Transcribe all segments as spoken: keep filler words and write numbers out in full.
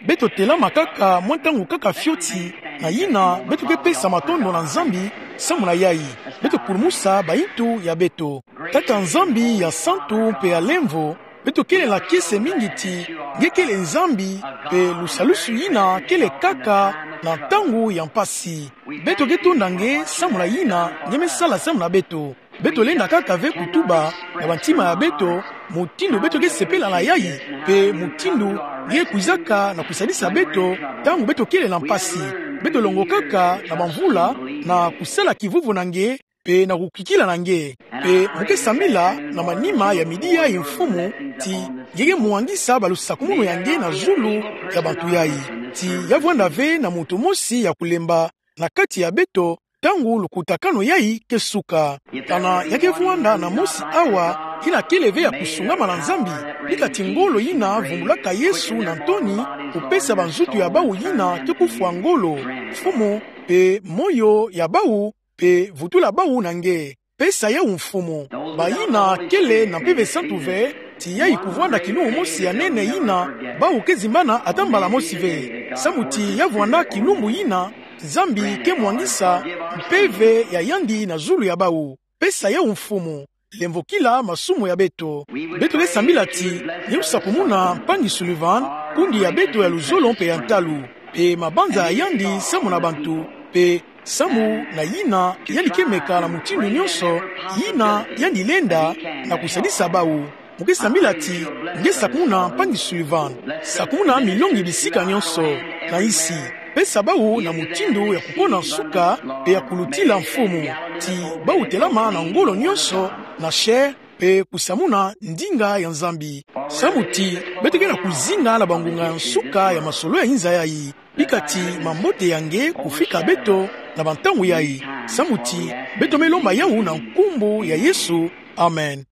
Beto telama kaka mwa ntangu kaka fioti, na yina beto ke pesa matondo na Nzambi samu na yayi. Beto kulumusa bayintu ya beto. Tata Nzambi ya santu mpe ya lemvo, beto kele na kiese mingi ti nge kele Nzambi, mpe lusalusu yina kele kaka na ntangu ya mpasi. Beto ke tonda nge samu na yina nge me sala samu na beto. Beto lenda kaka ve kutuba na bantima ya beto mutindu beto ke sepela na yayi, mpe mutindu nge kwizaka na kusadisa beto ntangu beto kele na mpasi. Beto longokaka na bamvula na kusala kivuvu na nge, mpe na kukikila na nge. Mpe mu ke sambila na manima ya midi yayi, Mfumu, ti nge ke mwangisa balusakumunu ya nge na zulu ya bantu yayi, ti ya vwanda ve na muntu mosi ya kulemba na kati ya beto ntangu lukutakanu yayi ke suka. Kana ya ke vwanda na mosi awa yina kele ve ya kusungama na Nzambi, bika ti ngolo yina vumbulaka Yesu na ntoni, kupesa banzutu ya bawu yina ke kufwa ngolo, Mfumu, mpe moyo ya bawu, mpe vutula bawu na nge. Pesa yawu, Mfumu. Bayina kele na Mpeve Santu ve, ti yayi kuvwanda kilumbu mosi ya nene yina bawu ke zimbana ata mbala mosi ve. Samu ti ya vwanda kilumbu yina Nzambi ke mwangisa mpeve ya yandi na zulu ya bawu. Pesa yawu, Mfumu. Lemvokila masumu ya beto. Beto ke sambila ti nge kusakumuna Mpangi Sullivan, kundi ya beto ya luzolo mpe ya ntalu, mpe mabanza ya yandi samu na bantu, mpe samu na yina yandi ke meka na mutindu nyonso yina yandi lenda na kusadisa bawu. Mu ke sambila ti nge sakumuna Mpangi Sullivan, sakumuna milongi bisika nyonso na nsi. Pesa bawu na mutindu ya kukona nsuka mpe ya kulutila, Mfumu, ti bawu telama na ngolo nyonso na chair, mpe kusamuna ndinga ya Nzambi. Samu ti beto ke na kuzinga na bangunga ya nsuka ya masolo ya inza yayi, bika ti mambote ya nge kufika beto na bantangu yayi. Samu ti beto me lomba yawu na nkumbu ya Yesu. Amen.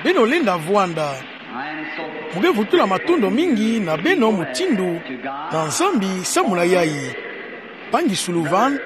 Beno lenda vwanda. Mu ke vutula matondo mingi na beno mutindu na Nzambi samu na yayi. Mpangi Sullivan,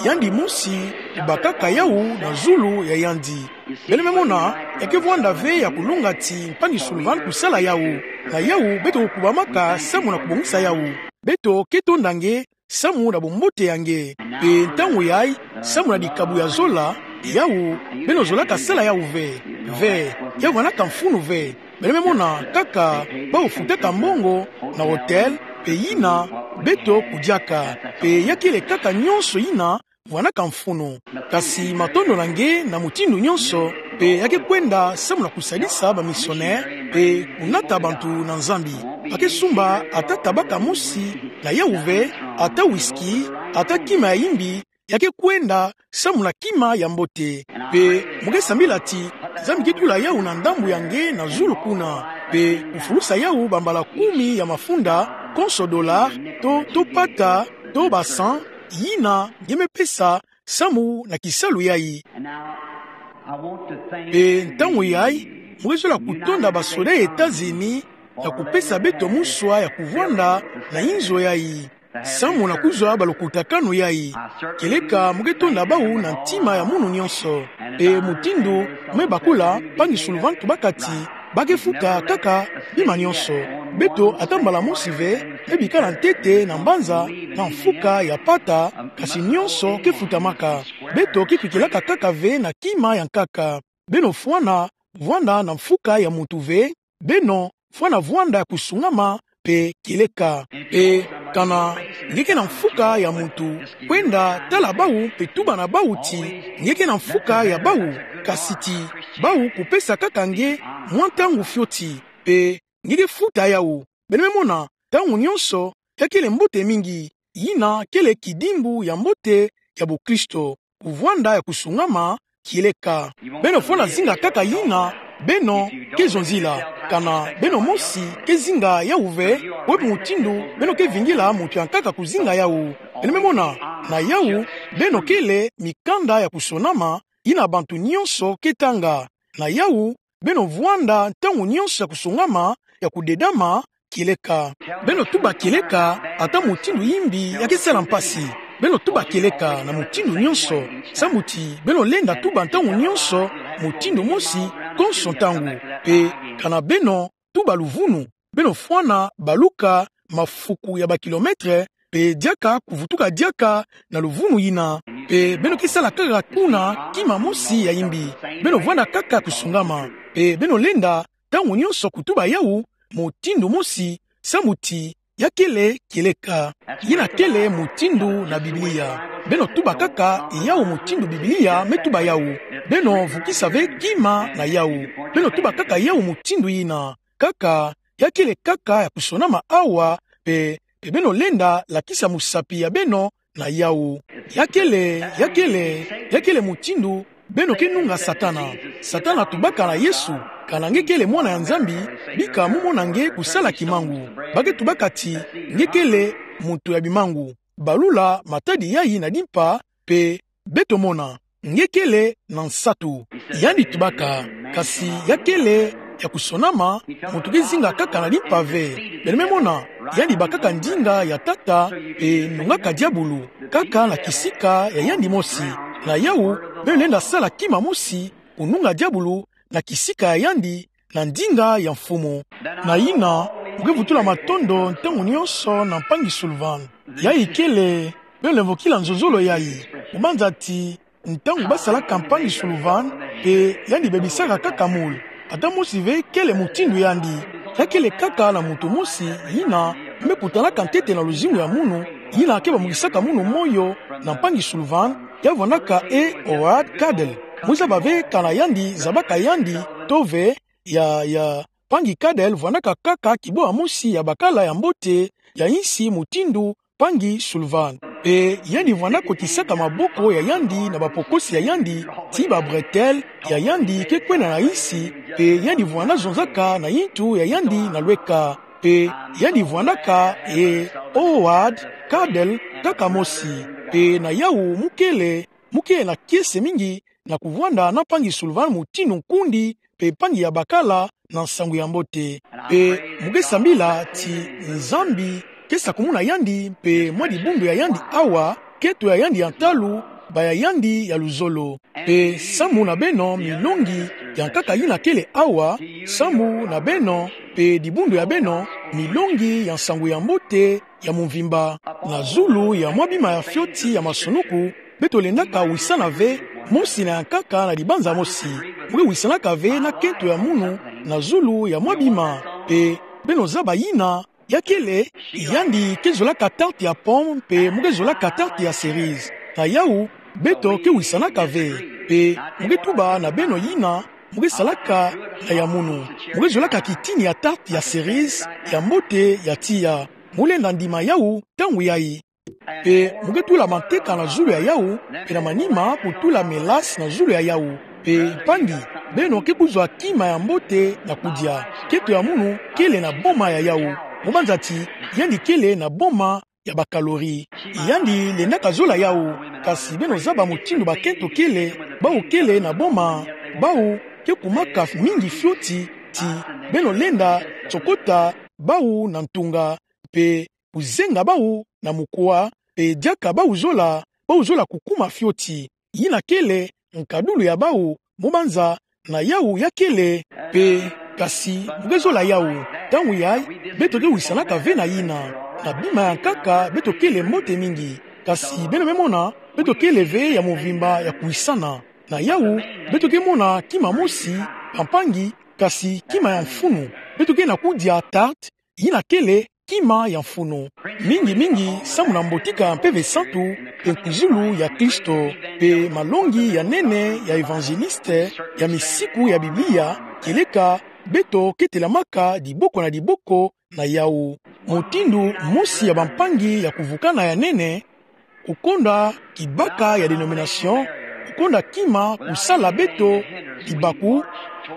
yandi mosi, kubakaka yawu na zulu ya yandi. Beno me mona, ya ke vwanda ve ya kulonga ti Mpangi Sullivan kusala yawu. Na yawu beto kukubamaka samu na kubongisa yawu. Beto ke tonda nge samu na bumbote ya nge. Mpe ntangu yayi, samu na dikabu ya zola, yawu, beno zolaka sala yawu ve. Ve, ya vwandaka mfunu ve. Beno me mona kaka bawu futaka mbongo na hotel, mpe yina beto kudiaka, mpe ya kele kaka nyonso yina vwandaka mfunu. Kasi matondo na nge na mutindu nyonso, mpe ya ke kwenda samu na kusadisa bamisionere, mpe kunata bantu na Nzambi. Ba ke sumba ata tabaka mosi na yawu ve, ata whisky, ata kima ya yimbi, ya ke kwenda samu na kima ya mbote. Mpe mu ke sambila ti Nzambi ke tula yawu na ndambu ya nge na zulu kuna, mpe kufulusa yawu bambala kumi ya mafunda, konso dollar, to, to pata, to ba cent, yina nge me pesa samu na kisalu yayi. Mpe ntangu yayi, mu ke zola kutonda basoda ya Etats-Unis na kupesa beto muswa ya kuvwanda na inzo yayi samu na kuzwa balukutakanu yayi. Kieleka mu ke tonda bawu na ntima ya munu nyonso. Mpe mutindu me bakula, Mpangi Sullivan tubaka ti ba ke futa kaka bima nyonso. Beto ata mbala mosi ve me bikala ntete na mbanza na mfuka ya pata, kasi nyonso ke futamaka. Beto ke kwikilaka kaka ve na kima ya nkaka. Beno fwana vwanda na mfuka ya muntu ve, beno fwana vwanda ya kusungama mpe kieleka. Mpe kana nge ke na mfuka ya muntu, kwenda tala bawu mpe tuba na bawu ti nge ke na mfuka ya bawu, kasi ti bawu kupesa kaka nge mwa ntangu fioti, mpe nge ke futa yawu. Beno me mona, ntangu nyonso, ya kele mbote mingi, yina kele kidimbu ya mbote ya bokristo, kuvwanda ya kusungama kieleka. Beno fwana zinga kaka yina beno ke zonzila. Kana beno mosi ke zinga yawu ve, bwe mutindu beno ke vingila muntu ya nkaka kuzinga yawu. Beno me mona, na yawu, beno kele mikanda ya kusonama, yina bantu nyonso ke tanga. Na yawu, beno vwanda ntangu nyonso ya kusungama, ya kudedama kieleka. Beno tuba kieleka ata mutindu yimbi ya ke sala mpasi. Beno tuba kieleka na mutindu nyonso, samu ti beno lenda tuba ntangu nyonso mutindu mosi konso ntangu. Mpe kana beno tuba luvunu. Beno fwana baluka mafuku ya bakilometre, pe diaka kuvutuka diaka na luvunu yina. Pe beno ke sala kaka kuna kima mosi ya imbi. Beno vwanda kaka kusungama. Pe beno lenda ntangu nyonso kutuba yawu mutindu mosi, samu ti ya kele kieleka. Yina kele mutindu na Biblia. Beno tuba kaka yawu mutindu Biblia me tuba yawu. Beno vukisa ve kima na yawu. Beno tuba kaka yawu mutindu yina. Kaka, ya kele kaka ya kusonama awa, pe, pe beno lenda lakisa musapi ya beno na yawu. Ya kele, ya kele, ya kele mutindu beno ke nunga Satana. Satana tubaka na Yesu: Kana nge kele mwana ya Nzambi, bika mu mona nge kusala kimangu. Ba ke tubaka ti nge kele muntu ya bimangu. Balula matadi yayi na dimpa, pe beto mona nge kele na nsatu. Yandi tubaka: Kasi ya kele ya kusonama, muntu ke zinga kaka na dimpa ve. Beno me mona, yandi bakaka ndinga ya Tata, pe nungaka diabulu kaka na kisika ya yandi mosi. Na yawu, beno lenda sala kima mosi, kununga diabulu na kisika ya yandi, na ndinga ya Mfumu. Na yina, mu ke vutula matondo ntangu nyonso na mpangi Sullivan. Yayi kele, beno lemvokila nzonzolo yayi. Mu banza ti ntangu ba salaka mpangi Sullivan, pe yandi bebisaka kaka moule. Ata mosi ve kele mutindu yandi. Ya kele kaka na muntu mosi yina me kutanaka ntete na luzingu ya munu, yina ke bamukisaka munu moyo na mpangi Sullivan, ya vwandaka E. Howard Caudill. Mu zaba ve kana yandi zabaka yandi to ve. Ya, ya mpangi Caudill vwandaka kaka kiboa mosi ya bakala ya mbote ya insi mutindu mpangi Sullivan. Pe yandi vwanda kotisaka maboko ya yandi na bapokosi ya yandi, ti ba bretelle ya yandi ke kwenda na insi, pe yandi vwanda zonzaka na yintu ya yandi na lweka. Pe yandi vwandaka E. Howard Caudill kaka mosi. Pe na yawu mu kele, mu kele na kiese mingi na kuvwanda na mpangi Sullivan mutindu nkundi pe mpangi ya bakala na nsangu ya mbote. Pe mu ke sambila ti Nzambi ke sakumuna yandi pe mwa dibundu ya yandi awa, kento ya yandi ya ntalu, baya yandi ya luzolo. Pe samu na beno milongi ya nkaka yina kele awa, samu na beno pe dibundu ya beno milongi ya nsangu ya mbote ya mvimba. Na zulu ya mwa bima ya fioti ya masunuku, beto lendaka wisana ve, mosi na ya nkaka na dibanza mosi. Mu ke wisanaka ve na kento ya munu na zulu ya mwa bima. Pe beno zaba yina, ya kele, yandi ke zolaka tarte ya pomme, pe mu ke zolaka tarte ya cerise. Na yawu, beto ke wisanaka ve. Pe mu ke tuba na beno yina, mu ke salaka na ya munu. Mu ke zolaka kitini ya tarte ya cerise ya mbote ya tiya. Mu lenda ndima yawu ntangu yayi. Pe mu ke tula manteka na zulu ya yawu, pe na manima kutula mélasse na zulu ya yawu. Pe mpangi, beno ke kuzwa kima ya mbote na kudia. Kento ya munu kele na boma ya yawu. Mu banza ti yandi kele na boma ya ba calories. Yandi lendaka zola yawu, kasi beno zaba mutindu bakento kele, bawu kele na boma, bawu ke kumaka mingi fioti, ti beno lenda tsokota bawu na ntunga, pe kuzenga bawu na mukwa, pe diaka bawu zola, bawu zola kukuma fioti. Yina kele nkadulu ya bawu, mu banza na yawu ya kele. Pe, kasi mu ke zola yawu, ntangu yayi, beto ke wisanaka ve na yina. Na bima ya nkaka beto kele mbote mingi. Kasi beno me mona, beto kele ve ya mvimba ya kuwisana. Na yawu, beto ke mona kima mosi, bampangi, kasi kima ya mfunu. Beto ke na kudia tarte, yina kele kima ya mfunu. Mingi mingi samu na mbotika ya Mpeve Santu, pe nkuzulu ya Kristo, pe malongi ya nene ya évangéliste, ya misiku ya Biblia, kieleka beto ke telamaka diboko na diboko na yawu. Mutindu mosi ya bampangi ya kuvukana ya nene, kukonda kibaka ya dénomination, kukonda kima kusala beto libaku,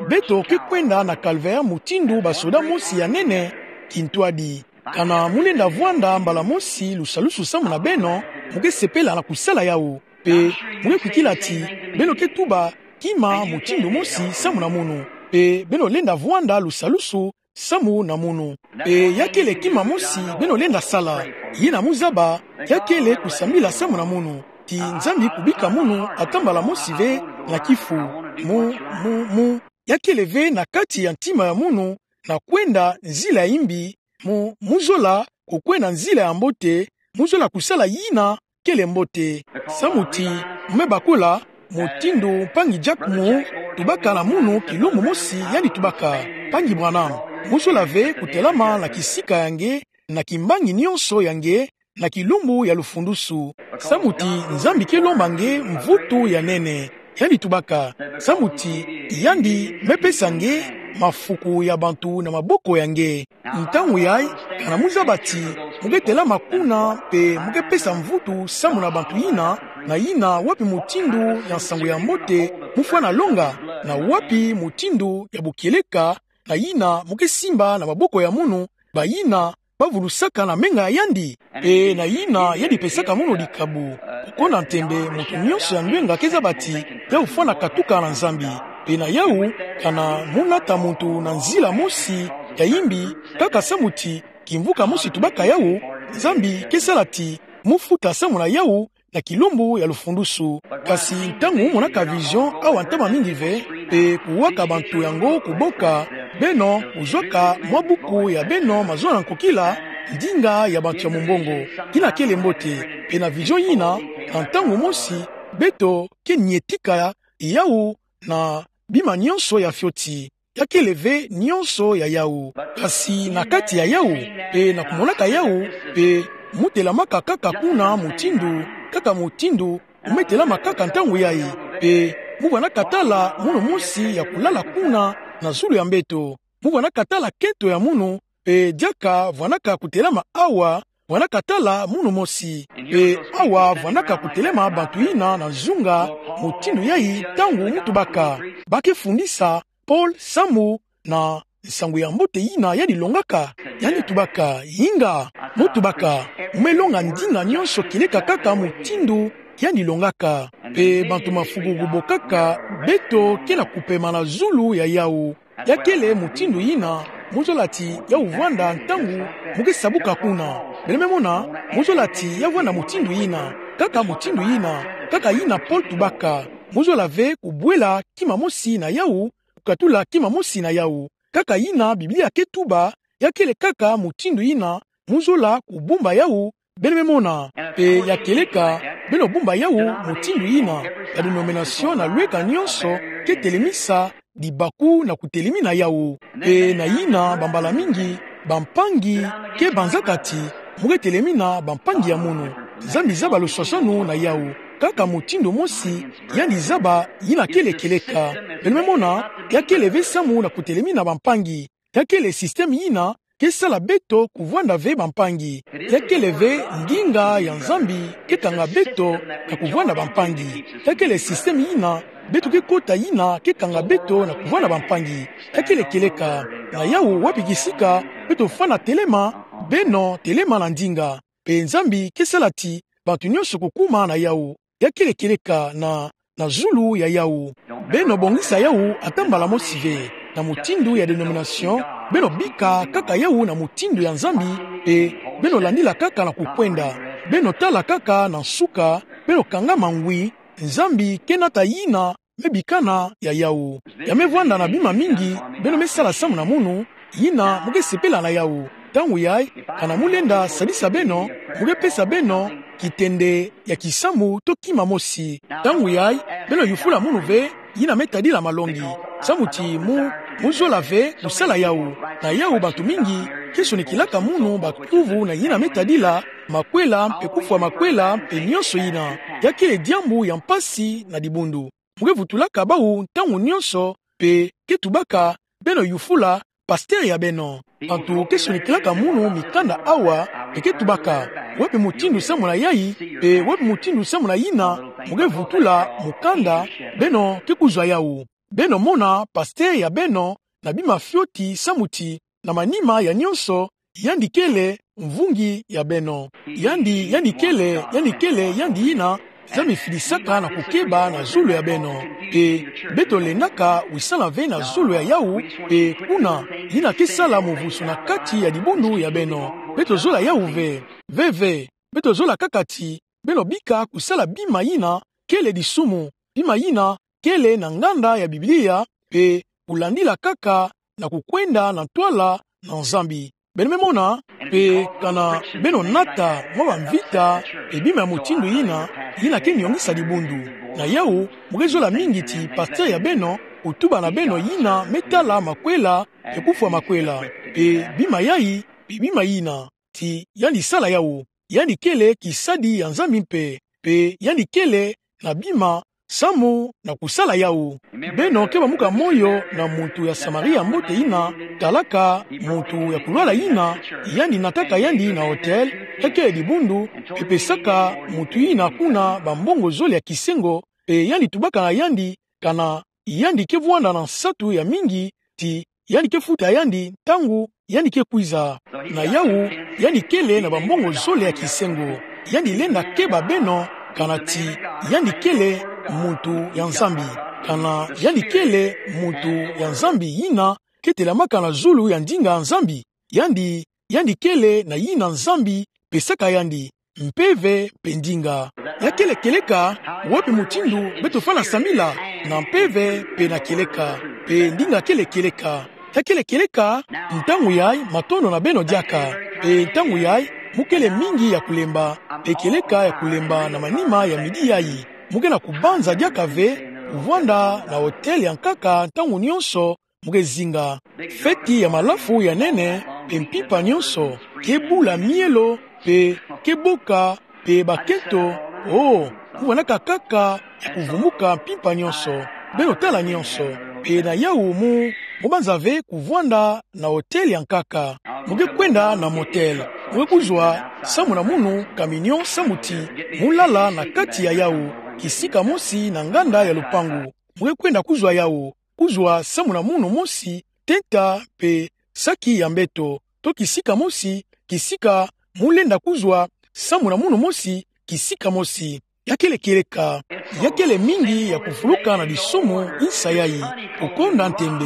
beto ke kwenda na calvaire mutindu basoda mosi ya nene, kintwadi. Kana mu lenda vwanda mbala mosi lusalusu samu na beno, mu ke sepela na kusala yawu. Pe mu ke kwikila ti beno ke tuba kima mutindu mosi samu na munu. Pe beno lenda vwanda lusalusu samu na munu. Pe ya kele kima mosi beno lenda sala. Yina mu zaba, ya kele kusambila samu na munu, ti Nzambi kubika munu ata mbala mosi ve na kifu. Mu, mu, mu, ya kele ve na kati ya ntima ya munu, na kwenda nzila ya imbi, mu, mu zola kukwenda nzila ya mbote, mu zola kusala yina kele mbote. Samu ti, mu me bakola, mutindu mpangi Jack Moore tubaka na munu kilumbu mosi yandi tubaka: Mpangi Branham, mu zola ve kutelama na kisika ya nge, na kimbangi nionso ya nge, na kilumbu ya lufundusu. Samu ti Nzambi ke lomba nge mvutu ya nene. Yandi tubaka, samu ti yandi me pesa nge mafuku ya bantu na maboko ya nge. Ntangu yayi, kana mu zaba ti mu ke telama kuna mpe mu ke pesa mvutu samu na bantu yina na yina, wapi mutindu ya nsangu ya mbote mu fwana longa, na wapi mutindu ya bukieleka na yina mu ke simba na maboko ya munu, bayina ba vulusaka na menga ya yandi, mpe na yina yandi pesaka munu dikabu. Kukonda ntembe, muntu nionso ya ndwenga ke zaba ti yau fwana katuka na Nzambi. Mpe na yau, kana mu nata muntu na nzila mosi ya imbi, kaka samu ti kimvuka mosi tubaka yau, Nzambi ke sala ti mu futa samu na yau na kilumbu ya lufundusu. Kasi ntangu mu monaka vision awa ntama mingi ve, mpe kuwaka bantu yango kuboka, beno kuzwaka mwa buku ya beno Mazono na Nkokila, ndinga ya bantu ya mumbongo, yina kele mbote. Mpe na vision yina, na ntangu mosi, beto ke nietika yau na bima nionso ya fioti. Ya kele ve nionso ya yau, kasi na kati ya yau, mpe na kumonaka yau, mpe mu telamaka kaka kuna mutindu, kaka mutindu mu me telama kaka ntangu yayi, mpe mu vwanaka tala munu mosi ya kulala kuna na zulu ya mbeto. Mu vwanaka tala kento ya munu, mpe diaka vwanaka kutelama awa, vwanaka tala munu mosi. Mpe awa vwanaka kutelama bantu yina na nzunga mutindu yayi ntangu mu tubaka: Ba ke fundisa Paul samu na nsangu ya mbote yina yandi longaka? Yandi tubaka: Inga. Mu tubaka: Mu me longa ndinga nionso kieleka kaka mutindu yandi longaka. Mpe bantu mafuku kubokaka, beto ke na kupema na zulu ya yau. Ya kele mutindu yina mu zola ti yau vwanda ntangu mu ke sabuka kuna. Beno me mona, mu zola ti ya vwanda mutindu yina, kaka mutindu yina, kaka yina Paul tubaka. Mu zola ve kubwela kima mosi na yau, kukatula kima mosi na yau. Kaka yina Biblia ke tuba, ya kele kaka mutindu yina mu zola kubumba yau. Beno me mona, mpe ya kieleka beno bumba yau mutindu yina, ya denomination na lweka nionso ke telemisa dibaku na kutelemina yau. Mpe na yina bambala mingi bampangi ke banzaka ti mu ke telemina bampangi ya munu. Nzambi zaba luswaswanu na yau. Kaka mutindu mosi yandi zaba, yina kele kieleka. Beno me mona, ya kele ve samu na kutelemina bampangi. Ya kele système yina ke sala beto kuvwanda ve bampangi. Ya kele ve ndinga ya Nzambi ke kanga beto na kuvwanda bampangi. Ya kele système yina beto ke kota yina ke kanga beto na kuvwanda bampangi. Ya kele kieleka. Na yau, wapi kisika beto fwana telema, beno telema na ndinga. Mpe Nzambi ke sala ti bantu nionso kukuma na yau. Ya kele kieleka na, na zulu ya yau. Beno bongisa yau ata mbala mosi ve. Na mutindu ya denomination, beno bika kaka yau na mutindu ya Nzambi, mpe beno landila kaka na kukwenda. Beno tala kaka na nsuka, beno kangama ngwi, Nzambi ke nata yina me bikana ya yau. Ya me vwanda na bima mingi beno me sala samu na munu, yina mu ke sepela na yau. Ntangu yayi, kana mu lenda sadisa beno, mu ke pesa beno kitende ya kisambu to kima mosi. Ntangu yayi, beno yufula munu ve yina me tadila malongi. Samu ti mu, mu zola ve kusala yau. Na yau bantu mingi ke sonikilaka munu bakuvu na yina me tadila makwela mpe kufwa makwela mpe nionso yina. Ya kele diambu ya mpasi na dibundu. Mu ke vutulaka bau ntangu nionso, mpe ke tubaka beno yufula pasteur ya beno. Bantu ke sonikilaka munu mikanda awa, mpe ke tubaka: Wapi mutindu samu na yayi, mpe wapi mutindu samu na yina? Mu ke vutula mukanda, beno ke kuzwa yau. Beno mona pasteur ya beno na bima fioti samu ti na manima ya nionso, yandi kele mvungi ya beno. Yandi, yandi kele, yandi kele, yandi yina Nzambi fidisaka na kukeba na zulu ya beno. Mpe beto lendaka wisana ve na zulu ya yau, mpe kuna, yina ke sala muvusu na kati ya dibundu ya beno. Beto zola yau ve. Ve ve, beto zola kaka ti beno bika kusala bima yina kele disumu, bima yina kele na nganda ya Biblia, mpe kulandila kaka na kukwenda na ntwala na Nzambi. Beno me mona, pe kana beno nata mwa bamvita, pe bima ya mutindu yina, yina ke niongisa dibundu. Na yawu, mo ke zola mingi ti pasteur ya beno, kutuba na beno yina me tala makwela, pe kufwa makwela, pe bima yayi, pe bima yina, ti yandi sala yawu. Yandi kele kisadi ya Nzambi mpe, pe yandi kele na bima samu na kusala yawu. Beno ke bamuka moyo na muntu ya Samaria mbote yina, talaka muntu ya kulwala yina, yandi nataka yandi na hotel, ya kele dibundu, pe pesaka muntu yina kuna bambongo zole ya kisengo, pe yandi tubaka na yandi, kana yandi ke vwanda na nsatu ya mingi, ti yandi ke futa yandi ntangu yandi ke kwiza. Na yawu, yandi kele na bambongo zole ya kisengo. Yandi lenda keba beno, kana ti yandi kele muntu ya Nzambi. Kana yandi kele muntu ya Nzambi yina ke telamaka na zulu ya ndinga Nzambi. Yandi, yandi kele na yina Nzambi pesaka yandi mpeve pe ndinga. Ya kele kieleka, wapi mutindu beto fwana samila, na mpeve pe na kieleka, pe ndinga kele kieleka. Ya kele kieleka, ntangu yayi matondo na beno diaka, pe ntangu yayi mo kele mingi ya kulemba, pe kieleka ya kulemba na manima ya midi yayi. Mo ke na kubanza diaka ve, kuvwanda na hotel ya nkaka ntangu nionso, mo ke zinga. Feti ya malafu ya nene, pe mpimpa nionso ke bula mielo, pe ke boka, pe bakento, oh, mo vwanaka kaka ya kuvumuka mpimpa nionso, beno tala nionso. Pe na yawu mo, mo banza ve kuvwanda na hotel ya nkaka. Mo ke kwenda na motel, mo ke kuzwa samu na munu camion samu ti mo lala na kati ya yawu, kisika mosi na nganda ya lupangu. Mo ke kwenda kuzwa yawu, kuzwa samu na munu mosi, tenta pe saki ya mbeto, to kisika mosi, kisika mo lenda kuzwa samu na munu mosi, kisika mosi. Ya kele kieleka, ya kele mingi ya kufuluka na disumu insa yayi, kukonda ntembe.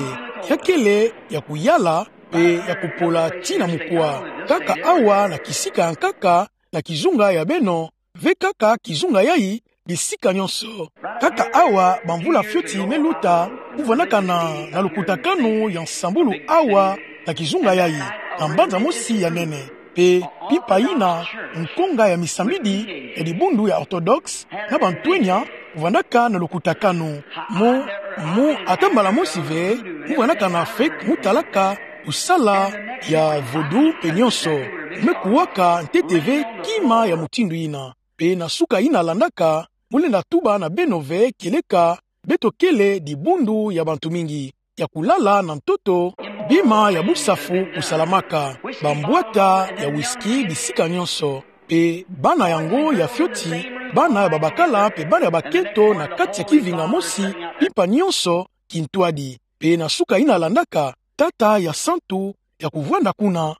Ya kele ya kuyala pe ya kupola tii na mukwa. Kaka awa na kisika ya nkaka, na kizunga ya beno, ve kaka kizunga yayi, bisika nionso. Kaka awa bamvula fioti me luta, mo vwanaka na, na lukutakanu ya nsambulu awa na kizunga yayi, na mbanza mosi ya nene. Pe mpimpa yina, nkonga ya misambidi ya dibundu ya orthodoxe, na bantwenya, mo vwanaka na lukutakanu. Mo, mo ata mbala mosi ve, mo vwanaka na fête, mo talaka kusala ya vaudou pe nionso. Mo me kuwaka ntete ve kima ya mutindu yina. Pe na suka yina landaka, mo lenda tuba na beno ve kieleka, beto kele dibundu ya bantu mingi ya kulala na ntoto, bima ya busafu kusalamaka, bambwata ya whisky bisika nionso, pe bana yango ya fioti, bana ya babakala pe bana ya bakento na kati ya kivinga mosi, mpimpa nionso kintwadi. Pe na suka yina landaka, tata ya santu ya kuvwanda kuna.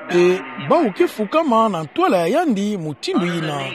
Pe bawu ke fukama na ntwala ya yandi mutindu yina,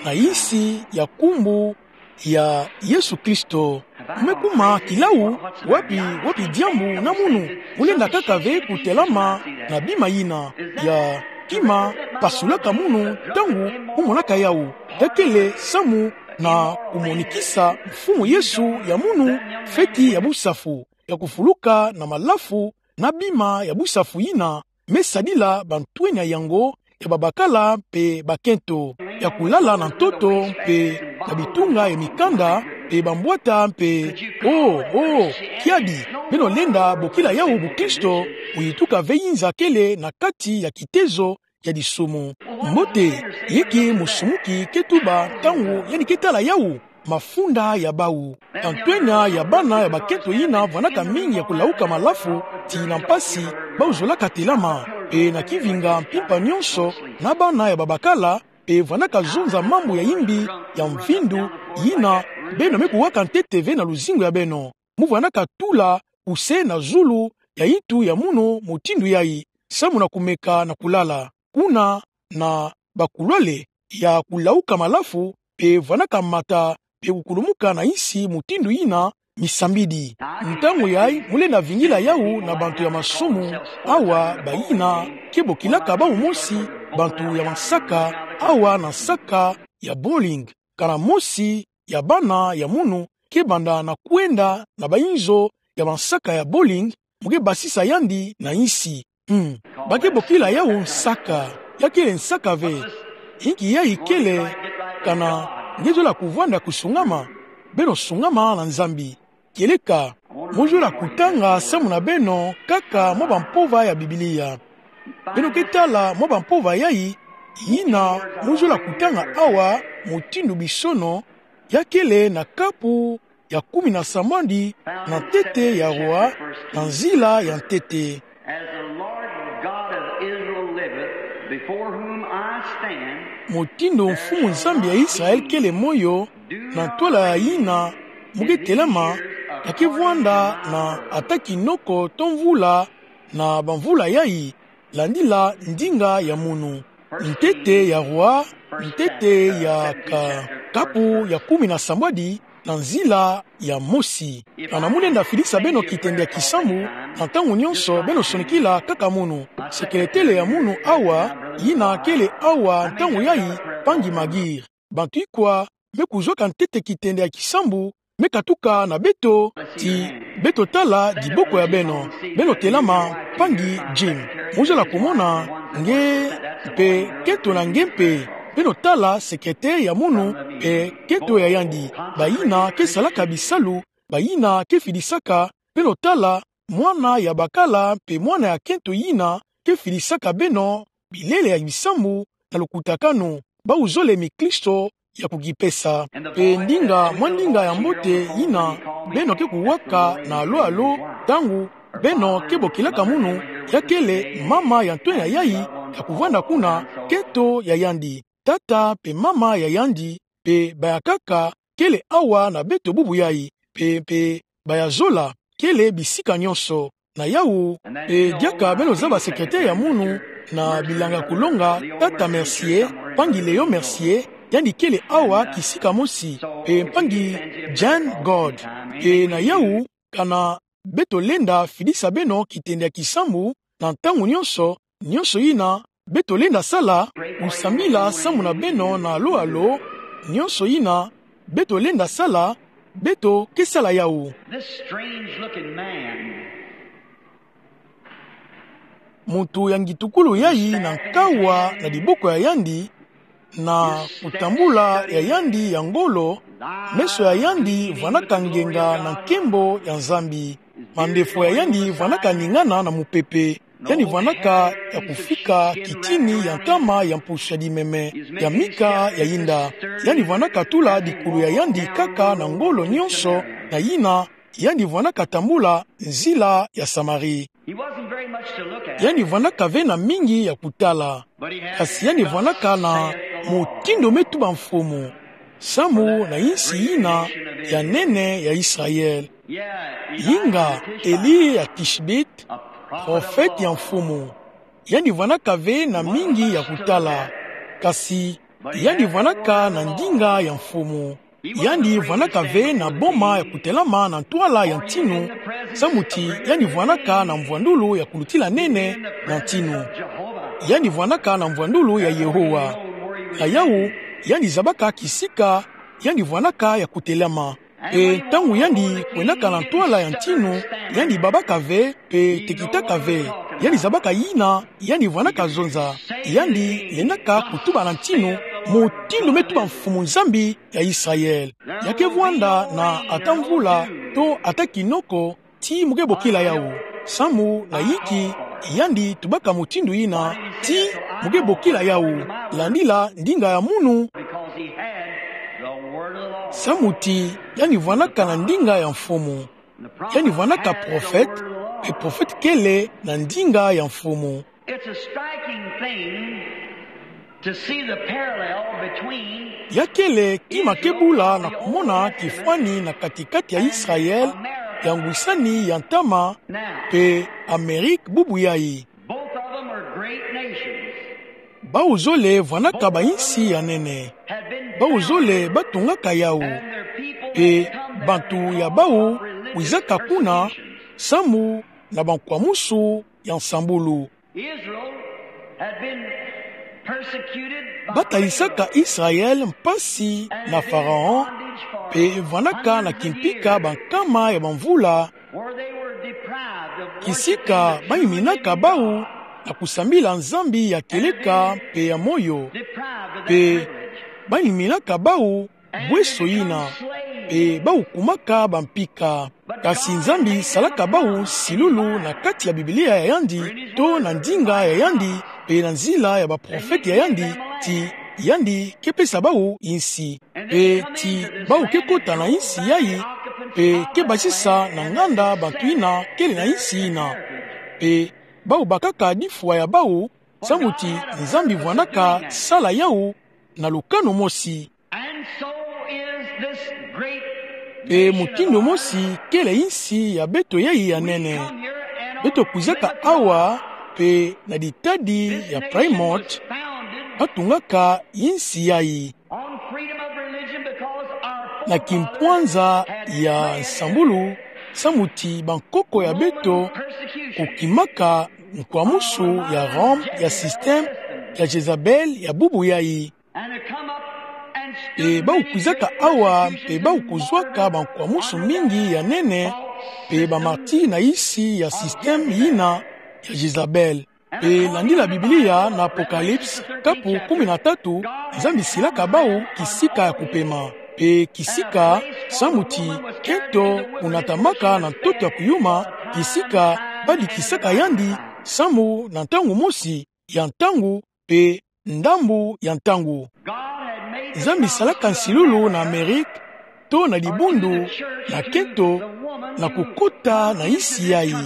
na insi ya nkumbu ya Yesu Kristo. Mo me kuma kilau, wapi, wapi diambu na munu? Mo lenda kaka ve kutelama na bima yina ya kima pasulaka munu ntangu mo monaka yawu. Ya kele samu na kumonikisa Mfumu Yesu ya munu feti ya busafu, ya kufuluka na malafu na bima ya busafu yina me sadila bantwenya yango ya babakala mpe bakento, ya kulala na ntoto mpe na bitunga ya mikanda mpe bambwata mpe, oh, oh, kiadi, beno lenda bokila yawu bukristo, kuyituka ve inza kele na kati ya kitezo ya disumu. Mbote, inki musumuki ke tuba ntangu yandi ke tala yawu? Mafunda ya bawu. Bantwenya ya bana ya bakento yina vwanaka mingi ya kulauka malafu, ti na mpasi, bawu zolaka telama, mpe na kivinga mpimpa nyonso, na bana ya babakala, mpe vwanaka zonza mambu ya imbi, ya mvindu, yina beno me kuwaka ntete ve na luzingu ya beno. Mo vwanaka tula kuse na zulu ya intu ya munu mutindu yayi, samu na kumeka na kulala. Kuna na bakulwale ya kulauka malafu, mpe vwanaka mata, mpe kukulumuka na insi mutindu yina misambidi. Ntangu yayi, mo lenda vingila yawu na bantu ya masumu, awa bayina ke bokilaka bawu mosi bantu ya mansaka, awa na nsaka ya bowling. Kana mosi ya bana ya munu ke banda na kwenda na bayinzo ya mansaka ya bowling, mo ke basisa yandi na insi. Hmm. Ba ke bokila yawu nsaka. Ya kele nsaka ve. Inki yayi kele, kana nge zola kuvwanda kusungama. Beno sungama na Nzambi. Kieleka, mo zola kutanga samu na beno kaka mwa bampova ya Biblia. Beno ke tala mwa bampova yayi, yina mo zola kutanga awa, mutindu bisono, ya kele na kapu ya kumi na sambwadi, na ntete ya roi, na nzila ya ntete. As the Lord God of Israel liveth, before whom I stand, mutindu Mfumu Nzambi ya Israel kele moyo, na ntwala ya yina mo ke telama, ka ke vwanda na ata kinoko to mvula na bamvula yayi, landila ndinga ya munu. Ntete ya roi, ntete ya ka-, kapu ya kumi na sambwadi, na nzila ya mosi. Kana mo lenda fidisa beno Kitende ya kisambu, na ntangu nyonso beno sonikila kaka munu. Sekeletele ya munu awa, yina kele awa ntangu yayi, mpangi Magir. Bantu ikwa me kuzwaka ntete Kitende ya kisambu, me katuka na beto, ti beto tala diboko ya beno. Beno telama, mpangi Jim. Mo zola kumona nge mpe nkento na nge mpe. Beno tala sekeletele ya munu mpe nkento ya yandi. Bayina ke salaka bisalu, bayina ke fidisaka, beno tala mwana ya bakala mpe mwana ya nkento yina ke fidisaka beno bilele ya bisambu na lukutakanu. Bawu zole mikristo ya kukipesa. Mpe ndinga, mwa ndinga ya mbote yina beno ke kuwaka na alo alo, ntangu beno ke bokilaka munu, ya kele mama ya ntwenya yayi ya kuvwanda kuna, nkento ya yandi, tata mpe mama ya yandi, mpe bayankaka kele awa na beto bubu yayi, mpe, mpe bayazola kele bisika nyonso. Na yawu, mpe diaka beno zaba sekeletele ya munu na bilanga kulonga, tata Mercier, mpangi Léon Mercier, yandi kele awa kisika mosi, mpe mpangi Jane Godd. Mpe na yawu, kana beto lenda fidisa beno Kitende ya kisambu, na ntangu nyonso, nyonso yina beto lenda sala, kusambila samu na beno na alo alo, nyonso yina beto lenda sala, beto ke sala yawu. This strange looking man, muntu ya ngitukulu yayi na nkawa na diboko ya yandi, na kutambula ya yandi ya ngolo, meso ya yandi vwanaka ngenga na nkembo ya Nzambi. Mandefo ya yandi vwanaka ningana na mupepe. Yandi vwanaka ya kufika kitini ya nkama ya mpusu ya dimeme ya mika ya yinda. Yandi vwanaka tula dikulu ya yandi kaka na ngolo nyonso, na yina yandi vwanaka tambula nzila ya Samari. He wasn't very much to look at. Yandi vwanaka ve na mingi ya kutala. Kasi yandi vwanaka na mutindu me tuba mfumu, samu na insi yina ya nene ya Israel. Yinga, Eli ya Tishbite, profete ya mfumu. Yandi vwanaka ve na mingi ya kutala. Kasi yandi vwanaka na ndinga ya mfumu. Yandi vwanaka ve na boma ya kutelama na ntwala ya ntinu, samu ti yandi vwanaka na mvwandulu ya kulutila nene na ntinu. Yandi vwanaka na mvwandulu ya Yehowa. Na yawu, yandi zabaka kisika yandi vwanaka ya kutelama. Mpe ntangu yandi kwendaka na ntwala ya ntinu, yandi babaka ve, mpe tekitaka ve. Yandi zabaka yina yandi vwanaka zonza. Yandi lendaka kutuba na ntinu, mutindu me tuba Mfumu Nzambi ya Israel. Ya ke vwanda na ata mvula to ata kinoko, ti mo ke bokila yawu. Samu na yinki yandi tubaka mutindu yina, ti mo ke bokila yawu? Landila ndinga ya munu. Samu ti yandi vwanaka na ndinga ya Mfumu. Yandi vwanaka profete, mpe profete kele na ndinga ya Mfumu. It's a striking thing to see the parallel between. Ya kele kima ke bula na kumona kifwani na kati-kati ya Israel, ya ngwisani ya ntama, mpe Amerike bubu yayi. Both of them are great nations. Bawu zole vwanaka ba insi ya nene. Bawu zole batungaka yawu. Mpe bantu ya bawu kwizaka kuna samu na bankwamusu ya nsambulu. Israel had been persecuted by Batalisaka Israel mpasi na Pharaon, mpe vwanaka na kimpika bankama ya bamvula, where they were deprived Kisika bamiminaka bau na kusambila Nzambi ya kieleka mpe ya moyo. Mpe bamiminaka bau bweso yina, mpe bau kumaka bampika. Kasi Nzambi salaka bau nsilulu na kati ya Biblia ya yandi, to na ndinga ya yandi, mpe na nzila ya baprofete ya yandi, ti yandi ke pesa bau insi. Mpe ti bau ke kota na insi yayi, mpe ke basisa na nganda bantu yina kele na insi yina. Mpe bau bakaka difwa ya bau, samu ti Nzambi vwanaka sala yau na lukanu mosi. And so is this great Mpe nation mutindu of ours. Mosi kele insi ya beto yayi ya nene. Beto kwizaka awa, mpe na ditadi ya Plymouth, batungaka insi yayi. On freedom of religion because our forefathers na kimpwanza ya nsambulu, samu ti bankoko ya beto kukimaka nkwamusu ya Rome, ya système ya Jezabel ya bubu yayi. And to come up and mpe bau kwizaka awa, mpe bau kuzwaka bankwamusu mingi ya nene, mpe bamartiri na insi ya système yina ya Jezabel. Mpe landila Biblia na Apocalypse, kapu kumi na tatu, Nzambi silaka bau kisika ya kupema. Mpe kisika, samu ti kento kunatamaka na ntoto ya kuyuma, kisika badikisaka yandi samu na ntangu mosi ya ntangu, mpe ndambu ya ntangu. Nzambi salaka nsilulu na Amerike, to na dibundu, na kento, na kukota na insi yayi.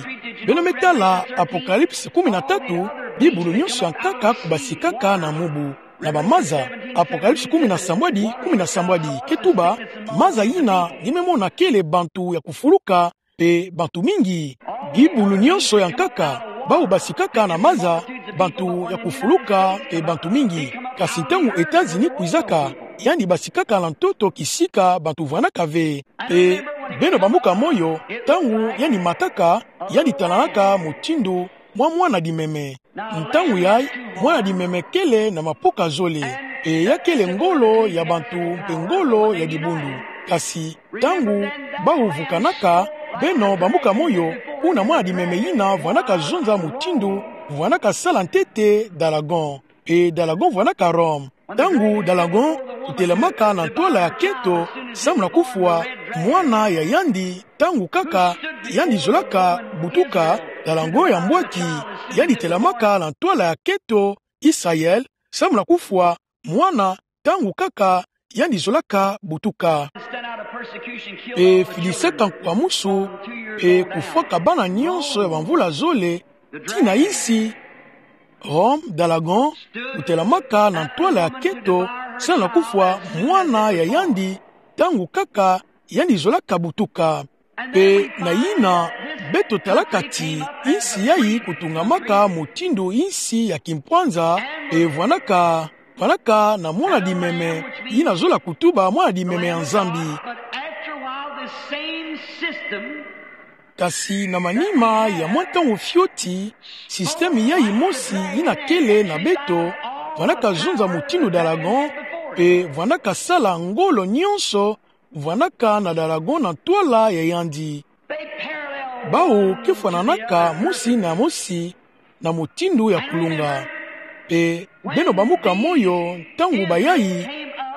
Beno me tala Apocalypse kumi na tatu, bibulu nyonso ya nkaka kubasikaka na mubu, na bamaza. Apocalypse kumi na sambwadi, kumi na sambwadi, ke tuba, maza yina nge me mona kele bantu ya kufuluka, mpe bantu mingi. Bibulu nyonso ya nkaka, bau basikaka na maza, bantu ya kufuluka, mpe bantu mingi. Kasi ntangu États-Unis kwizaka, yandi basikaka na ntoto kisika bantu vwanaka ve. Mpe beno bambuka moyo, ntangu yandi mataka, yandi talanaka mutindu mwa mwana dimeme. Ntangu yayi, mwana dimeme kele na mapoka zole, mpe ya kele ngolo ya bantu mpe ngolo ya dibundu. Kasi ntangu bau vukanaka, beno bambuka moyo, kuna mwana dimeme yina vwanaka zonza mutindu vwanaka sala ntete Dalagon. Mpe Dalagon vwanaka Rome. Ntangu Dalagon kutelamaka na ntwala ya kento, samu na kufwa mwana ya yandi, ntangu kaka yandi zolaka butuka, Dalagon ya mbwaki, yandi telamaka na ntwala ya kento Israël, samu na kufwa mwana, ntangu kaka yandi zolaka butuka. Mpe fidisaka nkwamusu, mpe kufwaka bana nyonso ya bamvula zole, tii na insi Rome, Dalagon kutelamaka na ntwala ya kento, samu na kufwa mwana ya yandi, ntangu kaka yandi zolaka butuka. Mpe na yina, beto talaka ti insi yayi kutungamaka mutindu insi ya kimpwanza, mpe vwanaka, vwanaka na mwana dimeme, yina zola kutuba mwana dimeme ya Nzambi. But after a while, the same system Kasi na manima ya mwa ntangu fioti, système yayi mosi yina kele na beto, vwanaka zonza mutindu Dalagon, mpe vwanaka sala ngolo nyonso vwanaka na Dalagon na ntwala ya yandi. Bau ke fwananaka mosi na mosi na mutindu ya kulunga. Mpe beno bambuka moyo, ntangu bayayi,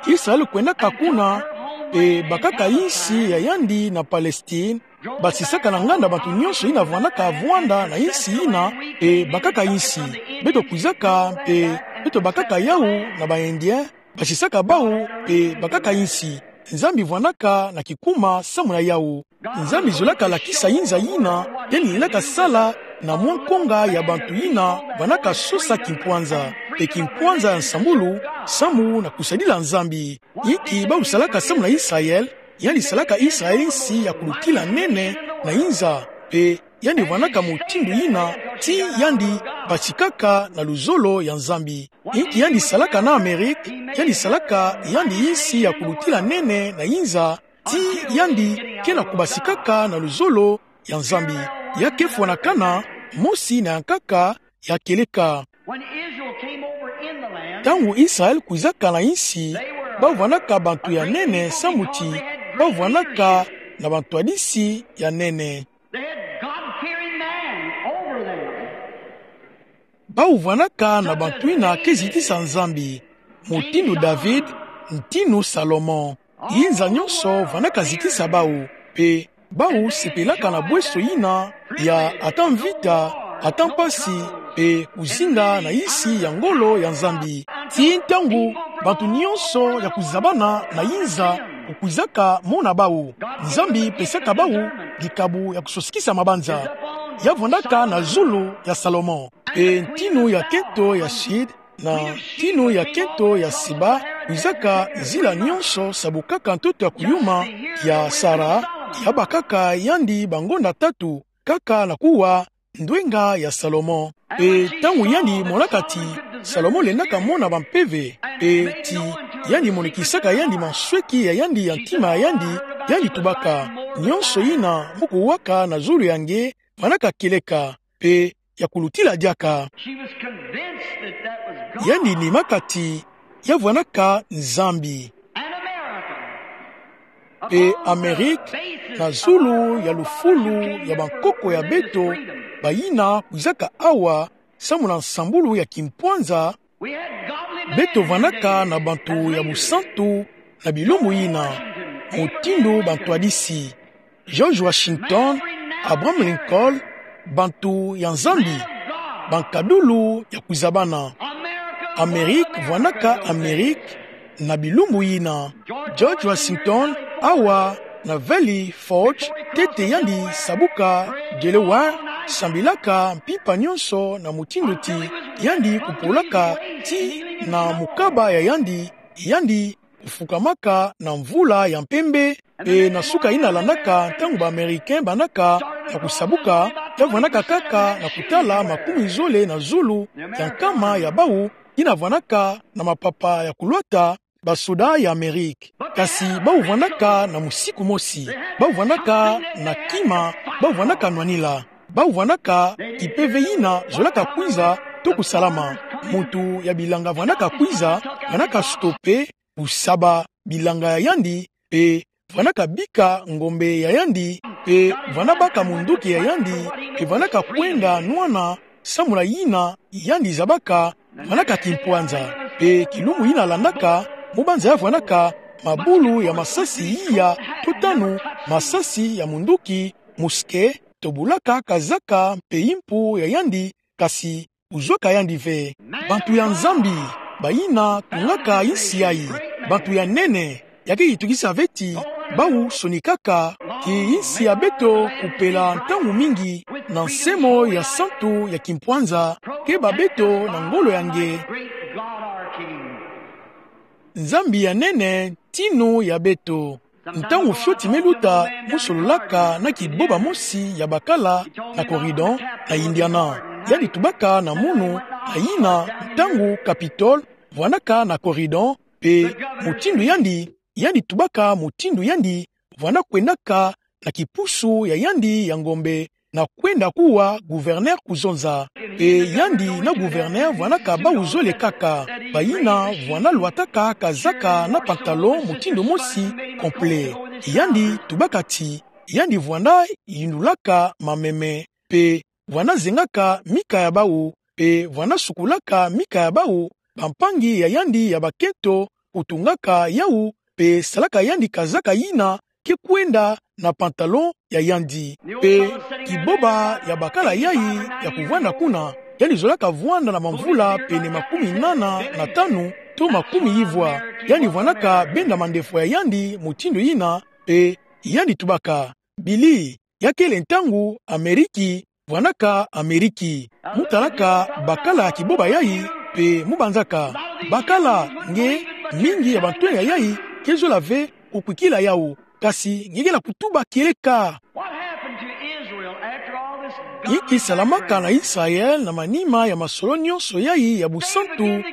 Israël kwendaka kuna, mpe bakaka insi ya yandi na Palestine, basisaka na nganda bantu nyonso yina vwanaka vwanda na insi yina, mpe bakaka insi. Beto kwizaka, mpe beto bakaka yau na ba Indien, basisaka bau, mpe bakaka insi. Nzambi vwanaka na kikuma samu na yau. Nzambi zolaka lakisa inza yina yandi lendaka sala na mwa nkonga ya bantu yina vwanaka sosa kimpwanza. Mpe kimpwanza ya nsambulu, samu na kusadila Nzambi. Inki bau salaka samu na Israël? Yandi salaka Israël insi ya kulutila nene na inza. Mpe yandi vwanaka mutindu yina, tii yandi basikaka na luzolo ya Nzambi. Inki yandi salaka na Amérique? Yandi salaka yandi insi ya kulutila nene na inza, tii yandi ke na kubasikaka na luzolo ya Nzambi. Ya ke fwanakana mosi na ya nkaka ya kieleka. When Israel came over in the land, ntangu Israël kwizaka na insi, bau vwanaka bantu ya nene samu ti bau vwanaka na bantwadisi ya nene. They had God-fearing Bau vwanaka na bantu ina ke zitisa Nzambi, mutindu David, ntinu Salomon. Inza nyonso vwanaka zitisa bau, pe bau sepelaka na bweso ina ya ata mvita, ata mpasi, pe kuzinga na insi ya ngolo ya Nzambi. Ti ntangu bantu nyonso ya kuzabana na inza kukwizaka mona bau, Nzambi pesaka bau dikabu ya kusosikisa mabanza. Ya vwanaka na zulu ya Salomon. Pe ntinu ya kento ya Sid, na ntinu ya kento ya Seba, kwizaka nzila nyonso sabukaka ntoto ya kuyuma ya Sara, ya bakaka yandi bangonda tatu, kaka na kuwa ndwenga ya Salomon. Pe ntangu yandi monaka ti Salomon lendaka mona bampeve, pe ti yandi monekisaka yandi mansweki ya yandi ya ntima ya yandi, yandi tubaka: Nyonso ina mu kuwaka na zulu ya nge, vwanaka kieleka, pe ya kulutila diaka. She was convinced that that was God. Yandi nimaka ti ya vwanaka Nzambi. An American. Pe Amerike, na zulu ya lufulu ya bankoko ya beto, bayina kwizaka awa, samu na nsambulu ya kimpwanza, beto vwanaka na bantu ya busantu na bilumbu ina, mutindu bantwadisi George Washington, Abraham Lincoln, bantu ya Nzambi, bankadulu ya kuzabana. Amerike vwanaka Amerike na bilumbu ina. George Washington, awa na Valley Forge, ntete yandi sabuka Delaware, sambilaka mpimpa nyonso na mutindu ti yandi kupolaka ti na mukaba ya yandi, yandi kufukamaka na mvula ya mpembe. Pe na suka ina landaka, ntangu ba Americains bandaka na kusabuka, ya vwanaka kaka na kutala makumi zole na zulu ya nkama ya bau ina vwanaka na mapapa ya kulwata, basoda ya Amerike. Kasi bau vwanaka na musiku mosi, bau vwanaka na kima, bau vwanaka nwanila, bau vwanaka kipeve ina zolaka kwiza to kusalama. Muntu ya bilanga vwanaka kwiza, vwanaka stopper kusaba bilanga ya yandi, pe vwanaka bika ngombe ya yandi, pe vwana baka munduki ya yandi, pe vwanaka kwenda nwana, samu na ina yandi zabaka, vwanaka kimpwanza. Pe kilumbu ina landaka, mu banza ya vwanaka mabulu ya masasi iya to tanu, masasi ya munduki, musquet, tobulaka kazaka mpe impu ya yandi, kasi kuzwaka yandi ve. Bantu ya Nzambi, bayina tungaka insi yayi, bantu ya nene, ya ke yitukisa ve ti bau sonikaka, ti insi ya beto kupela ntangu mingi na nsemo ya santu ya kimpwanza, keba beto na ngolo ya nge. Nzambi ya nene, ntinu ya beto. Ntangu fioti me luta, mu sololaka na kiboba mosi ya bakala na Corydon, na Indiana. Yandi tubaka na munu, na ina, ntangu Capitole vwanaka na Corydon, pe mutindu yandi, yandi tubaka mutindu yandi vwana kwendaka na kipusu ya yandi ya ngombe, na kwenda kuwa gouverneur kuzonza. Pe yandi na gouverneur vwanaka bau zole kaka, bayina vwana lwataka kazaka na pantalon mutindu mosi, complet. Yandi tubaka ti yandi vwana yindulaka mameme, pe vwana zengaka mika ya bau, pe vwana sukulaka mika ya bau, bampangi ya yandi ya bakento kutungaka yau, pe salaka yandi kazaka yina ke kwenda na pantalon ya yandi. Pe kiboba ya bakala yayi ya kuvwanda kuna, yandi zolaka vwanda na mamvula pene makumi nana na tanu to makumi ivwa. Yandi vwanaka benda mandefwa ya yandi mutindu yina, pe yandi tubaka: Billy, ya kele ntangu Ameriki vwanaka Ameriki. Mu talaka bakala ya kiboba yayi, pe mu banzaka: Bakala, nge, mingi ya bantwenya yayi ke zola ve kukwikila yau, kasi nge ke na kutuba kieleka. What happened to Israel after all this? Inki salamaka na Israel na manima ya masolo nyonso yayi ya busantu?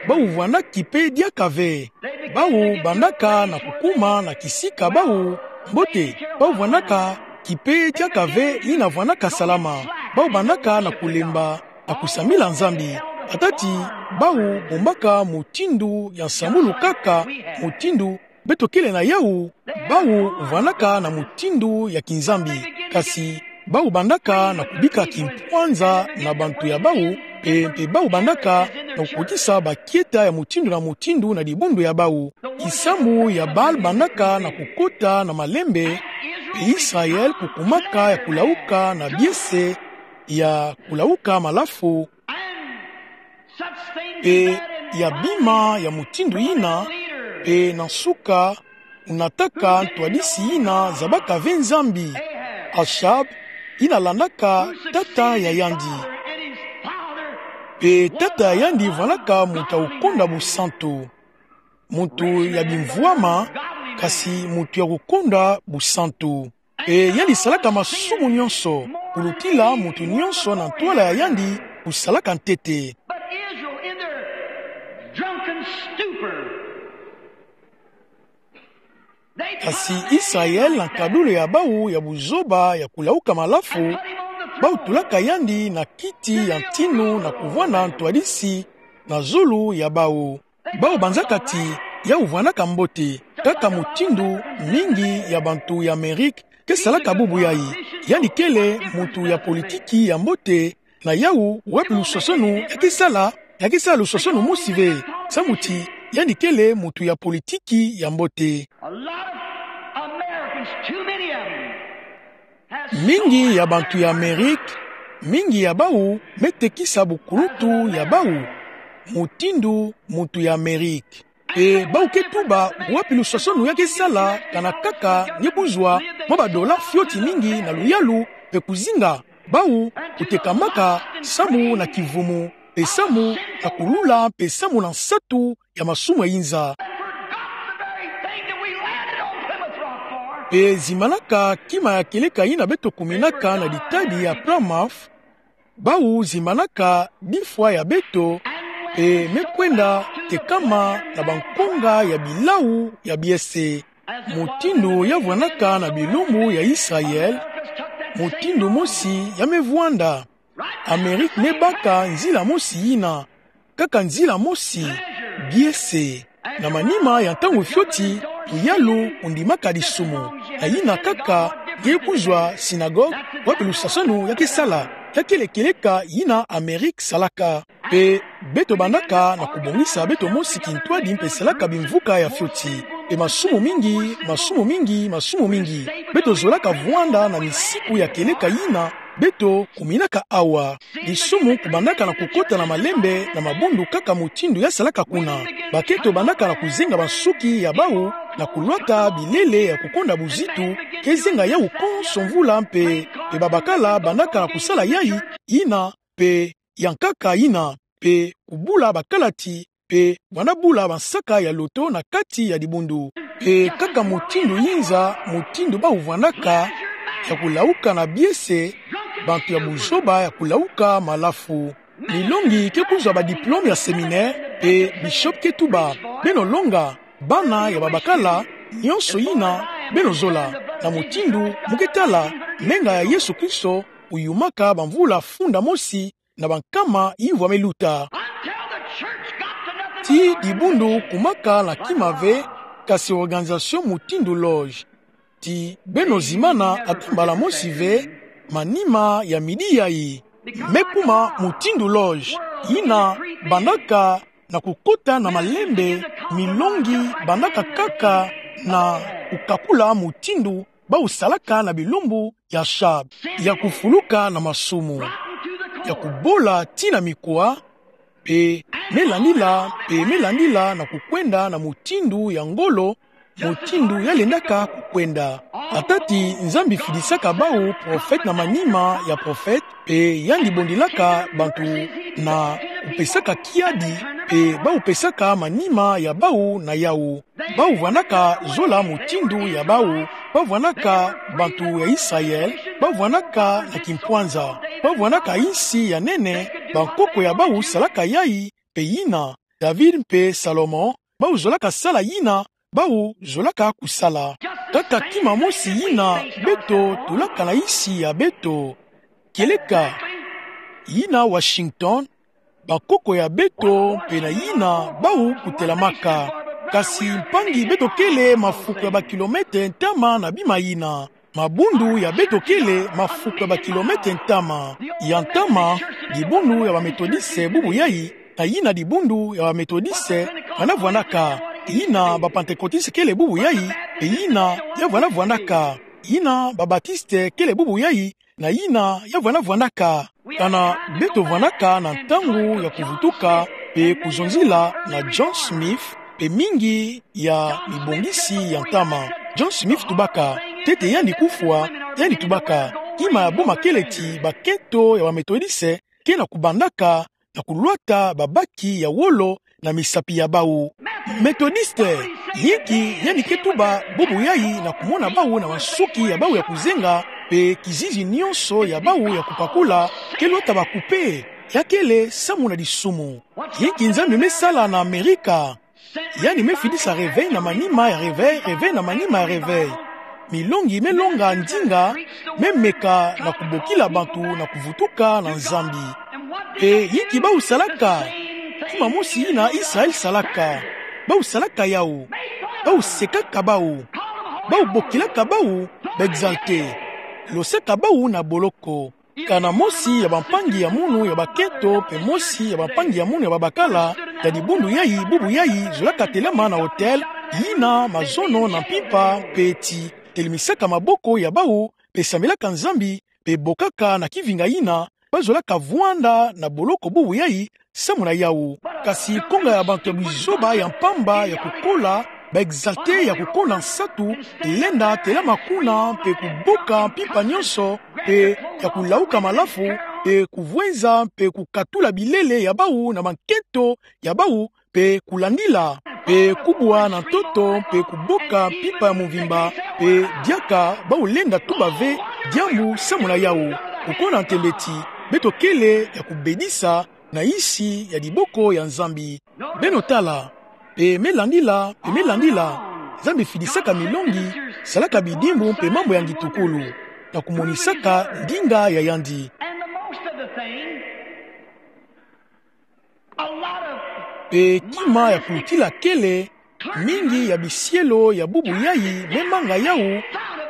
Bau vwanda kipe diaka ve. Bau bandaka na kukuma na kisika bau mbote. Bau vwandaka kipe diaka ve yina vwandaka salama. Bau bandaka na kulemba na kusambila Nzambi. Atati bau bombaka mutindu ya nsambulu kaka, mutindu beto kele na yau. Bau vwandaka na mutindu ya kinzambi. Kasi bau bandaka na kubika kimpwanza na bantu ya bau, Mpe, mpe bau bandaka na kukotisa bakieta ya mutindu na mutindu na dibundu ya bau. Kisambu ya Baal bandaka na kukota na malembe, mpe Israel kukumaka ya kulauka na biese ya kulauka malafu, mpe ya bima ya mutindu yina, mpe na nsuka kunataka ntwadisi yina zabaka ve Nzambi, Achab, yina landaka tata ya yandi. Mpe tata ya yandi vwandaka muntu ya kukonda busantu. Muntu ya bimvwama, kasi muntu ya kukonda busantu. Mpe yandi salaka masumu nyonso, kulutila muntu nyonso na ntwala ya yandi kusalaka ntete. But Israel in their drunken stupor, they put a man in the Kasi Israel na nkadulu ya bau ya buzoba ya kulauka malafu, bau tulaka yandi na kiti ya ntinu na kuvwanda ntwadisi na zulu ya bau. Bau banzaka ti yau vwandaka mbote, kaka mutindu mingi ya bantu ya Amerike ke salaka bubu yayi. Yandi kele muntu ya politiki ya mbote, na yau wapi lusosonu ya ke sala, ya ke sala lusosonu mosi ve, samu ti yandi kele muntu ya politiki ya mbote. A lot of Americans, too many of them, Mingi ya bantu ya Amerike, mingi ya bau me tekisa bukuluntu ya bau mutindu muntu ya Amerike. Mpe bau ke tuba wapi lusosonu ya ke sala, kana kaka nge kuzwa mwa badola fioti mingi na luyalu, mpe kuzinga bau kutekamaka samu na kivumu, mpe samu na kulula, mpe samu na nsatu ya masumu ya inza. Forgotten the very thing that we landed on Plymouth Rock for. Mpe zimbanaka kima ya kieleka yina beto kuminaka na ditadi ya Plymouth, bau zimbanaka difwa ya beto, mpe me kwenda tekama na bankonga ya bilau ya biese. Mutindu ya vwandaka na bilumbu ya Israel, mutindu mosi ya me vwanda. Amerike me baka nzila mosi yina, kaka nzila mosi, biese. Na manima ya ntangu fioti, luyalu kundimaka disumu. Na yina kaka nge kuzwa synagogue, wapi lusosonu ya ke sala, ya kele kieleka yina Amerike salaka. Mpe beto bandaka na kubongisa beto mosi kintwadi mpe salaka bimvuka ya fioti. Mpe masumu mingi, masumu mingi, masumu mingi beto zolaka vwanda na misiku ya kieleka yina beto kuminaka awa. Disumu kubandaka na kukota na malembe na mabundu kaka mutindu ya salaka kuna. Bakento bandaka na kuzenga bansuki ya bau na kulwata bilele ya kukonda buzitu, ke zenga yau konso mvula mpe, mpe babakala bandaka na kusala yayi, yina mpe ya nkaka yina, mpe kubula bakalati, mpe vwanda bula bansaka ya loto na kati ya dibundu. Mpe kaka mutindu inza, mutindu bau vwandaka ya kulauka na biese, bantu ya buzoba ya kulauka malafu. Milongi ke kuzwa badiplome ya séminaire, mpe bishop ke tuba: Beno longa, bana ya babakala, nyonso yina beno zola. Na mutindu mu ke tala, menga ya Yesu Kristo uyumaka bamvula funda mosi na bankama yimvwa me luta. Until the church got to nothing but an organization. Ti dibundu kumaka na kima ve, kasi organisation mutindu loge. Ti beno zimbana ata mbala mosi ve, manima ya midi yayi. Me kuma mutindu loge, yina bandaka na kukota na malembe, milongi bandaka kaka na kukakula mutindu bau salaka na bilumbu ya Achab, ya kufuluka na masumu, ya kubola tii na mikwa, mpe me landila, mpe me landila na kukwenda na mutindu ya ngolo, mutindu ya lendaka kukwenda. Ata ti Nzambi fidisaka bau prophète na manima ya prophète, mpe yandi bondilaka bantu na kupesaka kiadi, mpe bau pesaka manima ya bau na yau. Bau vwandaka zola mutindu ya bau, bau vwandaka bantu ya Israël, bau vwandaka na kimpwanza, bau vwandaka insi ya nene, bankoko ya bau salaka yayi, mpe yina David mpe Salomon bau zolaka sala yina bau zolaka kusala. Kaka kima mosi yina beto tulaka na insi ya beto. Kieleka yina Washington, bankoko ya beto mpe na yina bau kutelamaka. Kasi mpangi beto kele mafuku ya bakilometre ntama na bima yina. Mabundu ya beto kele mafuku ya bakilomètre ntama. Ya ntama, dibundu ya ba Methodiste bubu yai, na yina dibundu ya ba Methodiste vwanda-vwandaka. Yina ba Pentecôtiste kele bubu yai, pe yina ya vwanda-vwandaka. Yina ba Batiste kele bubu yai, na yina ya vwanda-vwandaka. Kana beto vwandaka na ntangu ya kuvutuka pe kuzonzila na John Smith pe mingi ya mibongisi ya ntama. John Smith tubaka, ntete yandi kufwa, yandi tubaka, kima ya boma kele ti bakento ya ba Methodiste ke na kubandaka na kulwata babaki ya wolo na misapi ya bau. Methodiste, yinki yandi ke tuba bubu yai na kumona bau na mansuki ya bau ya kuzenga, pe kizizi nyonso ya bau ya kupakula ke lwata bakupe, ya kele samu na disumu. Yinki Nzambi me sala na Amerika? Yandi me fidisa réveil na manima ya réveil, réveil na manima ya réveil. Milongi me longa ndinga, me meka na kubokila bantu na kuvutuka na Nzambi. Pe yinki bau salaka? Kima mosi yina Israël salaka. Bau salaka yawu. Bau sekaka bau. Bau bokilaka bau ba exaltés. Losaka bau na boloko. Kana mosi ya bampangi ya munu ya bakento pe mosi ya bampangi ya munu ya babakala ya dibundu yai bubu yai zolaka telama na autel, yina mazono na mpimpa pe ti telemisaka maboko ya bau pe sambilaka Nzambi pe bokaka na kivinga yina ba zolaka vwanda na boloko bubu yai samu na yawu. Kasi konga ya bantu ya buzoba ya mpamba ya kukola, ba exaltés ya kukonda nsatu, lenda telama kuna pe kubuka mpimpa nyonso, pe ya kulauka malafu, pe kuvwenza, pe kukatula bilele ya bau na bankento ya bau, pe kulandila, pe kubwa na ntoto, pe kubuka mpimpa ya mvimba, pe diaka bau lenda tuba ve diambu samu na yawu. Kukonda ntembe ti beto kele ya kubedisa na nsi ya diboko ya Nzambi. Beno tala, pe me landila, pe me landila, Nzambi fidisaka milongi, salaka bidimbu pe mambu ya ngitukulu, na kumonisaka ndinga ya yandi. And the most of the thing, a lot of Pe kima ya kulutila kele, mingi ya bisielo ya bubu yai me manga yawu,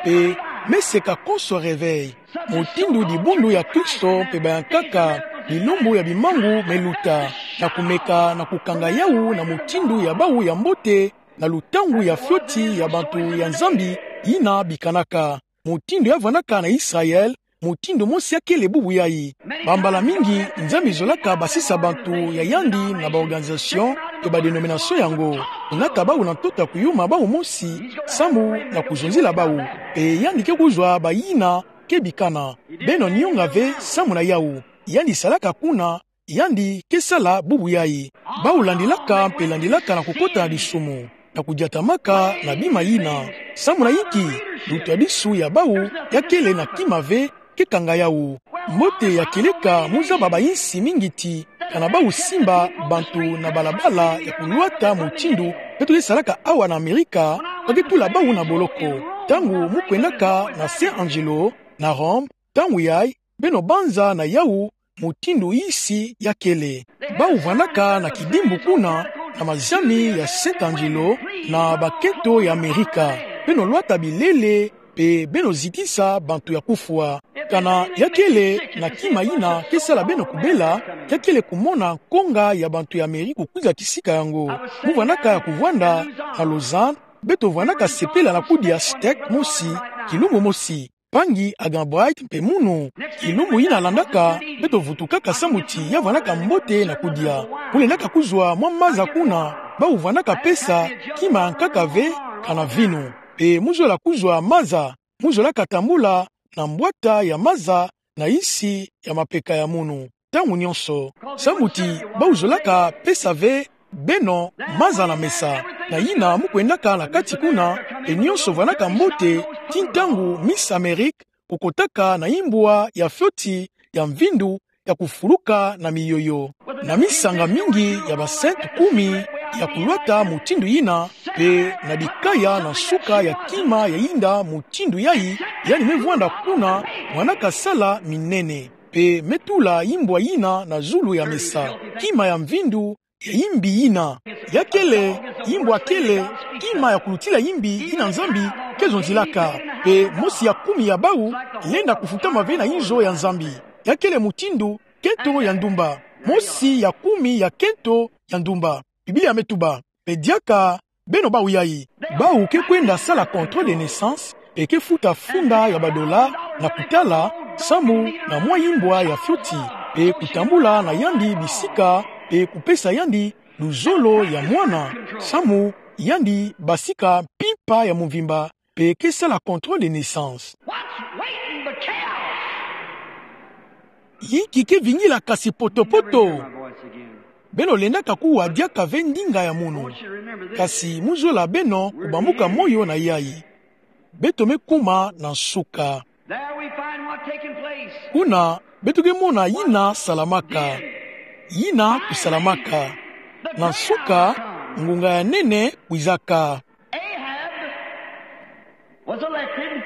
pe me seka konso réveil. Mutindu dibundu ya Kristo pe bayankaka, bilumbu ya bimangu me luta, na kumeka na kukanga yawu na mutindu ya bau ya mbote, na lutangu ya fioti ya bantu ya Nzambi yina bikanaka. Mutindu ya vwandaka na Israël, mutindu mosi ya kele bubu yai. Bambala mingi, Nzambi zolaka basisa bantu ya yandi na ba organisation pe ba dénomination yango. Inaka bau na ntoto ya kuyuma bau mosi, samu na kuzonzila bau. Pe yandi ke kuzwa bayina ke bikana. Beno nionga ve samu na yawu. Yandi salaka kuna, yandi ke sala bubu yai. Bau landilaka pe landilaka na kukota na disumu, na kudiatamaka na bima yina. Samu na inki? Lutadisu ya bau ya kele na kima ve ke kanga yawu. Mbote ya kieleka mu zaba bayinsi mingi ti, kana bau simba bantu na balabala ya kulwata mutindu beto ke salaka awa na Amerika, ba ke tula bau na boloko. Ntangu mu kwendaka na Saint Angelo, na Rome, ntangu yai, beno banza na yawu mutindu yinsi ya kele. Bau vwandaka na kidimbu kuna, na maziami ya Saint Angelo, na bakento ya Amerika. Beno lwata bilele, pe beno zitisa bantu ya kufwa. Kana ya kele na kima yina ke sala beno kubela, ya kele kumona nkonga ya bantu ya Amerika kukwiza kisika yango. Mu vwandaka ya kuvwanda na Lausanne, beto vwandaka sepela na kudia steak mosi, kilumbu mosi. Mpangi Hagen Bright mpe munu. Kilumbu yina landaka, beto vutukaka samu ti ya vwandaka mbote na kudia. Mu lendaka kuzwa mwa maza kuna, bau vwandaka pesa kima ya nkaka ve, kana vinu. Pe mu zola kuzwa maza, mu zolaka tambula na mbwata ya maza na yinsi ya mapeka ya munu. Ntangu nyonso. Samu ti bau zolaka pesa ve beno maza na mesa. Na yina mu kwendaka na kati kuna, pe nyonso vwandaka mbote, ti ntangu Miss Amerique kukotaka na imbwa ya fioti ya mvindu ya kufuluka na miyoyo. Na misanga mingi ya ba saints kumi ya kulwata mutindu yina, pe na bikaya na nsuka ya kima ya yinda mutindu yayi, yandi me vwanda kuna, mwana kasala minene. Pe me tula imbwa yina na zulu ya mesa, kima ya mvindu ya yimbi yina. Ya kele, imbwa kele, kima ya kulutila yimbi yina Nzambi ke zonzilaka. Mpe mosi ya kumi ya bau lenda kufutama ve na inzo ya Nzambi. Ya kele mutindu kento ya ndumba. Mosi ya kumi ya kento ya ndumba. Biblia me tuba: Mpe diaka beno bau yayi, bau ke kwenda sala contrôle de naissance, mpe ke futa funda ya badola, na kutala, samu na mwa imbwa ya fioti, mpe kutambula na yandi bisika, mpe kupesa yandi luzolo ya mwana, samu yandi basika mpimpa ya mvimba, mpe ke sala contrôle de naissance. What's waiting but chaos? Yinki ke vingila kasi potopoto? Beno lendaka kuwa diaka ve ndinga ya munu. Kasi mu zola beno kubambuka moyo na yayi. Beto me kuma na nsuka. There we find what taking place. Kuna, beto ke mona yina salamaka. Yina kusalamaka. Na nsuka, ngunga ya nene kwizaka. Ahab was elected.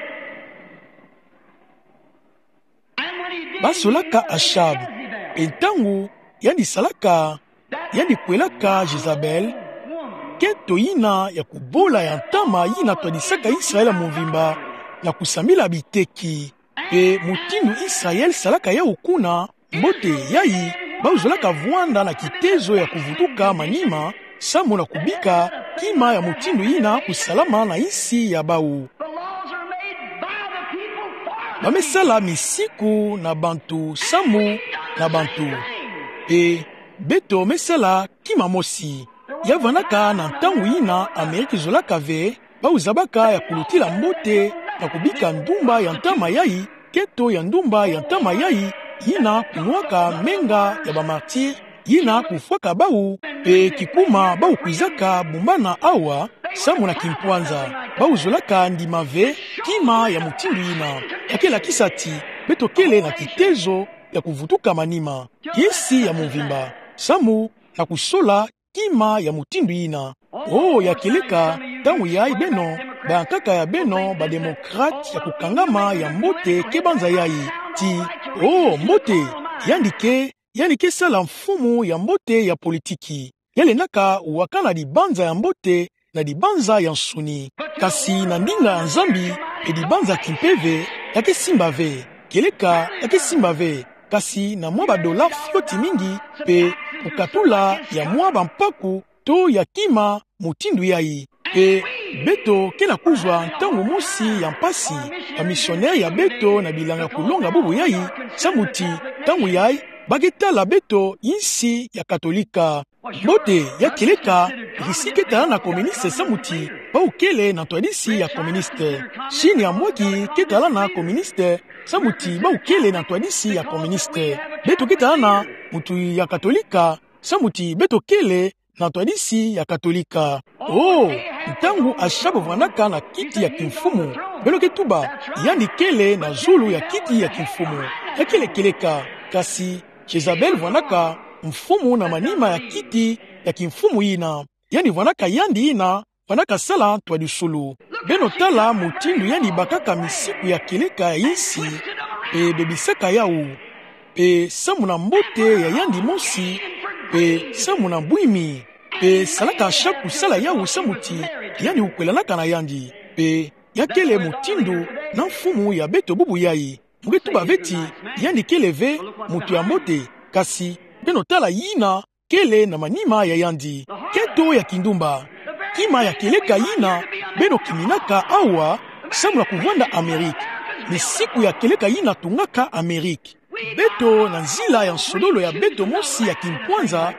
And when he did, he Basolaka married Achab. Jezebel. Mpe ntangu yandi salaka, yandi kwelaka Jezabel, kento yina ya kubola ya ntama yina twadisaka Israel mvimba na kusambila biteki. Mpe mutindu Israel salaka yau kuna, mbote yayi, bau zolaka vwanda na kitezo ya kuvutuka manima, samu na kubika kima ya mutindu yina kusalama na insi ya bau. The laws are made by the people for the Ba me sala misiku na bantu, samu na bantu. Mpe beto me sala kima mosi. Ya vwandaka na ntangu yina Ameriki zolaka ve, bau zabaka ya kulutila mbote na kubika ndumba ya ntama yayi, kento ya ndumba ya ntama yayi, yina kunwaka menga ya ba martyrs, yina kufwaka bau, mpe kikuma bau kwizaka bumbana awa, samu na kimpwanza. Bau zolaka ndima ve kima ya mutindu yina. Ya ke lakisa ti beto kele na kitezo ya kuvutuka manima, insi ya mvimba, samu na kusola kima ya mutindu yina. Oh, ya kieleka, ntangu yayi beno, bankaka ya beno ba démocrates ya kukangama ya mbote ke banza yayi. Ti, oh, mbote, yandi ke, yandi ke sala mfumu ya mbote ya politiki. Ya lendaka wakana dibanza ya mbote na dibanza ya nsuni. Kasi na ndinga ya Nzambi, mpe dibanza kimpeve, ya ke simba ve. Kieleka, ya ke simba ve. Kasi na mwa badola fioti mingi, mpe kukatula ya mwa bampaku to ya kima mutindu yayi. Mpe beto ke na kuzwa ntangu mosi ya mpasi, ba missionnaires ya beto na bilanga kulonga bubu yayi, samu ti, ntangu yayi, ba ke tala beto insi ya Katolika. Mbote, ya kieleka, Russie ke talana communiste samu ti bau kele na ntwadisi ya communiste. Chine ya mwaki ke talana communiste samu ti bau kele na ntwadisi ya communiste. Beto ke talana mutu ya Katolika samu ti beto kele na ntwadisi ya Katolika. Oh, ntangu Achab vwandaka na kiti ya kimfumu, beno ke tuba, yandi kele na zulu ya kiti ya kimfumu. Ya kele kieleka, kasi Jezabel vwandaka mfumu na manima ya kiti ya kimfumu yina. Yandi vwandaka yandi yina vwandaka sala ntwadisulu. Beno tala mutindu yandi bakaka misiku ya kieleka ya insi, mpe bebisaka yau, mpe samu na mbote ya yandi mosi, mpe samu na bwimi, mpe salaka Achab kusala yau samu ti yandi kukwelanaka na yandi. Mpe ya kele mutindu na mfumu ya beto bubu yayi. Mu ke tuba ve ti yandi kele ve mutu ya mbote, kasi beno tala yina kele na manima ya yandi. Kento ya kindumba. Kima ya kieleka yina beno kiminaka awa, samu na kuvwanda Amérique. Misiku ya kieleka yina tungaka Amérique. Beto na nzila ya nsodolo ya beto mosi ya kimpwanza,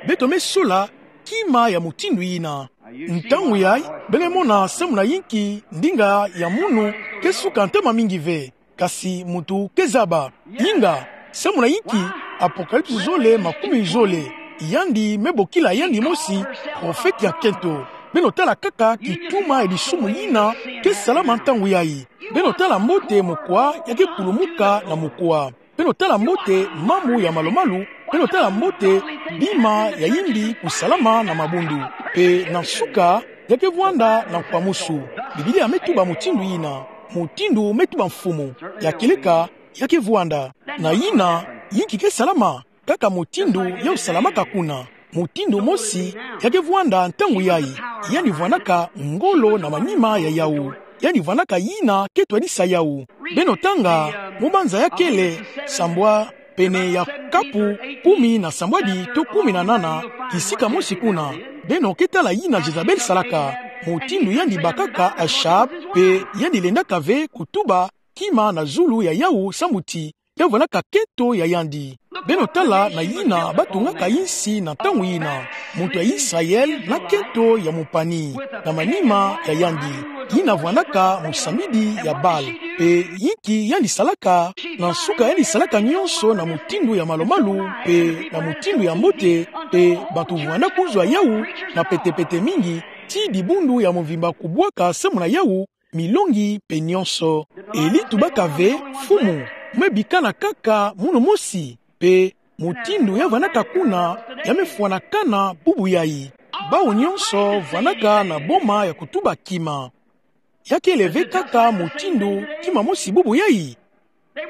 beto me sola kima ya mutindu yina. Ntangu yayi, beno mona samu na yinki ndinga ya munu ke suka ntama mingi ve. Kasi mutu ke zaba. Inga, samu na yinki Apocalypse zole, makumi zole, yandi me bokila yandi mosi profete ya kento. Beno tala kaka kituma ya bisumu yina ke salama ntangu yayi. Beno tala mbote mokwa ya ke kulumuka na mokwa. Beno tala mbote mamu ya malu-malu. Beno tala mbote bima ya yimbi kusalama na mabundu. Mpe na nsuka, ya ke vwanda na nkwamusu. Biblia me tuba mutindu yina. Mutindu me tuba mfumu. Ya kieleka, ya ke vwanda. Na yina, yinki ke salama? Kaka mutindu yau salamaka kuna. Mutindu mosi, ya ke vwanda ntangu yayi. Yandi vwandaka ngolo na manima ya yau. yandi vwandaka yina kento yadisa yawu. Beno tanga, mu banza ya kele, sambwa, pene ya kapu, kumi na sambwadi to kumi na nana, kisika mosi kuna. Beno ke tala yina Jezabel salaka, mutindu yandi bakaka Achab, pe yandi lendaka ve kutuba kima na zulu ya yawu sambuti ya vwandaka kento ya yandi. Beno tala na yina batungaka insi na ntangu yina. Muntu ya Israel na kento ya mupani na manima ya yandi. Yina vwandaka musambidi ya Baal. Pe yinki yandi salaka? Na nsuka yandi salaka nyonso na mutindu ya malu-malu, pe na mutindu ya mbote, pe bantu vwanda kuzwa yawu na pete-pete mingi, ti dibundu ya mvimba kubwaka samu na yawu, milongi pe nyonso. Eli tubaka ve: Mfumu, me bikana kaka munu mosi? Pe mutindu ya vwandaka kuna, ya me fwanakana bubu yayi. Bawu nyonso vwandaka na boma ya kutuba kima. Ya kele ve kaka mutindu kima mosi bubu yayi?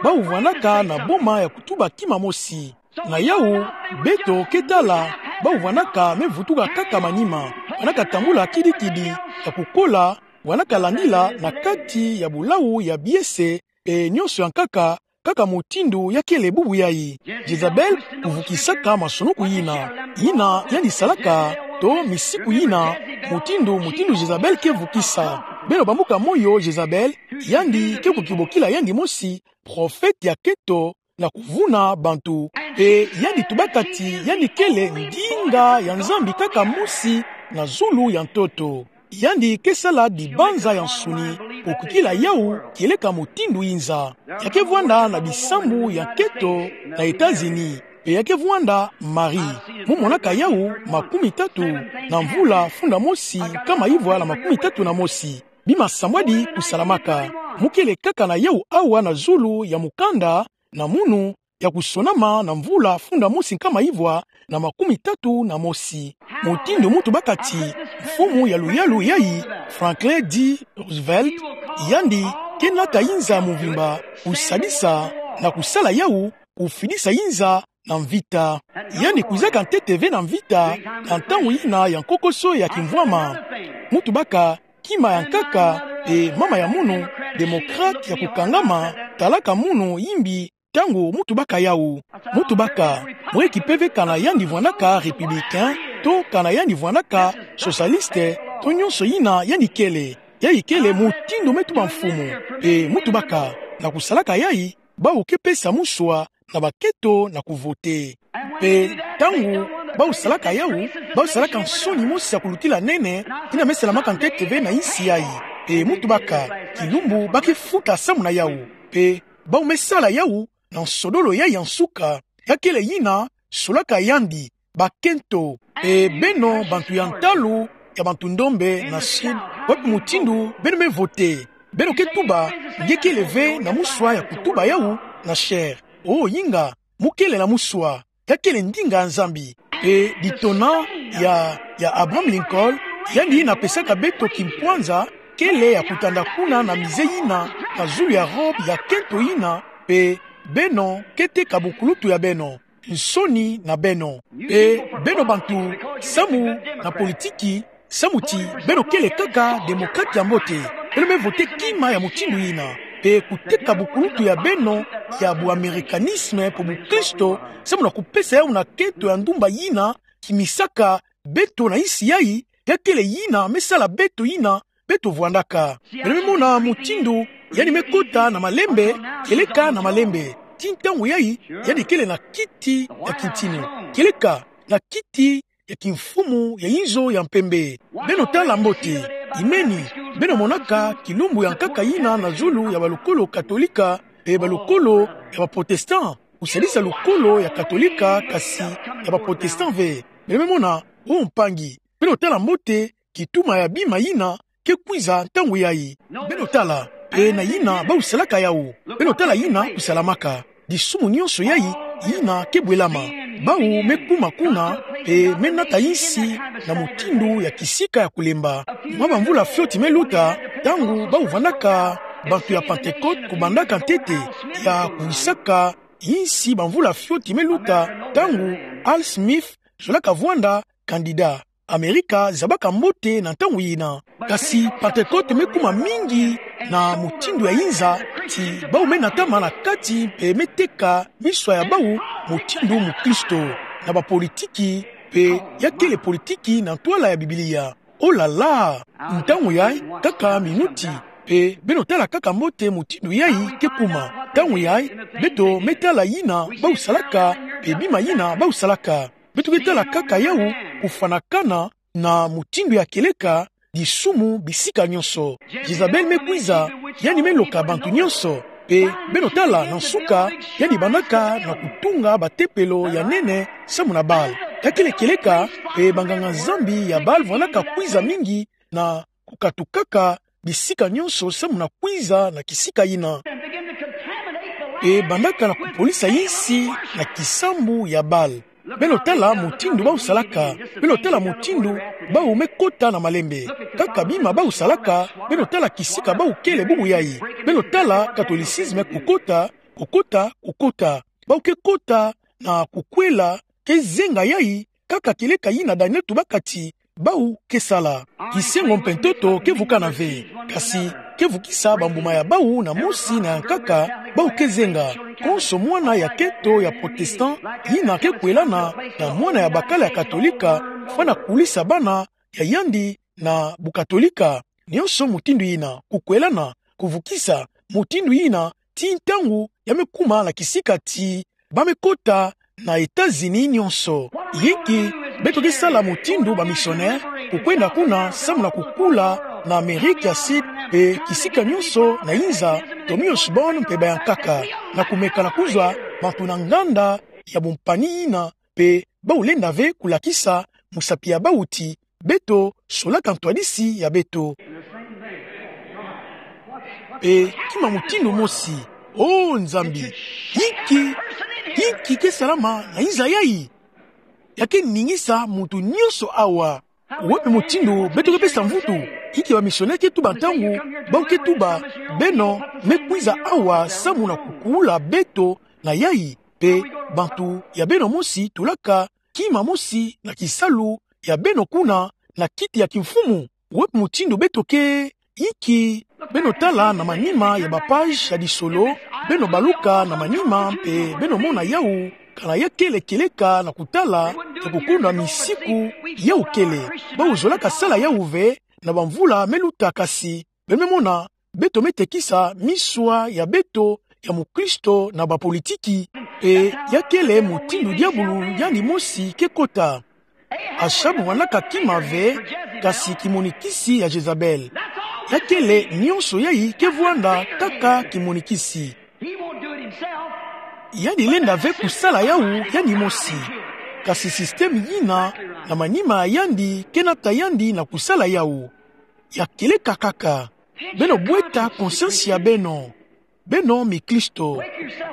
Bawu vwandaka na boma ya kutuba kima mosi. Na yawu, beto ke tala, bawu vwandaka me vutuka kaka manima, vwandaka tambula kidi-kidi, ya kukola, vwandaka landila na kati ya bulawu ya biese, pe nyonso ya nkaka, kaka mutindu ya kele bubu yayi. Jezabel kuvukisaka masonoko yina. Yina yandi salaka, to misiku yina, mutindu, mutindu Jezabel ke vukisa. Beno bambuka moyo Jezabel, yandi ke kukibokila yandi mosi, prophète ya kento, na kuvuna bantu. Pe yandi tubaka ti yandi kele ndinga ya Nzambi kaka mosi na zulu ya ntoto. Yandi ke sala dibanza ya nsuni, okukila yawu kieleka mutindu inza. Ya ke vwanda na bisambu ya kento na États-Unis. Pe ya ke vwanda Marie. Mu monaka yawu makumi tatu na mvula funda mosi nkama ivwa na makumi tatu na mosi. Bima sambwadi kusalamaka. Mu kele kaka na yawu awa na zulu ya mukanda, na munu ya kusonama na mvula funda mosi nkama ivwa na makumi tatu na mosi. Mutindu mu tubaka ti mfumu ya luyalu yayi, Franklin D. Roosevelt, yandi ke nata inza mvimba, kusadisa na kusala yawu, kufidisa inza na mvita. Yandi kwizaka ntete ve na mvita na ntangu yina ya nkokoso ya kimvwama. Mu tubaka kima ya nkaka, pe mama ya munu, démocrate ya kukangama, talaka munu yimbi ntangu mu tubaka yawu. Mu tubaka, mweki pe ve kana yandi vwandaka républicain, to kana yandi vwandaka socialiste, to nyonso yina yandi kele. Yayi kele mutindu me tuba mfumu. Pe mu tubaka, na kusalaka yayi, bawu ke pesa muswa na bakento na kuvote. Pe ntangu bawu salaka yawu, bawu salaka nsoni mosi ya kulutila nene, yina me salamaka ntete ve na insi yayi. Pe mu tubaka, kilumbu ba ke futa samu na yawu. Pe bawu me sala yawu na nsodolo yayi ya nsuka, ya kele yina solaka yandi bakento. Pe beno bantu ya ntalu ya bantu ndombe na Sud, wapi mutindu beno me vote? Beno ke tuba, nge kele ve na muswa ya kutuba yawu na chair. O yinga, mu kele na muswa. Ya kele ndinga ya Nzambi. Pe ditona ya, ya Abraham Lincoln, yandi yina pesaka beto kimpwanza, kele ya kutanda kuna na musée yina, na zulu ya robe ya kento yina, pe beno ke teka bukulutu ya beno, nsoni na beno. Pe beno bantu samu na politiki, samu ti beno kele kaka démocrate ya mbote, beno me vote kima ya mutindu yina, pe kuteka bukulutu ya beno ya bu américanisme pe bukristo, samu na kupesa yawu na kento ya ndumba yina kimisaka beto na insi yayi, ya kele yina me sala beto yina beto vwandaka. Beno me mona mutindu yandi me kota na malembe, kieleka na malembe. Ti ntangu yayi, yandi kele na kiti ya kintinu, kieleka na kiti ya kimfumu ya inzo ya mpembe. Beno tala mbote, imeni, beno monaka kilumbu ya nkaka yina na zulu ya balukolo katolika, pe balukolo ya ba protestant, kusadisa lukolo ya katolika, kasi ya ba protestant ve. Beno me mona, o mpangi, beno tala mbote, kituma ya bima yina ke kwiza ntangu yayi. Beno tala, pe na yina bawu salaka yawu. Beno tala yina kusalamaka. Disumu nyonso yayi, yina ke bwelama. Bawu me kuma kuna, pe me nata insi na mutindu ya kisika ya kulemba. Mwa bamvula fioti me luta, ntangu bawu vandaka bantu ya Pentecôte kubandaka ntete, ya kuwisaka insi bamvula fioti me luta, ntangu Al Smith zolaka vwanda candidat. Amerika zabaka mbote na ntangu yina. Kasi Pantekote me kuma mingi na mutindu ya inza, ti bawu me natama na kati mpe me teka miso ya bawu mutindu mukristo, na bapolitiki, mpe ya kele politiki na ntwala ya Biblia. Oh là là! Ntangu yayi, kaka minuti, mpe beno tala kaka mbote mutindu yayi ke kuma. Ntangu yayi, beto me tala yina bawu salaka, mpe bima yina bawu salaka. Beto ke tala kaka yawu kufwanakana na mutindu ya kieleka disumu bisika nyonso. Jezabel me kwiza, yandi me loka bantu nyonso. Mpe beno tala na nsuka, yandi bandaka na kutunga batempelo ya nene samu na Baal. Ya kele kieleka, mpe banganga-Nzambi ya Baal vandaka kwiza mingi na kukatukaka bisika nyonso samu na kwiza na kisika yina. Mpe bandaka na kupolisa yinsi na kisambu ya Baal. Beno tala mutindu bawu salaka. Beno tala mutindu bawu me kota na malembe. Kaka bima bawu salaka, beno tala kisika bawu kele bubu yayi. Beno tala catholicisme kukota, kukota, kukota. Bawu ke kota na kukwela, ke zenga yayi, kaka kieleka yina Daniel tubaka ti bawu ke sala. Kisengo mpe ntoto ke vukana ve, kasi ke vukisa bambuma ya bawu na mosi na ya nkaka, bawu ke zenga. Konso mwana ya kento ya protestant yina ke kwelana na mwana ya bakala ya katolika, fwana kulisa bana ya yandi na bukatolika. Nyonso mutindu yina, kukwelana, kuvukisa, mutindu yina, tii ntangu ya me kuma na kisika ti ba me kota na États-Unis nyonso. Yinki beto ke sala mutindu bamisionere, kukwenda kuna samu na kukula na Amerika ya Sud, mpe kisika nyonso na inza, Tommy Osborn mpe bayankaka, na kumeka na kuzwa bantu na nganda ya bumpani yina, mpe bawu lenda ve kulakisa musapi ya bawu ti beto solaka ntwadisi ya beto. Mpe kima mutindu mosi. Oh Nzambi, yinki, yinki ke salama na inza yayi? Ya ke ningisa muntu nyonso awa. Wapi mutindu beto ke pesa mvutu? Yinki bamisionere ke tuba ntangu bawu ke tuba: Beno me kwiza awa samu na kukula beto na yayi, mpe bantu ya beno mosi tulaka kima mosi na kisalu ya beno kuna na kiti ya kimfumu? Wapi mutindu beto ke, yinki beno tala na manima ya bapage ya lisolo, beno baluka na manima mpe beno mona yawu, kana ya kele kieleka na kutala, ya kukondwa misiku yawu kele. Bawu zolaka sala yawu ve na bamvula me luta, kasi beno me mona beto me tekisa miswa ya beto ya mukristo na bapolitiki. Mpe ya kele mutindu diabulu yandi mosi ke kota. Achab vandaka kima ve, kasi kimonikisi ya Jezabel. Ya kele nyonso yayi ke vwanda kaka kimonikisi. Yandi lenda ve kusala yawu yandi mosi. Kasi système yina na manima ya yandi ke nata yandi na kusala yawu. Ya kieleka kaka. Beno bweta conscience ya beno. Beno mikristo,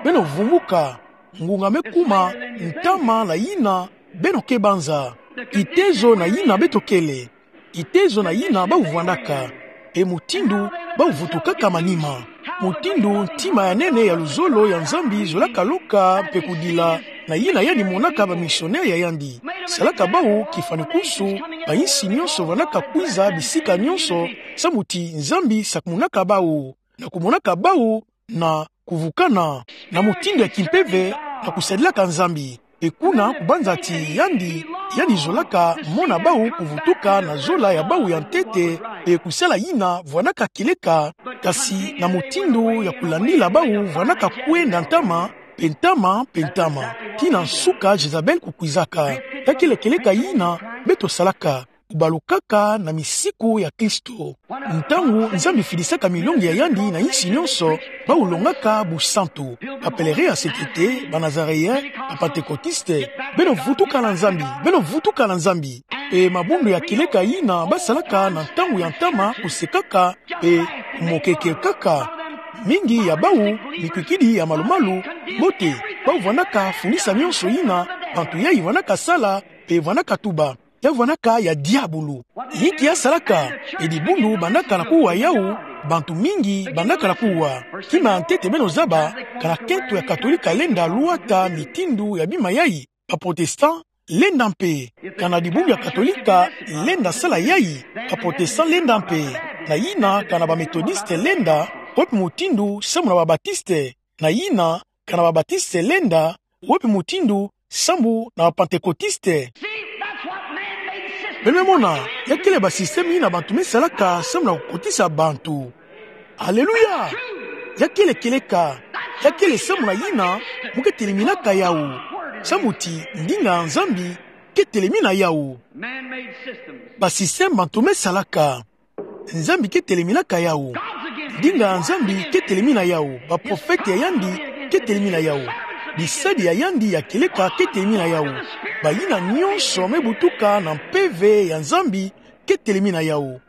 beno vumuka. Ngunga me kuma ntama na yina beno ke banza. Kitezo na yina beto kele. Kitezo na yina bawu vwandaka. E mutindu bawu vutukaka manima. Mutindu ntima ya nene ya luzolo ya Nzambi zolaka loka mpe kudila na yina yandi monaka bamisionere ya yandi. Salaka bawu kifwanikwisu, bayinsi nyonso vandaka kwiza bisika nyonso, samu ti Nzambi sakumunaka bawu, na kumonaka bawu na kuvukana na mutindu ya kimpeve na kusadilaka Nzambi. Mpe kuna kubanza ti yandi, yandi zolaka mona bawu kuvutuka na zola ya bawu ya ntete, mpe kusala yina vwandaka kieleka, kasi na mutindu ya kulandila bawu vwandaka kwenda ntama mpe ntama mpe ntama, tii na nsuka Jezabel kukwizaka. Ya kele kieleka yina beto salaka, kubalukaka na misiku ya Kristo. Ntangu Nzambi fidisaka milongi ya yandi na yinsi nyonso, bawu longaka busantu. Ba pèlerins ya sainteté, ba Nazaréens, ba Pentecôtistes, beno vutuka na Nzambi, beno vutuka na Nzambi. Mpe mabundu ya kieleka yina basalaka na ntangu ya ntama kusekaka mpe kumokekekaka. Mingi ya bawu mikwikidi ya malumalu, mbote, bawu vwandaka fundisa nyonso yina bantu yayi vwandaka sala mpe vwandaka tuba. Ya vwandaka ya diabulu. Yinki ya salaka? E dibundu bandaka na kuwa yawu, bantu mingi bandaka na kuwa. Kima ya ntete beno zaba, kana kento ya Katolika lenda lwata mitindu ya bima yayi. Ba protestants lenda mpe. Kana dibundu ya Katolika, lenda sala yayi. Ba Protestant lenda mpe. Na yina, kana ba Methodiste lenda, wepi mutindu, samu na ba Batiste. Na yina, kana ba Batiste lenda, wepi mutindu, samu na ba Pantekotiste. Beno me mona, ya kele ba système yina bantu me salaka, samu na kukotisa bantu. Aleluya! Ya kele kieleka, ya kele samu na yina, mu ke teleminaka yawu. Samu ti, ndinga ya Nzambi, ke telemina yawu. Ba système bantu me salaka. Nzambi ke teleminaka yawu. Ndinga ya Nzambi ke telemina yawu. Ba prophète ya yandi ke telemina yawu. Bisadi ya yandi ya kieleka ke telemina yawu. Bayina nyonso me butuka na mpeve ya Nzambi ke telemina yawu.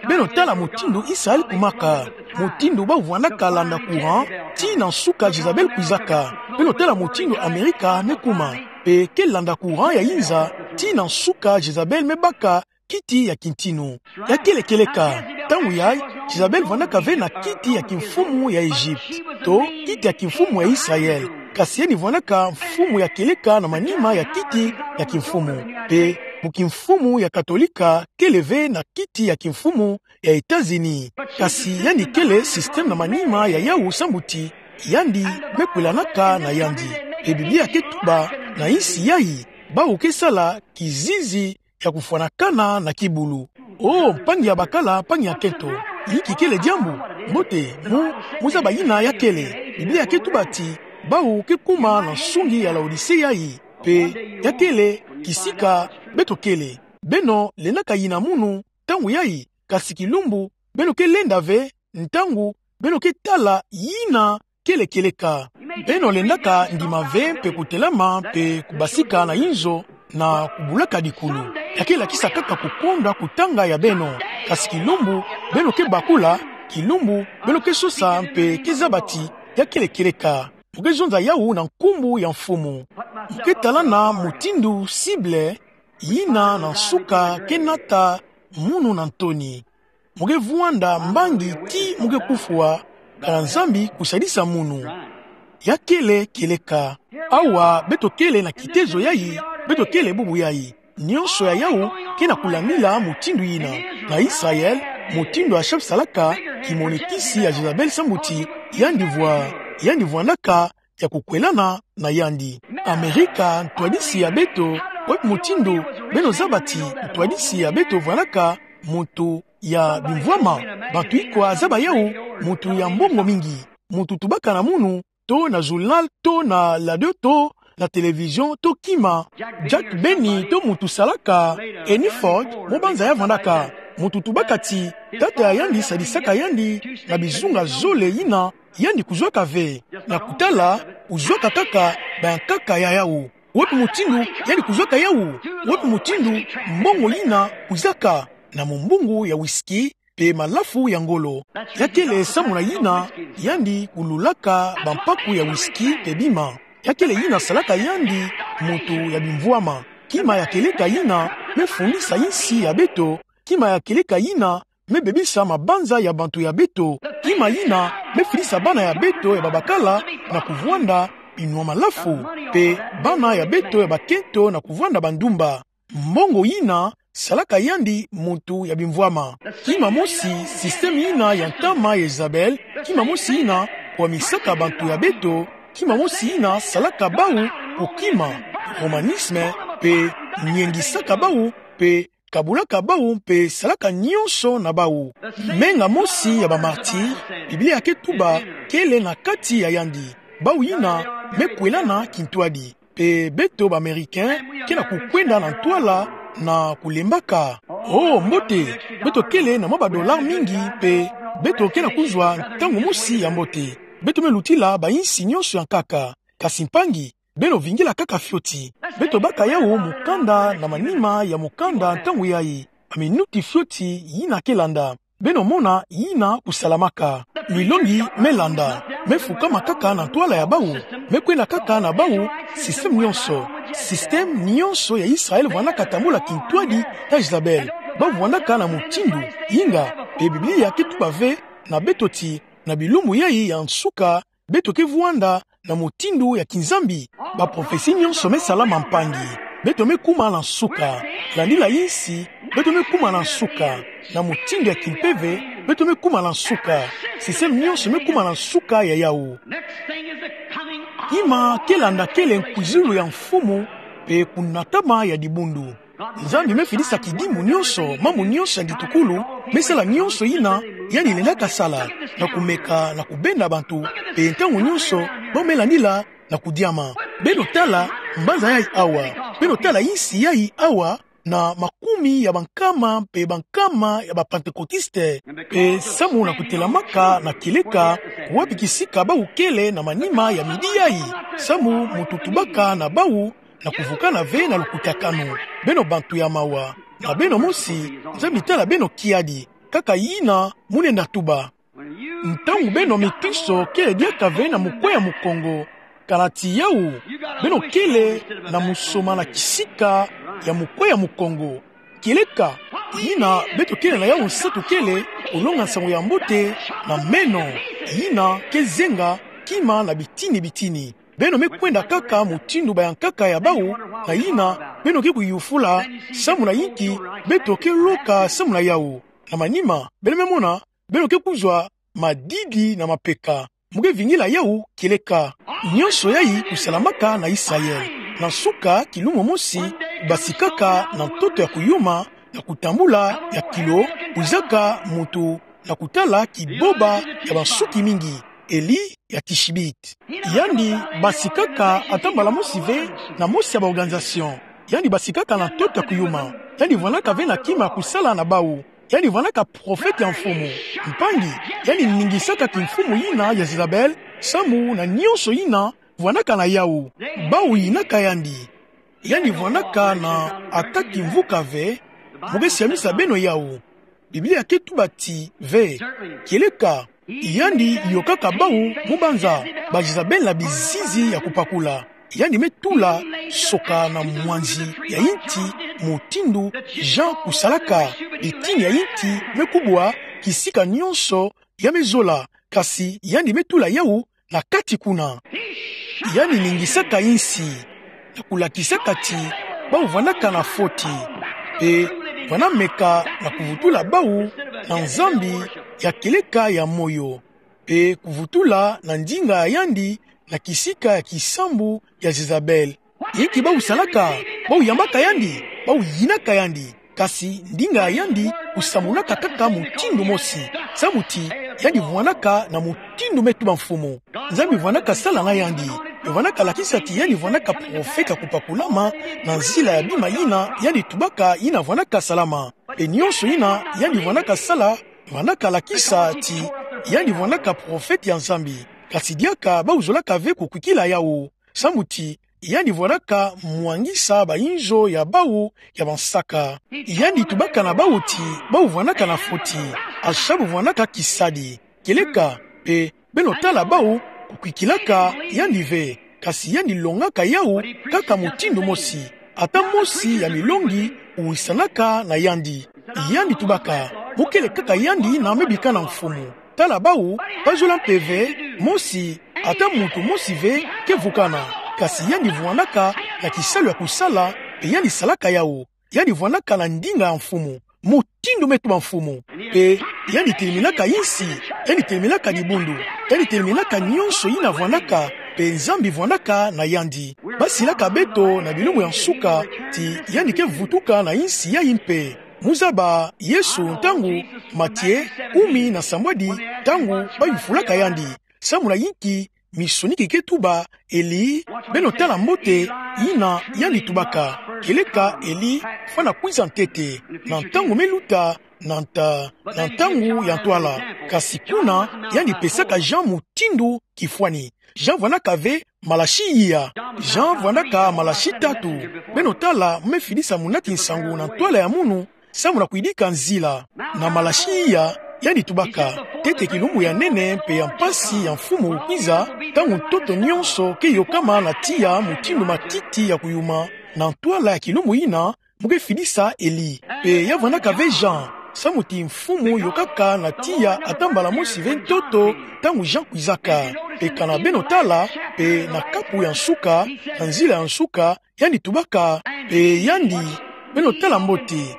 Beno tala mutindu Israël kumaka. Mutindu ba vwandaka landa courant, tii na nsuka Jezabel kwizaka. Beno tala mutindu Amerika me kuma. Mpe ke landa courant ya yinza, tii na nsuka Jezabel me baka kiti ya kintinu. Ya kele kieleka, ntangu yayi, Jezabel vwandaka ve na kiti ya kimfumu ya Egypte, to kiti ya kimfumu ya Israël. Kasi yandi vwandaka mfumu ya kieleka na manima ya kiti ya kimfumu. Mpe, mu kimfumu ya Katolika, kele ve na kiti ya kimfumu ya États-Unis. Kasi yandi kele système na manima ya yawu samu ti, yandi me kwelanaka na yandi. Mpe Biblia ke tuba, na insi yayi, bawu ke sala kizizi ya kufwanakana na kibulu. O, mpangi ya bakala, mpangi ya nkento. Inki kele diambu? Mbote, mu, mu zaba yina ya kele. Biblia ke tuba ti, bawu ke kuma na nsungi ya Laodicée yayi. Mpe, ya kele, kisika, beto kele. Beno, lendaka yina munu, ntangu yayi, kasi kilumbu, beno ke lenda ve, ntangu, beno ke tala, yina, kele kieleka. Beno lendaka ndima ve mpe kutelama mpe kubasika na inzo na kubulaka dikulu. Ya ke lakisa kaka kukonda kutanga ya beno. Kasi kilumbu, beno ke bakula, kilumbu, beno ke sosa mpe ke zaba ti, ya kele kieleka. Mu ke zonza yawu na nkumbu ya mfumu. Mu ke talana mutindu cible, yina na nsuka ke nata munu na ntoni. Mu ke vwanda mbangi ti mu ke kufwa, kana Nzambi kusadisa munu. Ya kele kieleka. Awa, beto kele na kitezo yayi, beto kele bubu yayi. Nyonso ya yawu, ke na kulandila mutindu yina. Na Israël, mutindu Achab salaka, kimonikisi ya Jezabel samu ti, yandi vwa, yandi vwandaka, ya kukwelana na yandi. Amerika, ntwadisi ya beto, wepi mutindu, beno zaba ti, ntwadisi ya beto vwandaka, muntu ya bimvwama, bantu ikwa zaba yawu, muntu ya mbongo mingi, muntu tubaka na munu, to na journal, to na radio, to na télévision, to kima. Jack Benny, to muntu salaka, Henry Ford, mo banza ya vwandaka, muntu tubaka ti, tata ya yandi sadisaka yandi, na bizunga zole yina, yandi kuzwaka ve, na kutala, kuzwaka kaka, bayankaka ya yawu. Wepi mutindu, yandi kuzwaka yawu. Wepi mutindu, mbongo yina, kuzaka, na mumbungu ya whisky, mpe malafu ya ngolo. Ya kele samu na yina, yandi kululaka bampaku ya whisky mpe bima. Ya kele yina salaka yandi, muntu ya bimvwama. Kima ya kieleka yina, me fundisa insi ya beto, kima ya kieleka yina, me bebisa mabanza ya bantu ya beto. Kima yina, me fidisa bana ya beto ya babakala, na kuvwanda binwa malafu, mpe bana ya beto ya bakento na kuvwanda bandumba. Mbongo yina, salaka yandi muntu ya bimvwama. Kima mosi, système yina ya ntama ya Jezabel, kima mosi yina, kwamisaka bantu ya beto, kima mosi yina, salaka bawu, kukima, romanisme, mpe, nyengisaka bawu, mpe, kabulaka bawu mpe salaka nyonso na bawu. Menga mosi ya bamartiri, Biblia ke tuba, kele na kati ya yandi. Bawu yina, me kwelana kintwadi. Mpe beto ba Américains, ke na kukwenda na ntwala na kulembaka. Oh, mbote, beto kele na mwa ba dollars mingi, mpe beto ke na kuzwa ntangu mosi ya mbote. Beto me lutila ba insi nyonso ya nkaka. Kasi mpangi, beno vingila kaka fioti. Beto baka yawu mukanda na manima ya mukanda ntangu yayi. Ba minuti fioti yina ke landa. Beno mona yina kusalamaka. Milongi me landa. Me fukama kaka na ntwala ya bawu. Me kwenda kaka na bawu, système nyonso. Système nyonso ya Israël vwandaka tambula kintwadi ya Jezabel. Bawu vwandaka na mutindu, inga, mpe Biblia ke tuba ve, na beto ti, na bilumbu yayi ya nsuka, beto ke vwanda na mutindu ya kinzambi. Ba prophetie nyonso me salama mpangi. beto me kuma na nsuka. Landila insi, beto me kuma na nsuka. Na mutindu ya kimpeve, beto me kuma na nsuka. Système nyonso me kuma na nsuka ya yawu. Kima ke landa kele nkwizulu ya mfumu, mpe kunatama ya dibundu. Nzambi me fidisa kidimu nyonso, mambu nyonso ya ngitukulu, me sala nyonso yina yandi lendaka sala, na kumeka na kubenda bantu, mpe ntangu nyonso, bau me landila na kudiama. Beno tala mbanza yayi awa. Beno tala insi yayi awa, na makumi ya bankama mpe bankama ya ba Pentecôtistes. Mpe samu na kutelamaka na kieleka, wapi kisika bau kele na manima ya midi yayi. Samu muntu tubaka na bau, na kuvukana ve na lukutakanu. Beno bantu ya mawa. Na beno mosi, Nzambi tala beno kiadi. Kaka yina mu lenda tuba. Ntangu beno mikristo kele diaka ve na mukwe ya mukongo, kana ti yawu, beno kele na musoma na kisika ya mukwe ya mukongo. Kieleka, yina beto kele na yawu nsatu kele, kolonga nsangu ya mbote na meno, yina ke zenga kima na bitini bitini. Beno me kwenda kaka mutindu bayankaka ya bau, na yina beno ke kuyufula samu na yinki beto ke loka samu na yawu. Na manima, beno me mona, beno ke kuzwa madidi na mapeka. Mu ke vingila yawu kieleka. Nyonso yayi kusalamaka na Israël. Na nsuka, kilumbu mosi, basikaka na ntoto ya kuyuma, na kutambula ya kilo, kuzaka muntu na kutala kiboba ya bansuki mingi, Eli ya Tishibite. Yandi basikaka ata mbala mosi ve na mosi ya ba organisation. Yandi basikaka na ntoto ya kuyuma. Yandi vwandaka ve na kima ya kusala na bau. Yandi vwandaka profete ya mfumu. Mpangi, yandi ningisaka kimfumu yina ya Jezabel, samu na nyonso yina vwandaka na yawu. Bau yinaka yandi. Yandi vwandaka na ata kimvuka ve. Mu ke siamisa beno yawu. Biblia ke tuba ti ve. Kieleka, yandi yokaka bau, mu banza ba Jezabel na bizizi ya kupakula. Yandi me tula soka na mwanzi ya inti, mutindu Jean kusalaka. Bitini ya inti me kubwa kisika nyonso ya me zola, kasi yandi me tula yawu na kati kuna. Yandi ningisaka insi, na kulakisaka ti bau vwandaka na foti, mpe vwanda meka na kuvutula bau na Nzambi ya kieleka ya moyo, mpe kuvutula na ndinga ya yandi na kisika ya kisambu ya Jezabel. Inki bau salaka? Bau yambaka yandi, bau yinaka yandi. Kasi ndinga ya yandi kusamunaka kaka mutindu mosi. Samu ti yandi vwandaka na mutindu me tuba mfumu. Nzambi vwandaka sala na yandi. Mpe vwandaka lakisa ti yandi vwandaka profete ya kupakulama na nzila ya bima yina yandi tubaka yina vwandaka salama. Mpe nyonso yina yandi vwandaka sala, vwandaka lakisa ti yandi vwandaka profete ya Nzambi. Kasi diaka bau zolaka ve kukwikila yawu. Samu ti yandi vwandaka mwangisa bayinzo ya bau ya bansaka. Yandi tubaka na bau ti bau vwandaka na foti, a sha bu vwandaka kisadi. Kieleka, mpe beno tala bau kukwikilaka yandi ve, kasi yandi longaka yawu kaka mutindu mosi. Ata mosi ya milongi kuwisanaka na yandi. Yandi tubaka, mu kele kaka yandi na me bika na mfumu. Tala bau, bazola mpe ve mosi, ata muntu mosi ve ke vukana. Kasi yandi vwandaka na kisalu ya kusala, mpe yandi salaka yawu. Yandi vwandaka na ndinga ya mfumu, mutindu me tuba mfumu. Mpe yandi teliminaka insi, yandi teliminaka dibundu, yandi teliminaka nyonso yina vwandaka, mpe Nzambi vwandaka na yandi. Basilaka beto na bilumbu ya nsuka ti yandi ke vutuka na insi yayi mpe. Mu zaba Yesu ntangu Matie kumi na sambwadi, ntangu bayufulaka yandi: Samu na inki misoniki ke tuba Eli? Beno tala mbote yina yandi tubaka. Kieleka Eli fwana kwiza ntete, na ntangu me luta, na nta-, na ntangu ya ntwala. Kasi kuna yandi pesaka Jean mutindu kifwani. Jean vwandaka ve Malaki iya. Jean vwandaka Malaki tatu. Beno tala, me fidisa munati nsangu na ntwala ya munu, samu na kuyidika nzila. Na Malaki iya, yandi tubaka: Ntete kilumbu ya nene mpe ya mpasi ya mfumu kwiza, ntangu ntoto nyonso ke yokama na tiya mutindu matiti ya kuyuma, na ntwala ya kilumbu yina mu ke fidisa Eli. Mpe ya vwandaka ve Jean, Samu ti Mfumu yokaka na tiya ata mbala mosi ve ntoto ntangu Jean kwizaka. Pe kana beno tala, pe na kapu ya nsuka, na nzila ya nsuka, yandi tubaka, pe yandi, beno tala mbote,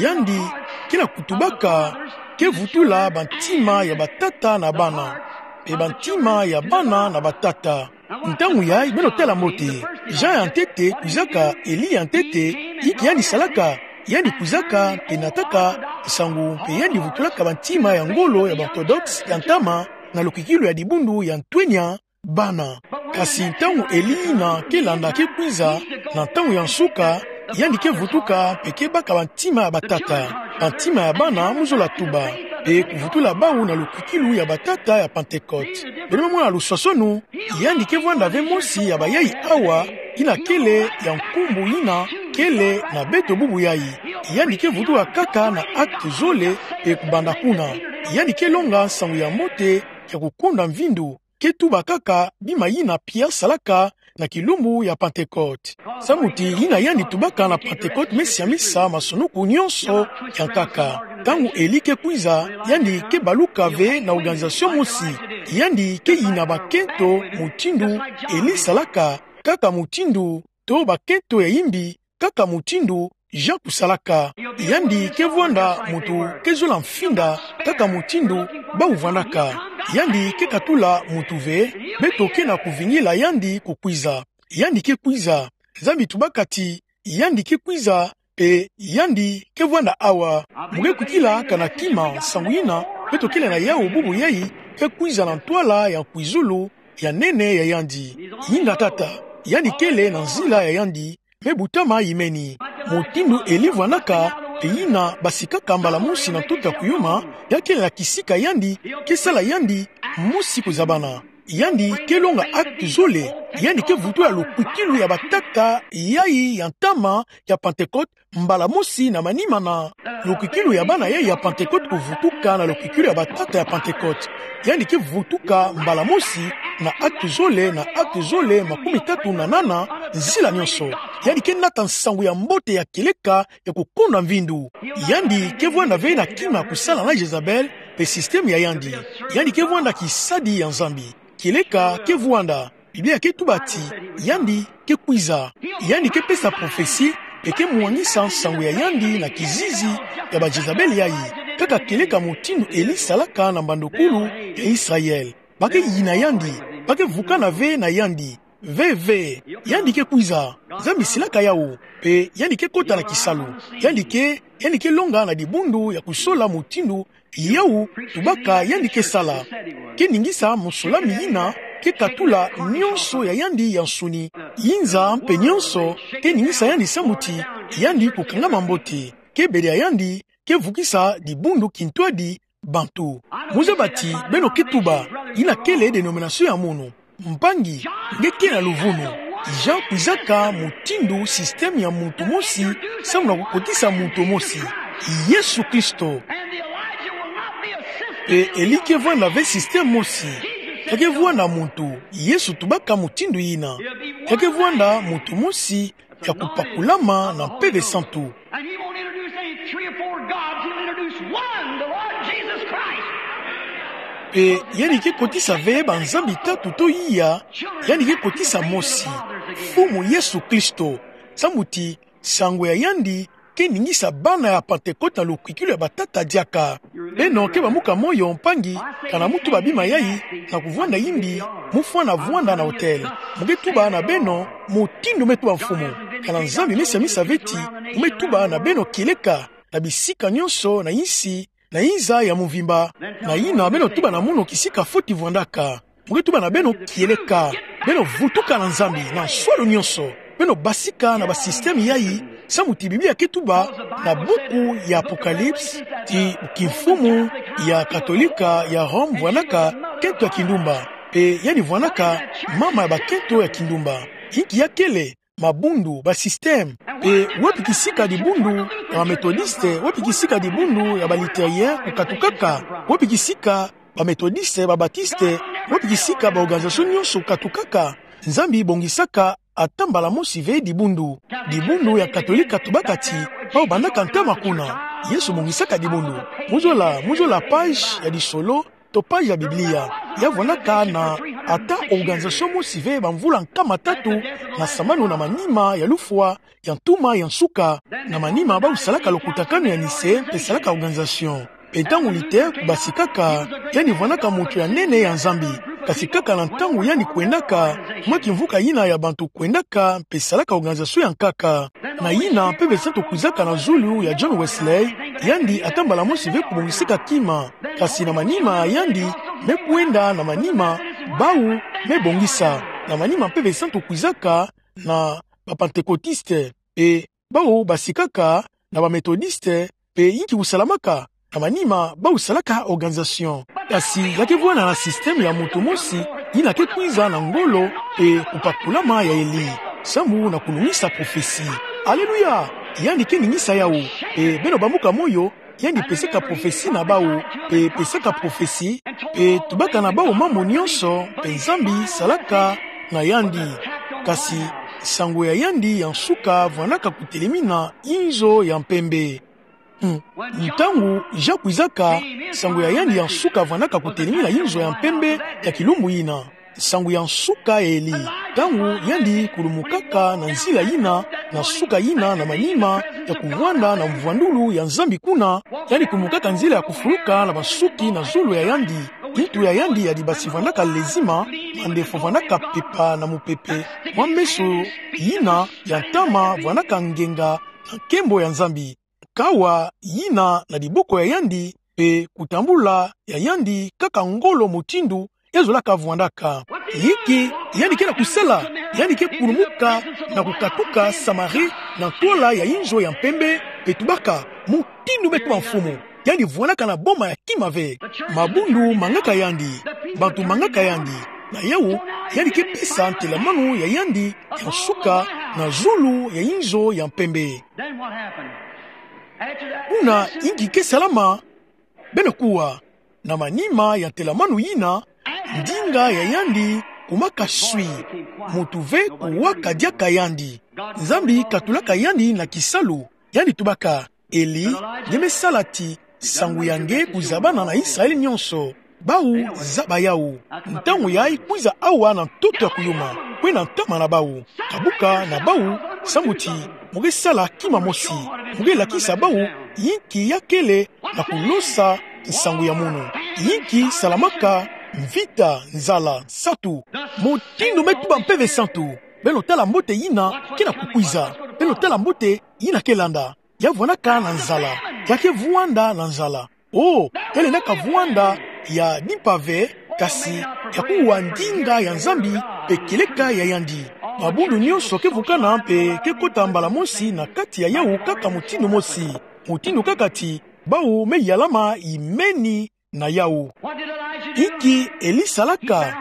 yandi kena kutubaka, ke vutula bantima ya batata na bana, pe bantima ya bana na batata. Ntangu yayi beno tala mbote, Jean ya ntete kwizaka, Elie ya ntete, inki yandi salaka, yandi kwizaka, pe nataka nsangu, pe yandi vutulaka bantima ya ngolo ya ba-Orthodoxe ya ntama, na lukwikilu ya dibundu ya ntwenya bana. Kasi ntangu Elie yina ke landa ke kwiza, na ntangu ya nsuka, yandi ke vutuka, pe ke baka bantima ya batata, bantima ya bana mu zola tuba, pe kuvutula bawu na lukwikilu ya batata ya Pentecote. Beno me mona luswaswanu, yandi ke vwanda ve mosi ya bayayi awa, yina kele ya nkumbu yina kele na beto bubu yayi. Yandi ke vutuka kaka na acte zole, pe kubanda kuna, yandi ke longa nsangu ya mbote ya kukonda mvindu, ke tuba kaka bima yina Pierre salaka na kilumbu ya Pentecote. Samu ti yina yandi tubaka na Pentecote me siamisa masonoko nyonso ya nkaka. Ntangu Elie ke kwiza, yandi ke baluka ve na organisation mosi. Yandi ke yina bakento mutindu Elie salaka, kaka mutindu, to bakento ya imbi, kaka mutindu Jean kusalaka. Yandi ke vwanda muntu ke zola mfinda, kaka mutindu bawu vwandaka. Yandi ke katula muntu ve, beto kena kuvingila yandi kukwiza. Yandi ke kwiza. Nzambi tubaka ti yandi ke kwiza, pe yandi ke vwanda awa. Mu ke kukila kana kima nsangu yina beto kele na yawu bubu yayi ke kwiza na ntwala ya nkwizulu ya nene ya yandi. Inga tata, yandi kele na nzila ya yandi, me butama yimeni. Mutindu Elie vwandaka, pe yina basikaka mbala mosi na ntoto ya kuyuma, ya kele na kisika yandi, ke sala yandi mosi kuzabana. Yandi ke longa acte zole, yandi ke vutula lukwikilu ya batata yayi ya ntama ya Pentecote, mbala mosi na manima na lukwikilu ya bana yayi ya Pentecote kuvutuka na lukwikilu ya batata ya Pentecote. Yandi ke vutuka mbala mosi na acte zole na acte zole makumitatu na nana, nzila nyonso. Yandi ke nata nsangu ya mbote ya kieleka ya kukonda mvindu. Yandi ke vwanda ve na kima kusala na Jezabel pe système ya yandi. Yandi ke vwanda kisadi ya Nzambi. Kieleka ke vwanda. Biblia ke tuba ti yandi ke kwiza. Yandi ke pesa prophetie, pe ke mwangisa nsangu ya yandi na kizizi ya ba Jezabel yayi, kaka kieleka mutindu Elie salaka na mbandokulu ya Israël. Ba ke yina yandi, ba ke vukana ve na yandi. Ve, ve, yandi ke kwiza. Nzambi silaka yawu, pe yandi ke kota na kisalu. Yandi ke, yandi ke longa na dibundu ya kusola mutindu yawu tubaka yandi ke sala. Ke ningisa musolami yina ke katula nyonso ya yandi ya nsuni. Inza mpe nyonso ke ningisa yandi samu ti yandi kukangama mbote. Ke bedia yandi ke vukisa dibundu kintwadi bantu. Mu zaba ti beno ke tuba, yina kele dénomination ya munu. Mpangi, nge ke na luvunu. Jean kwizaka mutindu système ya muntu mosi, samu na kukotisa muntu mosi. Yesu Kristo. Pe Elie ke vwanda ve système mosi. Ya ke vwanda muntu. Yesu tubaka mutindu yina. Ya ke vwanda muntu mosi ya kupakulama na Mpeve Santu. And he won't introduce any three or four gods, he'll introduce one, the Lord Jesus Christ. Pe yandi ke kotisa ve banzambi tatu to iya, yandi ke kotisa mosi, Mfumu Yesu Kristo. Samu ti nsangu ya yandi ke ningisa bana ya Pentecote na lukwikilu ya batata diaka. Beno ke bamuka moyo mpangi, kana mu tuba bima yayi, na kuvwanda yimbi, mu fwana vwanda na hôtel. Mu ke tuba na beno, mutindu me tuba Mfumu. Kana Nzambi me siamisa ve ti, mu me tuba na beno kieleka, na bisika nyonso, na insi, na inza ya mvimba. Na yina beno tuba na munu kisika foti vwandaka. Mu ke tuba na beno kieleka. Beno vutuka na Nzambi na nswalu nyonso. Beno basika na ba système yayi, samu ti Biblia ke tuba na buku ya Apocalypse, ti kimfumu ya Katolika ya Rome vwandaka kento ya kindumba. Pe yandi vwandaka mama ya bakento ya kindumba. Inki ya kele, mabundu, ba système. Pe wapi kisika dibundu ya ba Methodiste, wapi kisika dibundu ya ba Luthérien kukatukaka, wapi kisika ba Methodiste, ba Baptiste, wapi kisika ba organisation nyonso kukatukaka. Nzambi bongisaka ata mbala mosi ve dibundu. Dibundu ya Katolika tubaka ti, bawu bandaka ntama kuna. Yesu bongisaka dibundu. Muzola, muzola page ya disolo, to page ya Biblia. Ya vwandaka na ata organisation mosi ve bamvula nkama tatu na sambanu na manima ya lufwa ya ntuma ya nsuka, na manima bawu salaka lokutakanu ya nise mpe salaka organisation. Mpe ntangu nite kubasikaka, yandi vwandaka muntu ya nene ya Nzambi. Kasi kaka na ntangu yandi kwendaka, mwa kimvuka yina ya bantu kwendaka mpe salaka organisation ya nkaka. Na yina Mpeve Santu kwizaka na zulu ya John Wesley, yandi ata mbala mosi ve kubongisika kima. Kasi na manima yandi me kwenda na manima, bawu me bongisa. Na manima Mpeve Santu kwizaka na ba Pentecôtistes, mpe bawu basikaka na ba Méthodistes, mpe yinki kusalamaka na manima bawu salaka organisation. Kasi ya ke vwanda na système ya muntu mosi, yina ke kwiza na ngolo mpe kupakulama ya Elie, sambu na kulungisa prophétie. Alléluia! Yandi ke ningisa yawu, mpe beno bambuka moyo, yandi pesaka prophétie na bawu, mpe pesaka prophétie, mpe tubaka na bawu mambu nyonso, mpe Nzambi salaka na yandi. Kasi nsangu ya yandi ya nsuka vwandaka kutelemina inzo ya mpembe. Hmm. Ntangu Jean kwizaka, nsangu ya yandi ya nsuka vwandaka kutelemina inzo ya mpembe ya kilumbu yina. Nsangu ya nsuka ya Elie. Ntangu yandi kulumukaka na nzila yina, na nsuka yina, na manima ya kuvwanda na mvwandulu ya Nzambi kuna, yandi kulumukaka nzila ya kufuluka na bansuki na zulu ya yandi. Kintu ya yandi ya dibasi vwandaka lezima, mandefo vwandaka pepa na mupepe. Mwa meso yina ya ntama vwandaka ngenga na nkembo ya Nzambi. Kawa yina na diboko ya yandi, mpe kutambula ya yandi kaka ngolo mutindu ya zolaka vwandaka. Yinki yandi ke na kusala? Yandi ke kulumuka na kukatuka Samarie na ntwala ya inzo ya mpembe, mpe tubaka: Mutindu me tuba Mfumu. Yandi vwandaka na boma ya kima ve. Mabundu mangaka yandi, bantu mangaka yandi. Na yawu, yandi ke pesa ntelamanu ya yandi ya nsuka na zulu ya inzo ya mpembe. Then what happened? After that, kuna yinki ke salama? Beno kuwa, na manima ya ntelamanu yina, ndinga ya yandi kumaka swi. Muntu ve kuwaka diaka yandi. Nzambi katulaka yandi na kisalu. Yandi tubaka: Elie, nge me sala ti nsangu ya nge kuzabana na Israele nyonso. Bawu zaba yawu. Ntangu yayi kwiza awa na ntoto ya kuyuma, kwena ntama na bawu. Kabuka na bawu, sambu ti mu ke sala kima mosi. Mu ke lakisa bawu yinki ya kele na kulosa nsangu ya munu. Yinki salamaka mvita, nzala, nsatu. Mutindu me tuba Mpeve Santu. Beno tala mbote yina ke na kukwiza. Beno tala mbote yina ke landa. Ya vwandaka na nzala. Ya ke vwanda na nzala. Oh, ya lendaka vwanda ya dimpa ve, kasi ya kuwa ndinga ya Nzambi mpe kieleka ya yandi. Mabundu nyonso ke vukana mpe ke kota mbala mosi na kati ya yawu kaka mutindu mosi. Mutindu kaka ti bawu me yalama imeni na yawu. Inki Elie salaka?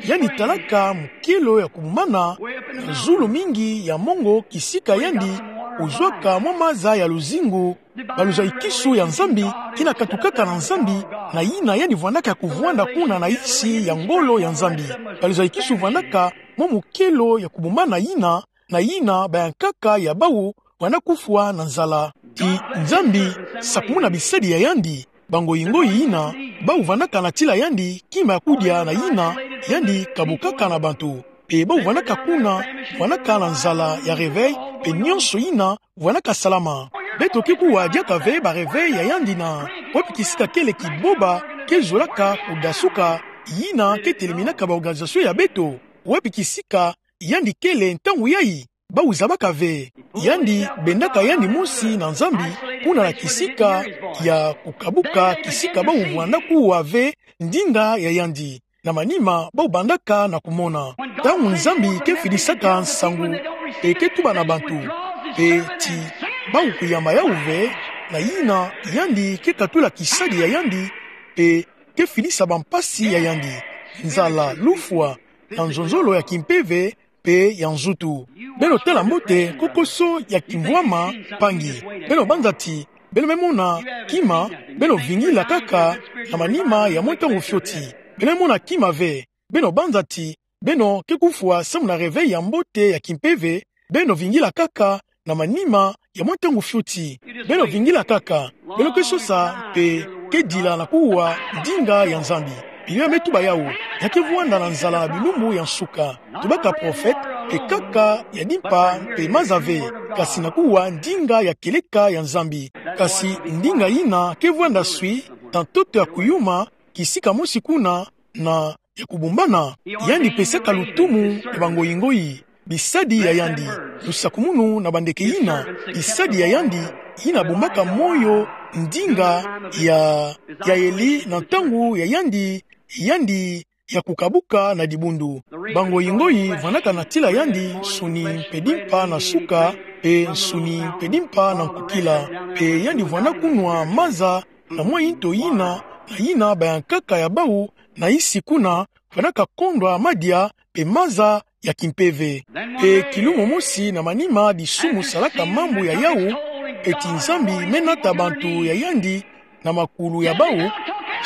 Yandi talaka mukelo ya kubumana na zulu mingi ya mongo kisika yandi kuzwaka mwa maza ya luzingu, baluzaikisu ya Nzambi, yina katukaka na Nzambi, na yina yandi vwandaka ya kuvwanda kuna na yisi ya ngolo ya Nzambi. Baluzaikisu vwandaka mwa mukelo ya kubumana yina, na yina bayankaka ya bawu vwanda kufwa na nzala. Ti Nzambi sakumuna bisadi ya yandi, bangoingo yina, bawu vwandaka na tila yandi kima ya kudia na yina yandi kabukaka na bantu. Mpe bawu vwandaka kuna, vwandaka na nzala ya réveil, mpe nyonso yina vwandaka salama. Beto ke kuwa diaka ve ba réveil ya yandi na wapi kisika kele kiboba ke zolaka kudasuka, yina ke teleminaka ba organisation ya beto. Wapi kisika yandi kele ntangu yayi? Bawu zabaka ve. Yandi bendaka yandi mosi na Nzambi, kuna na kisika ya kukabuka, kisika bawu vwanda kuwa ve ndinga ya yandi. Na manima, bawu bandaka na kumona. Ntangu Nzambi ke fidisaka nsangu, mpe ke tuba na bantu, mpe ti bawu kuyamba yawu ve, na yina yandi ke katula kisadi ya yandi, mpe ke fidisa bampasi ya yandi, nzala, lufwa, na nzonzolo ya kimpeve, mpe ya nzutu. Beno tala mbote kokoso ya kimvwama mpangi. Beno banza ti beno me mona kima, beno vingila kaka na manima ya mwa ntangu fioti. Beno me mona kima ve. Beno banza ti beno ke kufwa samu na réveil ya mbote ya kimpeve, beno vingila kaka na manima ya mwa ntangu fioti. Beno vingila kaka, beno ke sosa mpe ke dila na kuwa ndinga ya Nzambi. Biblia me tuba yawu, ya ke vwanda na nzala na bilumbu ya nsuka. Tubaka prophète, mpe kaka ya dimpa mpe maza ve, kasi na kuwa ndinga ya kieleka ya Nzambi. Kasi ndinga yina ke vwanda swi, na ntoto ya kuyuma, kisika mosi kuna, na ya kubumbana. Yandi pesaka lutumu na bangoyi-ngoyi, bisadi ya yandi, lusakumunu na bandeke yina, bisadi ya yandi, yina bumbaka moyo ndinga ya, ya Eli na ntangu ya yandi, yandi ya kukabuka na dibundu. Bangoyi-ngoyi vwandaka na tila yandi nsuni mpe dimpa na suka, mpe nsuni mpe dimpa na nkukila, mpe yandi vwanda kunwa maza na mwa nto yina, na yina bayankaka ya bawu na nsi kuna, vwandaka kondwa madia mpe maza ya kimpeve. Mpe kilumu mosi na manima disumu salaka mambu ya yawu, eti Nzambi me nata bantu ya yandi na makulu ya bawu,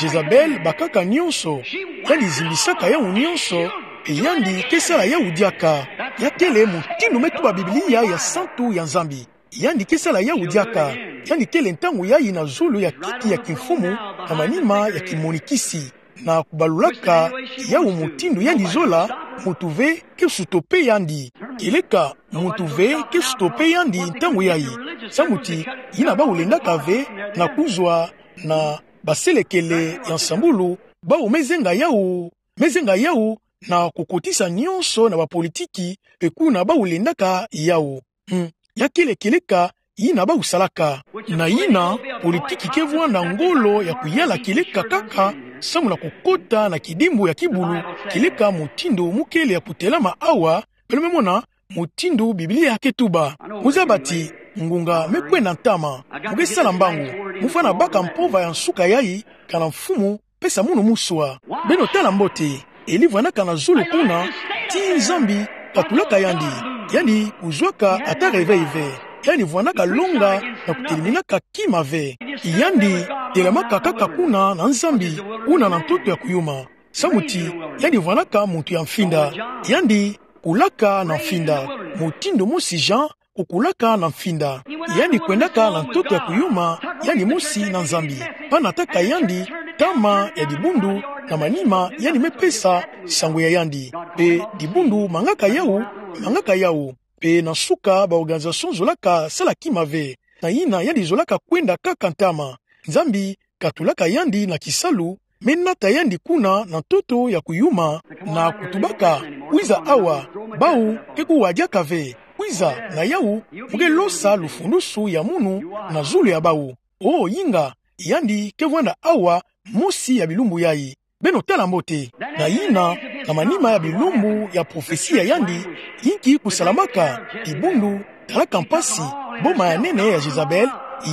Jezabel bakaka nyonso, yandi zimbisaka yawu nyonso, mpe yandi ke sala yawu diaka. Ya kele mutindu me tuba Biblia ya santu ya Nzambi. Yandi ke sala yawu diaka. Yandi kele ntangu yayi na zulu ya kiti ya kimfumu, na manima ya kimonikisi, na kubalulaka yawu mutindu yandi zola, muntu ve ke stoppe yandi. Kieleka muntu ve ke stoppe yandi ntangu yayi. Samu ti, yina bawu lendaka ve na kuzwa na baselekele ya nsambulu, bawu me zenga yawu, me zenga yawu na kukotisa nyonso na bapolitiki, mpe kuna bawu lendaka yawu. Hmm. Ya kele kieleka yina bawu salaka. Na yina, politiki ke vwanda ngolo ya kuyala kieleka kaka, samu na kukota na kidimbu ya kibulu, kieleka mutindu mu kele ya kutelama awa, beno me mona mutindu Biblia ke tuba. Mu zaba ti, ngunga me kwenda ntama, mu ke sala mbangu, mu fwana baka mpova ya nsuka yayi, kana Mfumu pesa munu muswa. Beno tala mbote, Eli vwandaka na zulu kuna, ti Nzambi katulaka yandi, yandi kuzwaka ata réveil ve. Yandi vwandaka longa na kuteleminaka kima ve. Yandi telamaka kaka kuna na Nzambi, kuna na ntoto ya kuyuma. Samu ti, yandi vwandaka muntu ya mfinda. Yandi kulaka na mfinda. Mutindu mosi Jean kukulaka na mfinda. Yandi kwendaka na ntoto ya kuyuma, yandi mosi na Nzambi. Mpe nataka yandi ntama ya dibundu, na manima yandi me pesa nsangu ya yandi. Mpe dibundu mangaka yawu, mangaka yawu. Mpe na nsuka ba organisation zolaka sala kima ve. Na yina yandi zolaka kwenda kaka ntama. Nzambi katulaka yandi na kisalu, me nata yandi kuna na ntoto ya kuyuma, na kutubaka, kwiza awa, bawu ke kuwa diaka ve, kwiza na yawu, mu ke losa lufundusu ya munu na zulu ya bawu. O yinga, yandi ke vwanda awa, mosi ya bilumbu yayi. Beno tala mbote. Na yina, na manima ya bilumbu ya profesi ya yandi, yinki kusalamaka, dibundu talaka mpasi, boma ya nene ya Jezabel,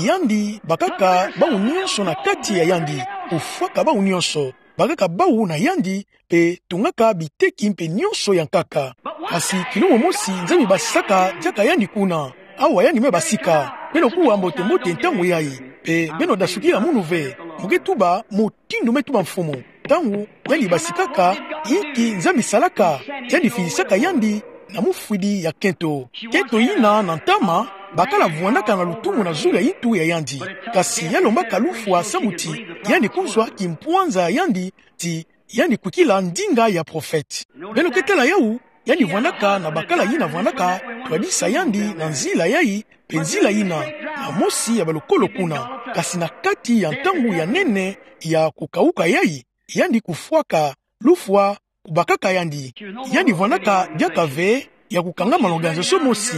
yandi bakaka bawu nyonso na kati ya yandi, kufwaka bawu nyonso, bakaka bawu na yandi, mpe tungaka biteki mpe nyonso ya nkaka. Kasi kilumu mosi Nzambi basaka diaka yandi kuna. Awa yandi me basika. Beno kuwa mbote-mbote ntangu yayi. Mpe beno dasukila munu ve. Mu ke tuba mutindu me tuba Mfumu. Ntangu yandi basikaka, yinki Nzambi salaka, yandi fidisaka yandi na mufwidi ya kento. Kento yina na ntama, bakala vwandaka na lutumu na zulu ya yintu ya yandi. Kasi ya lombaka lufwa samu ti, yandi kuzwa kimpwanza ya yandi, ti, yandi kwikila ndinga ya profete. Beno ke tala yawu, yandi vwandaka na bakala yina vwandaka twadisa yandi na nzila yayi, mpe nzila yina, na mosi ya balokolo kuna, kasi na kati ya ntangu ya nene ya kukawuka yayi, yandi kufwaka, lufwa kubakaka yandi. Yandi vwandaka diaka ve ya kukangama na organisation mosi.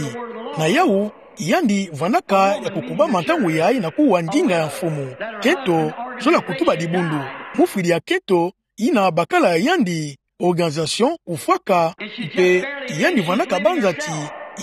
Na yawu, yandi vwandaka ya kukubama ntangu yayi na kuwa ndinga ya Mfumu. Kento, zola kutuba dibundu. Mufwidi ya kento, yina bakala ya yandi, organisation kufwaka, mpe yandi vwandaka banza ti,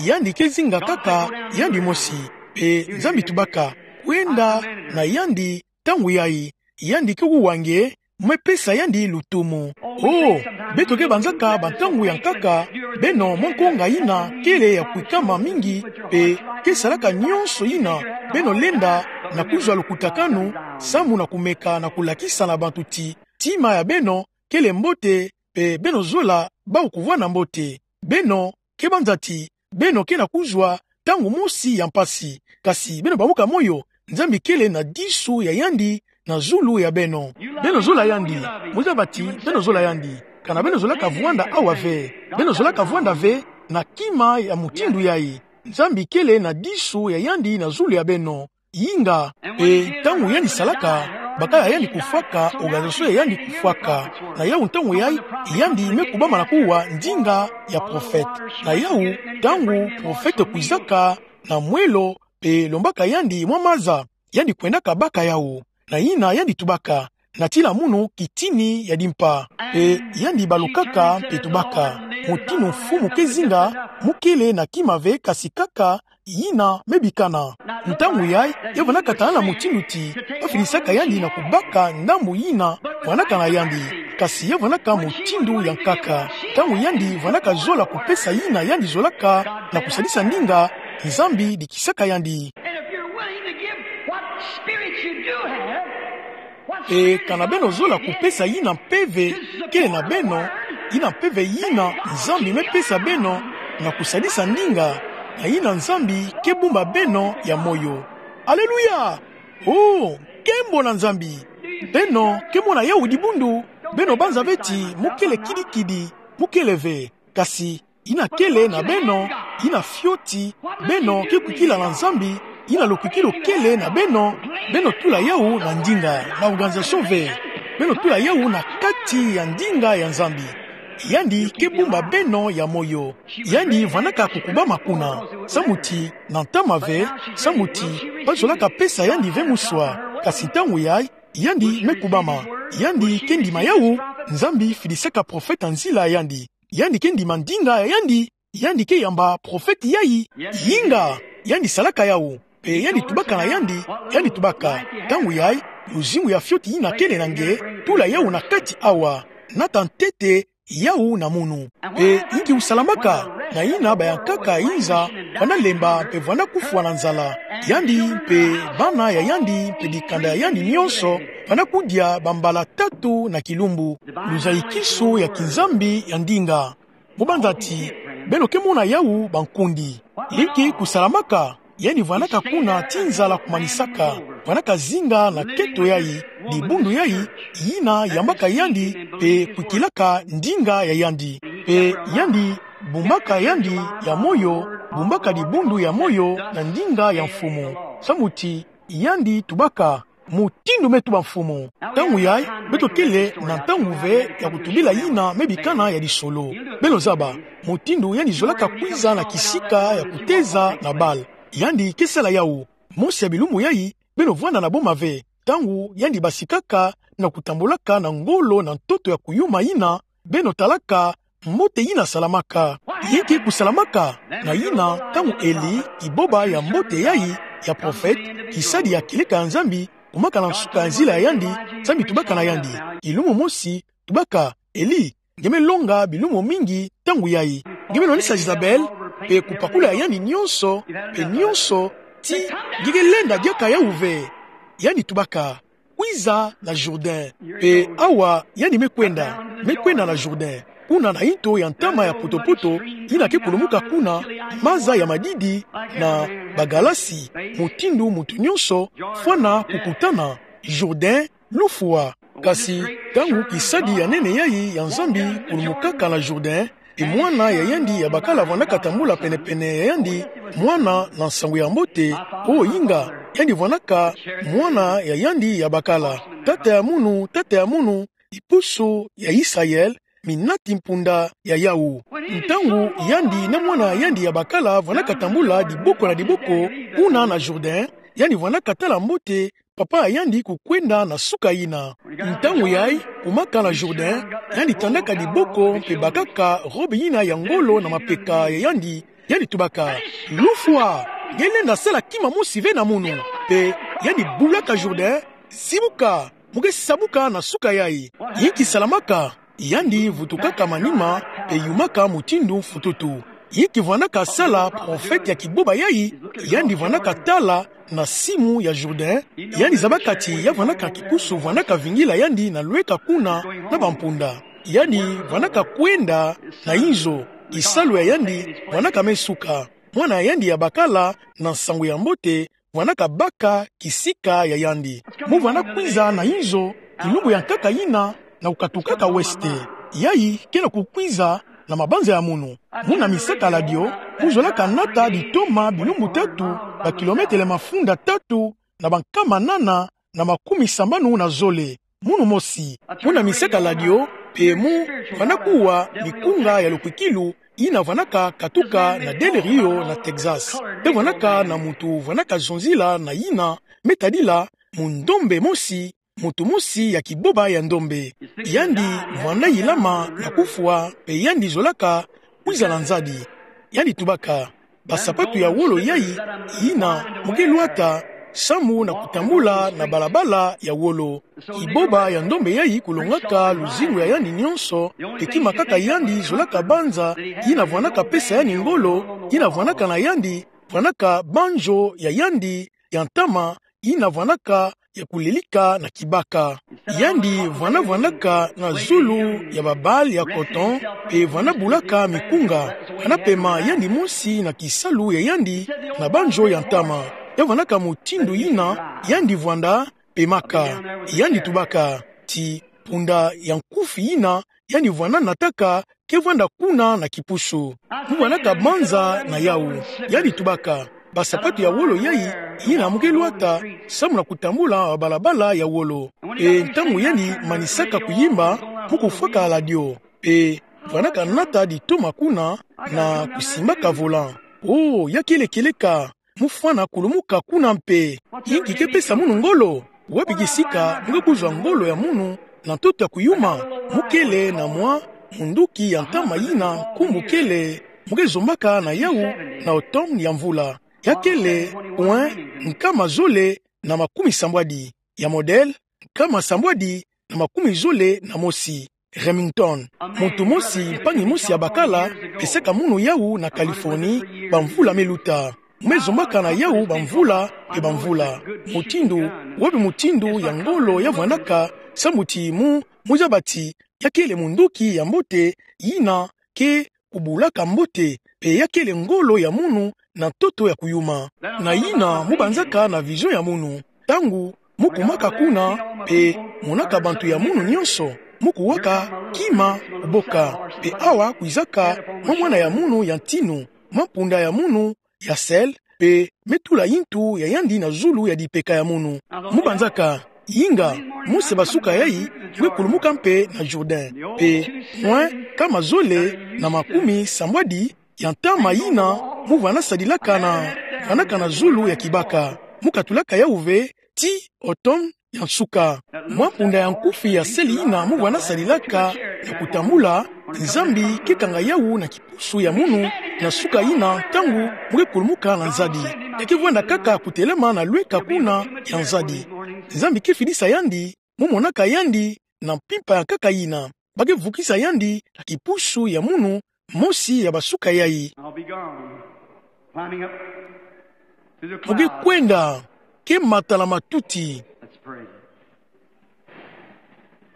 yandi ke zinga kaka yandi mosi. Mpe Nzambi tubaka, kwenda na yandi ntangu yayi, yandi ke kuwa nge, mu me pesa yandi lutumu. O, beto ke banzaka bantangu ya nkaka, beno mwa nkonga yina kele ya kwikama mingi, mpe ke salaka nyonso yina beno lenda na kuzwa lukutakanu, samu na kumeka na kulakisa na bantu ti, ntima ya beno kele mbote, mpe beno zola bawu kuvwanda mbote. Beno ke banza ti, beno ke na kuzwa ntangu mosi ya mpasi. Kasi beno bamboka moyo, Nzambi kele na disu ya yandi na zulu ya beno. Beno zola yandi, muzabati, beno zola yandi. Kana beno zolaka vwanda awa ve. Beno zolaka vwanda ve na kima ya mutindu yayi. Nzambi kele na disu ya yandi na zulu ya beno. Yinga, mpe ntangu yandi salaka, bakala yandi kufwaka, organisation ya yandi kufwaka. Na yawu ntangu yayi, yandi me kubama na kuwa ndinga ya prophète. Na yawu, ntangu prophète kwizaka na mwelo, mpe lombaka yandi mwa maza, yandi kwendaka baka yawu. Na yina yandi tubaka, natila munu kitini ya dimpa. Mpe yandi balukaka, mpe tubaka: Mutinu Mfumu ke zinga, mu kele na kima ve kasi kaka yina me bikana. Ntangu yayi, ya vwandaka talana mutindu ti, bafidisaka yandi na kubaka ndambu yina vwandaka na yandi. Kasi ya vwandaka mutindu ya nkaka. Ntangu yandi vwandaka zola kupesa yina yandi zolaka na kusadisa ndinga, Nzambi dikisaka yandi. And if you're willing to give what spirits you do have, what's E kana beno zola kupesa yina mpeve kele na beno, yina mpeve yina Nzambi me pesa beno na kusadisa ndinga, na yina Nzambi ke bumba beno ya moyo. Aleluya! Oh, nkembo na Nzambi! Beno ke mona yawu dibundu, beno banza ve ti mu kele kidikidi, mu kele ve. Kasi yina kele na beno, yina fioti, beno ke kwikila na Nzambi, yina lokwikilu kele na beno, beno tula yawu na ndinga, na organisation ve. Beno tula yawu na kati ya ndinga ya Nzambi. Yandi ke bumba beno ya moyo. Yandi vwandaka kukubama kuna. Samu ti, na ntama ve, samu ti, bazolaka pesa yandi ve muswa. Kasi ntangu yayi, yandi me kubama. Yandi ke ndima yawu, Nzambi fidisaka prophète na nzila yandi. Yandi ke ndima ndinga ya yandi, yandi ke yamba prophète yayi. Yinga, yandi salaka yawu. Mpe yandi tubaka na yandi, yandi tubaka: Ntangu yayi, luzingu ya fioti yina kele na nge, tula yawu na kati awa. Nata ntete yawu na munu. Mpe inki usalamaka? Na yina bayankaka inza, vwanda lemba mpe vwanda kufwa na nzala. Yandi mpe bana ya yandi mpe dikanda ya yandi nionso, vwanda kudia bambala tatu na kilumbu. Luzayikisu ya kinzambi ya ndinga. Mu banza ti, beno ke mona yawu bankundi. Inki kusalamaka? Yandi vwandaka kuna ti nzala kumanisaka. Vwandaka zinga na keto yayi, dibundu yayi, yina yambaka yandi, mpe kwikilaka ndinga ya yandi. Mpe yandi bumbaka yandi ya moyo, bumbaka dibundu ya moyo na ndinga ya Mfumu. Samu ti, yandi tubaka: Mutindu me tuba Mfumu. Ntangu yayi, beto kele na ntangu ve ya kutubila yina me bikana ya lisolo. Beno zaba, mutindu yandi zolaka kwiza na kisika ya kuteza na bal. Yandi ke sala yawu. Mosi ya bilumbu yayi, beno vwanda na boma ve. Ntangu yandi basikaka na kutambulaka na ngolo na ntoto ya kuyuma yina, beno talaka mbote yina salamaka. Inki kusalamaka? Na yina, ntangu Eli, kiboba ya mbote yayi, ya prophète, kisadi ya kileka ya Nzambi, kumaka na nsuka ya nzila ya yandi, Nzambi tubaka na yandi. Kilumbu mosi, tubaka: Eli, nge me longa bilumbu mingi ntangu yayi. Nge me nwanisa Jezabel, mpe kupakula ya yandi nionso, mpe nionso, ti nge ke lenda diaka yawu ve. Yandi tubaka: Kwiza na Jourdain. Mpe awa yandi me kwenda, me kwenda na Jourdain. Kuna na nto ya ntama ya potopoto, yina ke kulumuka kuna, maza ya madidi na bagalasi, mutindu muntu nionso fwana kukutana. Jourdain, lufwa. Kasi, ntangu kisadi ya nene yayi ya Nzambi kulumukaka na Jourdain, e mwana ya yandi ya bakala vwandaka tambula pene-pene ya yandi, mwana na nsangu ya mbote, o inga, yandi vwandaka mwana ya yandi ya bakala. Tata ya munu, tata ya munu, ipusu ya Israël, minati mpunda ya yawu. Ntangu yandi na mwana ya yandi ya bakala vwandaka tambula diboko na diboko, kuna na Jourdain, yandi vwandaka tala mbote papa ya yandi kukwenda na suka yina. Ntangu yayi, kumaka na Jourdain, yandi tandaka diboko mpe bakaka robe yina ya ngolo na mapeka ya yandi, yandi tubaka: Lufwa, nge lenda sala kima mosi ve na munu. Mpe yandi bulaka Jourdain: Sibuka, mu ke sabuka na suka yayi. Inki salamaka? Yandi vutukaka manima, mpe yumaka mutindu mfututu. Inki vwandaka sala prophète ya kiboba yayi? Yandi vwandaka tala na simu ya Jourdain, yandi zabaka ti ya vwandaka kipusu vwandaka vingila yandi na lweka kuna na bampunda. Yandi vwandaka kwenda na inzo, kisalu ya yandi vwandaka me suka. mwana ya yandi ya bakala na nsangu ya mbote, vwanaka baka kisika ya yandi. Mu vwana kwiza na inzo, kilumbu ya nkaka yina, na kukatukaka weste. Yayi ke na kukwiza na mabanza ya munu. Muna misakala dio, mu zolaka nata ditoma bilumbu tatu, ba kilometele mafunda tatu, na bankama nana, na makumi sambanu na zole. Munu mosi, muna misakala dio, mpe mu vwana kuwa mikunga ya lukwikilu, yina vwanaka katuka na Del Rio na Texas. Mpe vwanaka na muntu vwanaka zonzila na yina, me tadila, mundombe mosi, muntu mosi ya kiboba ya ndombe. Yandi vwana yilama na kufwa, mpe yandi zolaka kwiza na nzadi. Yandi tubaka, basapatu ya wolo yayi, yina mu ke lwata, samu na kutambula na balabala ya wolo. Kiboba ya ndombe yayi kulongaka luzingu ya yandi nyonso, mpe kima kaka yandi zolaka banza, yina vwanaka pesa yandi ngolo, yina vwanaka na yandi, vwanaka banzo ya yandi ya ntama, yina vwanaka ya kulelika na kibaka. Yandi vwana vwanaka na zulu ya babale ya coton, mpe vwana bulaka mikunga, vwana pema yandi mosi na kisalu ya yandi na banzo ya ntama. Ya vwanaka mutindu yina, yandi vwanda pemaka, yandi tubaka, ti mpunda ya nkufi yina, yandi vwana nataka, ke vwanda kuna na kipusu. Mu vwanaka banza na yawu. Yandi tubaka, basapatu ya wolo yayi, yina mu ke lwata, samu na kutambula balabala ya wolo. Mpe ntangu yandi manisaka kuyimba, mu kufwakala dio. Mpe vwanaka nata ditoma kuna, na kusimbaka volant. Oh, ya kele kieleka, mu fwana kulumuka kuna mpe. Yinki ke pesa munu ngolo? Wapi kisika mu ke kuzwa ngolo ya munu na ntoto ya kuyuma? Mu kele na mwa munduki ya ntama yina nkumbu kele, mu ke zombaka na yawu na automne ya mvula. Ya kele, oin, nkama zole na makumi sambwadi. Ya modèle, nkama sambwadi na makumi zole na mosi. Remington. Muntu mosi, mpangi mosi ya bakala, pesaka munu yawu na Californie, bamvula me luta. Mu me zombaka na yawu bamvula mpe bamvula. Mutindu, wapi mutindu ya ngolo ya vwanaka, samu ti mu, mu zaba ti, ya kele munduki ya mbote, yina ke kubulaka mbote, mpe ya kele ngolo ya munu na ntoto ya kuyuma. Na yina mu banzaka na vision ya munu. Ntangu mu kumaka kuna, mpe monaka bantu ya munu nyonso, mu kuwaka kima kuboka. Mpe awa kwizaka mwa mwana ya munu ya ntinu, mwa mpunda ya munu ya selle, mpe me tula yintu ya yandi na zulu ya dipeka ya munu. Mu banzaka, inga, mu se basuka yayi, mu ke kulumuka mpe na Jourdain. Mpe, oin, nkama zole na makumi sambwadi ya ntama yina, mu vwana sadilaka na, vwanaka na zulu ya kibaka. Mu katulaka yawu ve, ti automne ya nsuka. Mwa mpunda ya nkufi ya selle yina mu vwana sadilaka na kutambula, Nzambi ke kanga yawu na kipusu ya munu, na suka yina ntangu mu ke kulumuka na nzadi. Ya ke vwanda kaka kutelama na lweka kuna ya nzadi. Nzambi ke fidisa yandi, mu monaka yandi na mpimpa ya nkaka yina. Ba ke vukisa yandi na kipusu ya munu, mosi ya basuka yayi. I'll be gone. Climbing up through the clouds. Mu ke kwenda, ke mata na matuti. Let's pray.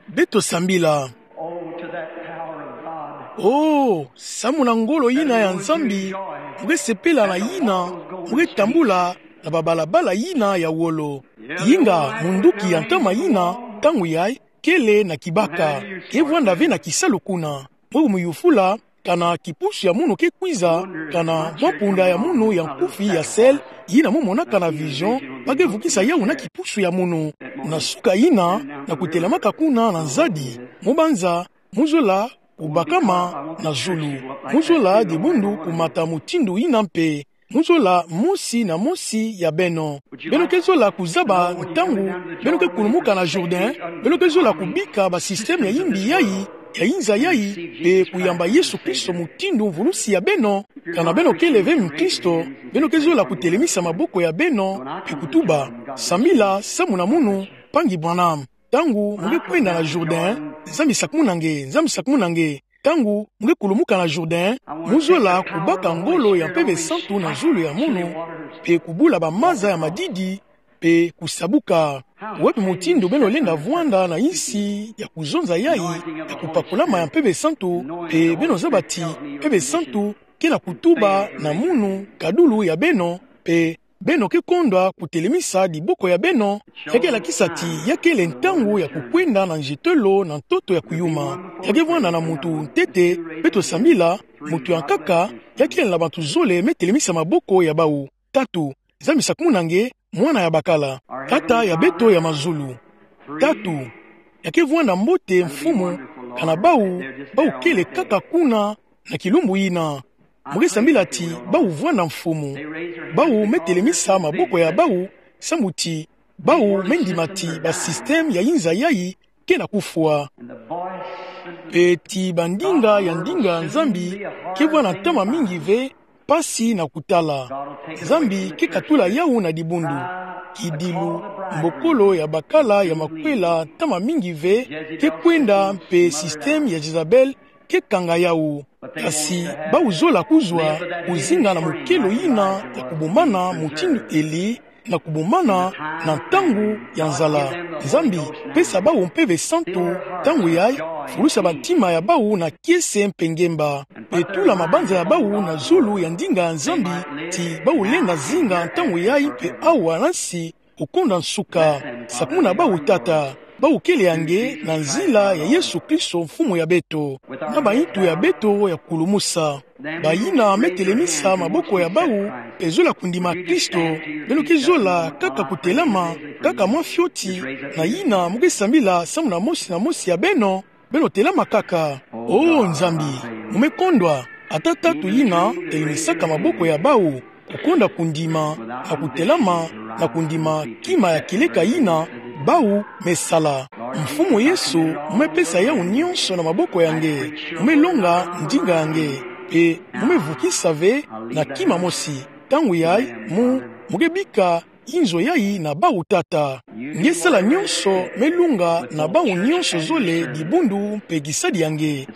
Beto sambila. Oh, to that power of God. Oh, samu na ngolo yina ya Nzambi, mu ke sepela na yina, mu ke tambula na babalabala yina ya wolo. Inga, munduki ya ntama yina, ntangu yayi, kele na kibaka, ke vwanda ve na kisalu kuna. Mu ke miyufula, kana kipusu ya munu ke kwiza, kana mwa mpunda ya munu ya nkufi ya selle, yina mu monaka na vision, ba ke vukisa yawu na kipusu ya munu. Na suka yina, na kutelamaka kuna na nzadi, mu banza, mu zola kubakama na zulu. Mu zola dibundu kumata mutindu yina mpe. Mu zola mosi na mosi ya beno. Beno ke zola kuzaba ntangu beno ke kulumuka na Jourdain, beno ke zola kubika ba système ya yimbi yayi, ya inza yayi, mpe kuyamba Yesu Kristo mutindu mvulusi ya beno. Kana beno kele ve mukristo, beno ke zola kutelemisa maboko ya beno, mpe kutuba: Sambila samu na munu, mpangi Branham. Ntangu mu ke kwenda na Jourdain, Nzambi sakumuna nge, Nzambi sakumuna nge. Ntangu mu ke kulumuka na Jourdain, mu zola kubaka ngolo ya Mpeve Santu na zulu ya munu, mpe kubula bamaza ya madidi, mpe kusabuka. Wapi mutindu beno lenda vwanda na insi ya kuzonza yayi, ya kupakulama ya Mpeve Santu, mpe beno zaba ti Mpeve Santu ke na kutuba na munu kadulu ya beno, mpe beno ke kondwa kutelemisa diboko ya beno, ya ke lakisa ti ya kele ntangu ya kukwenda na nzetelo na ntoto ya kuyuma. Ya ke vwanda na muntu ntete, beto sambila, muntu ya nkaka, ya kele na bantu zole me telemisa maboko ya bawu. Tatu, Nzambi sakumuna nge, mwana ya bakala, Tata ya beto ya mazulu. Tatu, ya ke vwanda mbote Mfumu, kana bawu, bawu kele kaka kuna, na kilumbu yina. Mu ke sambila ti bawu vwanda Mfumu. Bawu me telemisa maboko ya bawu, sambu ti bawu me ndima ti ba système ya inza yayi ke na kufwa. Mpe ti bandinga ya ndinga Nzambi ke vwanda ntama mingi ve, mpasi na kutala. Nzambi ke katula yawu na dibundu. Kidilu, mbokolo ya bakala ya makwela ntama mingi ve ke kwenda mpe système ya Jezabel ke kanga yawu. Kasi bawu zola kuzwa, kuzinga na mukelo yina ya kubumana mutindu Eli, na kubumana na ntangu ya nzala. Nzambi, pesa bawu Mpeve Santu, ntangu yayi, fulusa bantima ya bawu na kiese mpe ngemba. Mpe tula mabanza ya bawu na zulu ya ndinga ya Nzambi, ti bawu lenda zinga ntangu yayi mpe awa na nsi, kukonda nsuka. Sakumuna bawu Tata, bawu kele ya nge na nzila ya Yesu Kristo Mfumu ya beto. Na bayintu ya beto ya kulumusa. Bayina me telemisa maboko ya bawu, mpe zola kundima Kristo, beno ke zola kaka kutelama, kaka mwa fioti, na yina mu ke sambila sambu na mosi na mosi ya beno, beno telama kaka. O Nzambi, mu me kondwa, ata tatu yina, telemisaka maboko ya bawu, kukonda kundima, na kutelama, na kundima kima ya kieleka yina, bawu me sala. Mfumu Yesu, mu me pesa yawu nyonso na maboko ya nge, mu me longa ndinga ya nge, mpe mu me vukisa ve na kima mosi. Ntangu yayi, mu, mu ke bika inzo yayi na bawu Tata. Nge sala nyonso me lunga na bawu nyonso zole dibundu mpe kisadi ya nge.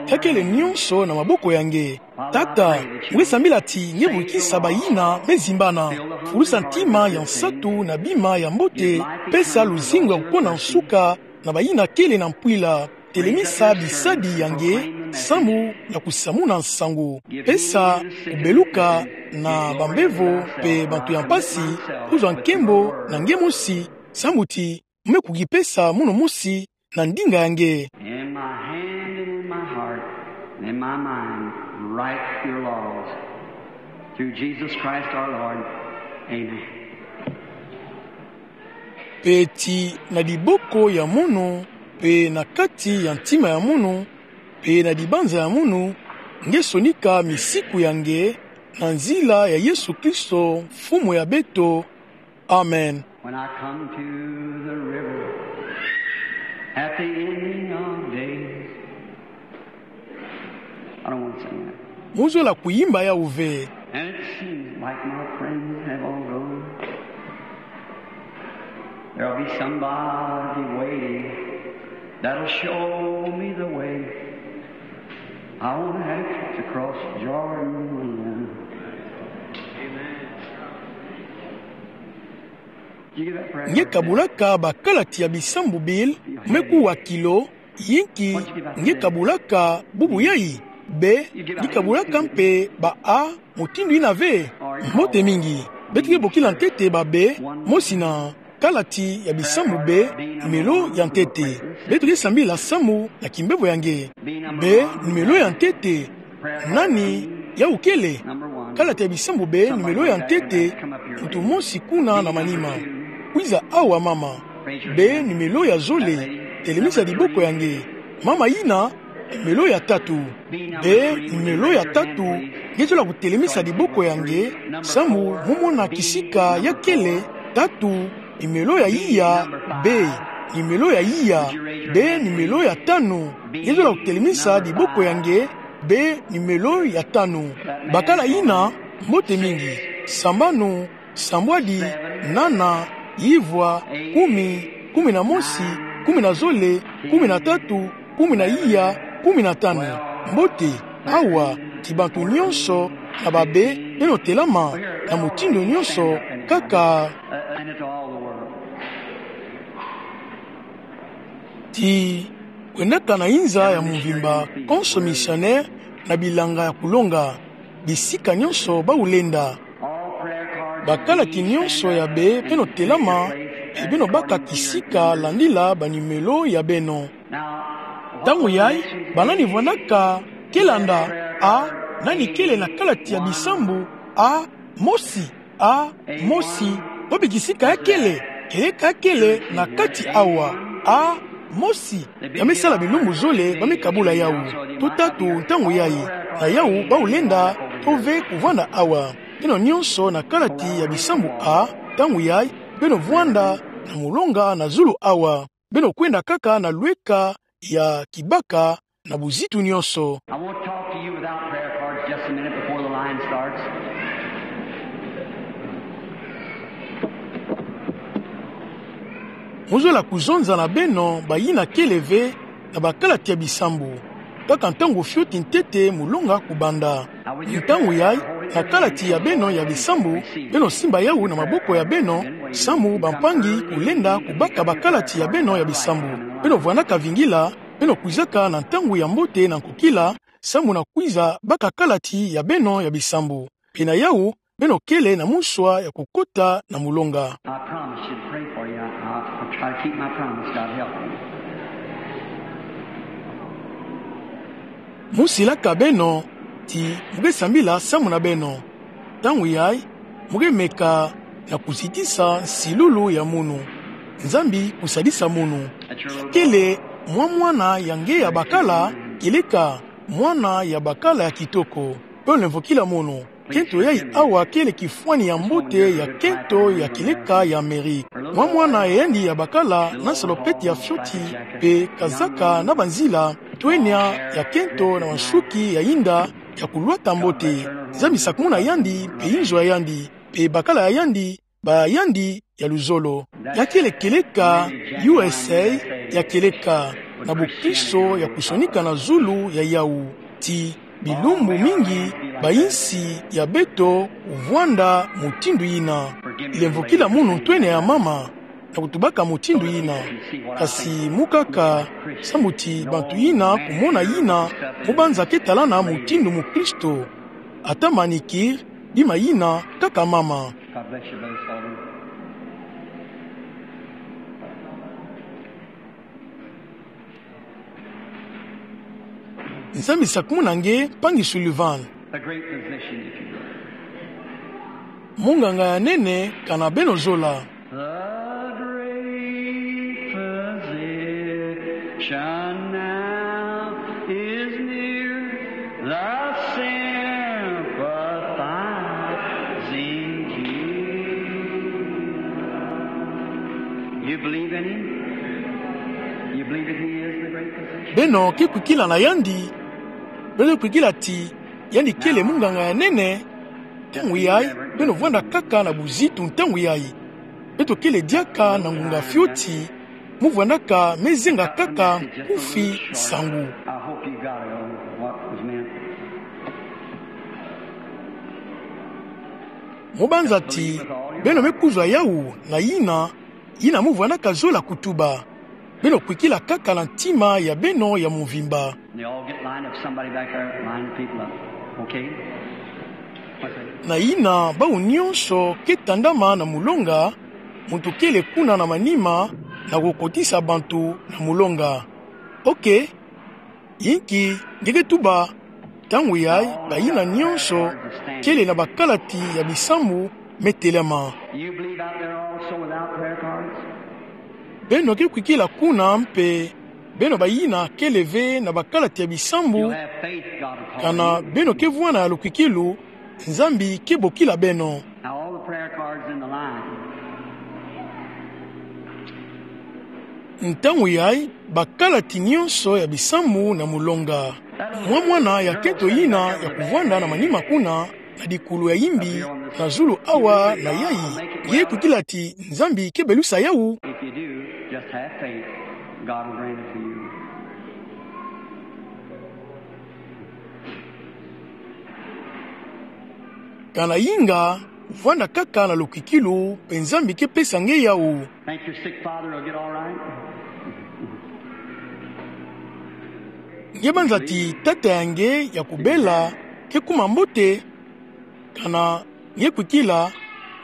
Ya kele nyonso na maboko ya nge. Tata, mu ke sambila ti nge vukisa bayina me zimbana. Fulusa ntima ya nsatu na bima ya mbote, pesa luzingu ya kukonda nsuka na bayina kele na mpwila. Telemisa bisadi ya nge, sambu na kusamuna nsangu. Pesa kubeluka na bambevo mpe bantu ya mpasi, kuzwa nkembo na nge mosi, sambu ti mu me kukipesa mono mosi na ndinga ya nge. In my hand and in my heart and in my mind, write your laws. Through Jesus Christ our Lord. Amen. Mpe ti na diboko ya mono, mpe na kati ya ntima ya mono, mpe na dibanza ya mono, nge sonika misiku ya nge, na nzila ya Yesu Kristo, Mfumu ya beto. Amen. When I come to the river at the ending of days, I don't want to sing that. Mu zola kuyimba yawu ve. And it seems like my friends have all gone. There'll be somebody waiting that'll show me the way. I won't have to cross Jordan alone. Amen. Nge kabulaka bakalati ya bisambu bile, mu me kuwa kilo, yinki nge kabulaka bubu yayi, be, nge kabulaka mpe ba a mutindu yina ve, mbote mingi. Beto ke bokila ntete ba be, mosi na kalati ya bisambu be, nimelo ya ntete. Beto ke sambila sambu na kimbevo ya nge. Be, nimelo ya ntete, nani yawu kele? Kalati ya bisambu be, nimelo ya ntete, muntu mosi kuna na manima. Kwiza awa mama. Be, nimelo ya zole, telemisa diboko ya nge. Mama yina, nimelo ya tatu. Be, nimelo ya tatu, nge zola kutelemisa diboko ya nge, sambu mu mona kisika ya kele, tatu, nimelo ya iya, be, nimelo ya iya, be, nimelo ya tanu, nge zola kutelemisa diboko ya nge, be, nimelo ya tanu. Bakala yina, mbote mingi, sambanu, sambwadi, nana, ivwa, kumi, kumi na mosi, kumi na zole, kumi na tatu, kumi na iya, kumi na tanu. Mbote, awa, ti bantu nyonso, na ba be, beno telama, na mutindu nyonso, kaka. Ti, kwendaka na inza ya mvimba, konso missionnaire, na bilanga ya kulonga. bisika nyonso bau lenda. Bakalati nyonso ya be, beno telama, e beno baka kisika landila banimelo ya beno. Ntangu yai, banani vwandaka kelanda, a, nani kele na kalati ya bisambu, a, mosi, a, mosi, bobi kisika ya kele, keleka ya kele na kati awa, a, mosi, ya me sala bilumbu zole, ba me kabula yau. Tuta tu ntangu yai, na yau bau lenda, to ve kuvwanda awa. Beno nyonso na kalati ya bisambu a, ntangu yai, beno vwanda na molonga na zulu awa. Beno kwenda kaka na lweka ya kibaka na buzitu nyonso. I want to talk to you without prayer cards just a minute before the line starts. Mozola kuzonza na beno bayina kele ve na bakalati ya bisambu, kaka ntangu fioti ntete molonga kubanda. Ntangu yai, na kalati ya beno ya bisambu, beno simba yau na maboko ya beno, samu bampangi kulenda kubaka bakalati ya beno ya bisambu. Beno vwandaka vingila, beno kwizaka na ntangu ya mbote na nkokila, samu na kwiza baka kalati ya beno ya bisambu. Pina yau, beno kele na muswa ya kukota na molonga. I promise you to pray for you. I, I, I'll try to keep my promise. God help me. Mu silaka beno ti mu ke sambila samu na beno. Ntangu yai, mu ke meka na kuzitisa nsilulu ya munu. Nzambi kusadisa munu. Kele mwa mwana ya nge ya bakala, keleka mwana ya bakala ya kitoko. Beno lemvokila munu. Kento yai awa kele kifwani ya mbote ya kento ya keleka ya Amerika. Mwa mwana ya yandi ya bakala na salopette ya fioti, mpe kazaka na banzila, twenya ya kento na mansuki ya yinda ya kulwata mbote. Nzambi sakumuna yandi, mpe inzo ya yandi, mpe bakala ya yandi, ba yandi ya luzolo. Ya kele keleka U S A ya keleka, na bokristo ya kusonika na zulu ya yau. Ti bilumbu mingi bayinsi ya beto kuvwanda mutindu yina. Lemvokila munu ntwenya ya mama na kutubaka mutindu yina. Kasi mu kaka, samu ti bantu yina kumona yina, mu banza ke talana mutindu mukristo. Ata manicure, bima yina kaka mama. God bless you, Brother Sullivan. Nzambi sakumuna nge, mpangi Sullivan. The great physician, if you will. Munganga ya nene, kana beno zola. The great physician now is near, the sympathizing Jew. You believe in him? You believe that he is the great physician? Beno ke kwikila na yandi, beno kwikila ti yandi kele munganga ya nene. Ntangu yai, beno vwanda kaka na buzitu ntangu yai. Beto kele diaka na ngunga fioti, mu vwandaka me zenga kaka nkufi nsangu. I hope you got it, what was meant. Mu banza ti beno me kuzwa yau na yina, yina mu vwandaka zola kutuba. Beno kwikila kaka na ntima ya beno ya mvimba. They all get lined up. Somebody back there, line the people up. Okay? What's that? Na yina bau nyonso ke tandama na mulonga, muntu kele kuna na manima, na kukotisa bantu na mulonga. Okay. Inki nge ke tuba? Ntangu yai, bayina nyonso kele na bakalati ya bisambu me telama. You believe out there also without prayer cards? Beno ke kwikila kuna mpe, beno bayina kele ve na bakalati ya bisambu, you have faith, God will call you. Kana beno ke vwanda ya lukwikilu, Nzambi ke bokila beno. Now all the prayer cards in the line. Ntangu yai, bakalati nyonso ya bisambu na mulonga. Mwa mwana ya kento yina ya kuvwanda na manima kuna, na dikulu ya yimbi, na zulu awa na yai, nge kwikila ti Nzambi ke belusa yau? If you do, just have faith. God will grant it to you. Kana inga, vwanda kaka na lukwikilu, mpe Nzambi ke pesa nge yau. Think your sick father will get all right? Nge banza ti tata ya nge ya kubela ke kuma mbote? Kana nge kwikila,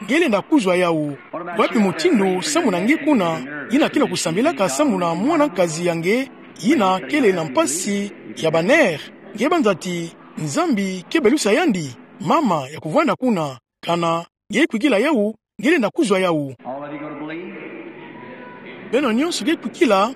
nge lenda kuzwa yawu. Wapi mutindu samu na nge kuna, yina ke na kusambilaka samu na mwana nkazi ya nge, yina kele na mpasi ya ba nerfs? Nge banza ti Nzambi ke belusa yandi, mama ya kuvwanda kuna. Kana nge kwikila yawu, nge lenda kuzwa yawu. All of you gonna believe? Beno nyonso nge kwikila?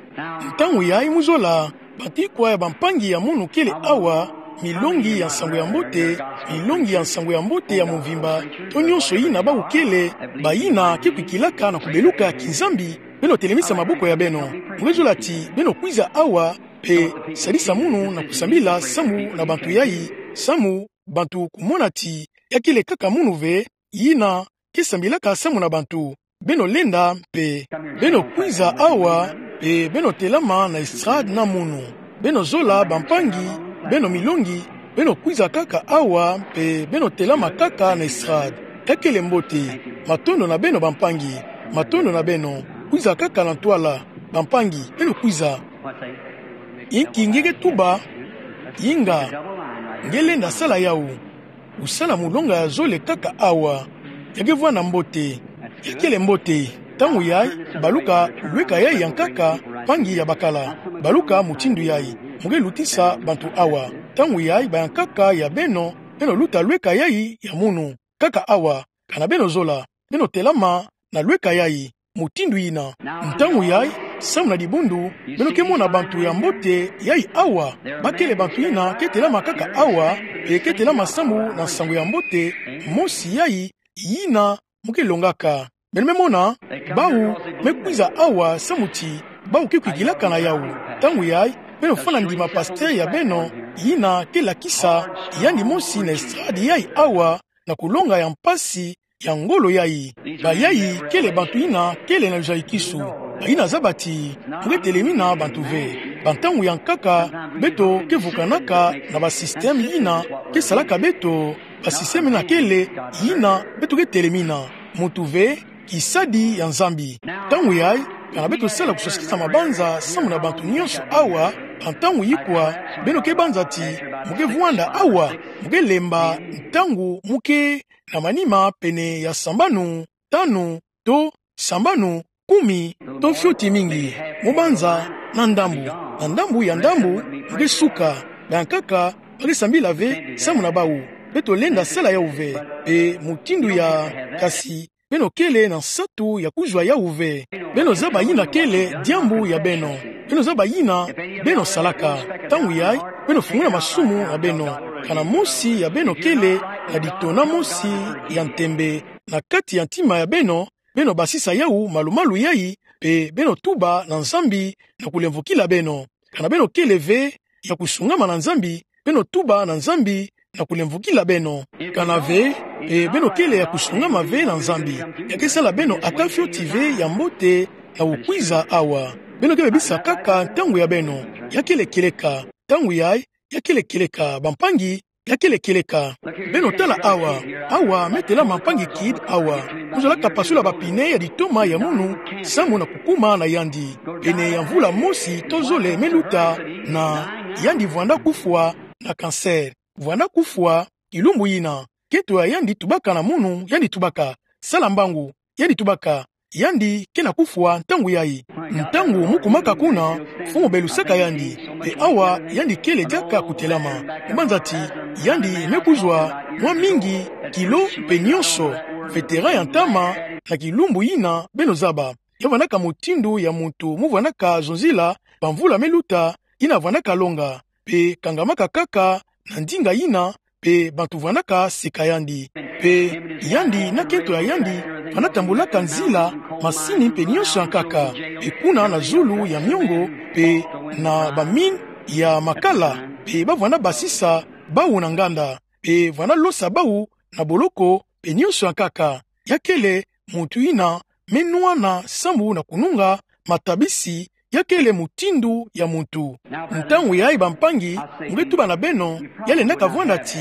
Ntangu yayi mu zola, bantu ikwa ya bampangi ya munu kele awa, milongi ya nsangu ya mbote, milongi ya nsangu ya mbote ya mvimba, to nyonso yina bawu kele, bayina ke kwikilaka na kubeluka ya kinzambi, beno telemisa maboko ya beno. Mu nge zola ti beno kwiza awa, mpe sadisa munu na kusambila samu na bantu yayi, samu bantu kumona ti ya kele kaka munu ve, yina ke sambilaka samu na bantu. Beno lenda mpe. Beno kwiza awa, mpe beno telama na estrade na munu. Beno zola bampangi, beno milongi, beno kwiza kaka awa, mpe beno telama kaka na estrade. Ya kele mbote. Matondo na beno bampangi. Matondo na beno. Kwiza kaka na ntwala. Bampangi, beno kwiza. Inki nge ke tuba? Inga, nge lenda sala yawu. Kusala mulonga ya zole kaka awa. Ya ke vwanda mbote. Ya kele mbote. Ntangu yayi, baluka lweka yayi ya nkaka, mpangi ya bakala. Baluka mutindu yayi. Mu ke lutisa bantu awa. Ntangu yayi, bayankaka ya beno, beno luta lweka yayi ya munu. Kaka awa, kana beno zola, beno telama na lweka yayi, mutindu yina. Ntangu yayi, samu na dibundu, beno ke mona bantu ya mbote yayi awa, ba kele bantu yina ke telama kaka awa, mpe ke telama samu na nsangu ya mbote mosi yayi, yina mu ke longaka. Beno me mona, bawu me kwiza awa samu ti bawu ke kwikilaka na yawu. Ntangu yayi, beno fana ndima pasteur ya beno, yina ke lakisa yandi mosi na estrade yayi awa, na kulonga ya mpasi ya ngolo yayi. Bayayi kele bantu yina kele na luzayikisu. Bayina zaba ti mu ke telemina bantu ve. Bantangu ya nkaka, beto ke vukanaka na basystème yina ke salaka beto, basystème yina kele yina beto ke telemina. Muntu ve, kisadi ya Nzambi. Ntangu yayi, kana beto sala kusosikisa mabanza samu na bantu nyonso awa, bantangu ikwa, beno ke banza ti mu ke vwanda awa, mu ke lemba ntangu mu ke na manima pene ya sambanu, tanu, to sambanu, kumi, to fioti mingi, mu banza na ndambu, na ndambu ya ndambu, mu ke suka, bayankaka ba ke sambila ve samu na bawu. Beto lenda sala yawu ve, mpe mutindu ya, kasi beno kele na nsatu ya kuzwa yawu ve. Beno zaba yina kele diambu ya beno. Beno zaba yina beno salaka. Ntangu yayi, beno fungula masumu na beno. Kana mosi ya beno kele na ditona mosi ya ntembe na kati ya ntima ya beno, beno basisa yawu malu-malu yayi, mpe beno tuba na Nzambi na kulemvokila beno. Kana beno kele ve ya kusungama na Nzambi, beno tuba na Nzambi na kulemvokila beno. Kana ve, mpe beno kele ya kusungama ve na Nzambi, ya ke sala beno ata fioti ve ya mbote na kukwiza awa. Beno ke bebisa kaka ntangu ya beno. Ya kele kieleka. Ntangu yayi, ya kele kieleka, bampangi, ya kele kieleka. Beno tala awa. Awa me telama mpangi Kidd awa. Mu zola kapasula bapine ya ditoma ya munu, samu na kukuma na yandi. Pene ya mvula mosi to zole me luta, na yandi vwanda kufwa na cancer. Vwanda kufwa, kilumbu yina. Nkento ya yandi tubaka na munu, yandi tubaka: Sala mbangu. Yandi tubaka: Yandi ke na kufwa ntangu yayi. Ntangu mu kumaka kuna, mfumu belusaka yandi. Mpe awa yandi kele diaka kutelama. Mu banza ti yandi me kuzwa mwa mingi, kilo mpe nyonso. Vétéran ya ntama na kilumbu yina beno zaba. Ya vwandaka mutindu ya muntu mu vwandaka zonzila, bamvula me luta, yina vwandaka longa. Mpe kangamaka kaka na ndinga yina, mpe bantu vwandaka seka yandi. Mpe yandi na nkento ya yandi vwanda tambulaka nzila, masini mpe nyonso ya nkaka, mpe kuna na zulu ya miongo, mpe na bamine ya makala, mpe ba vwanda basisa bawu na nganda, mpe vwanda losa bawu na boloko, mpe nyonso ya nkaka. Ya kele muntu yina me nwana samu na kununga matabisi, ya kele mutindu ya muntu. Ntangu yayi, bampangi, mu ke tuba na beno, ya lendaka vwanda ti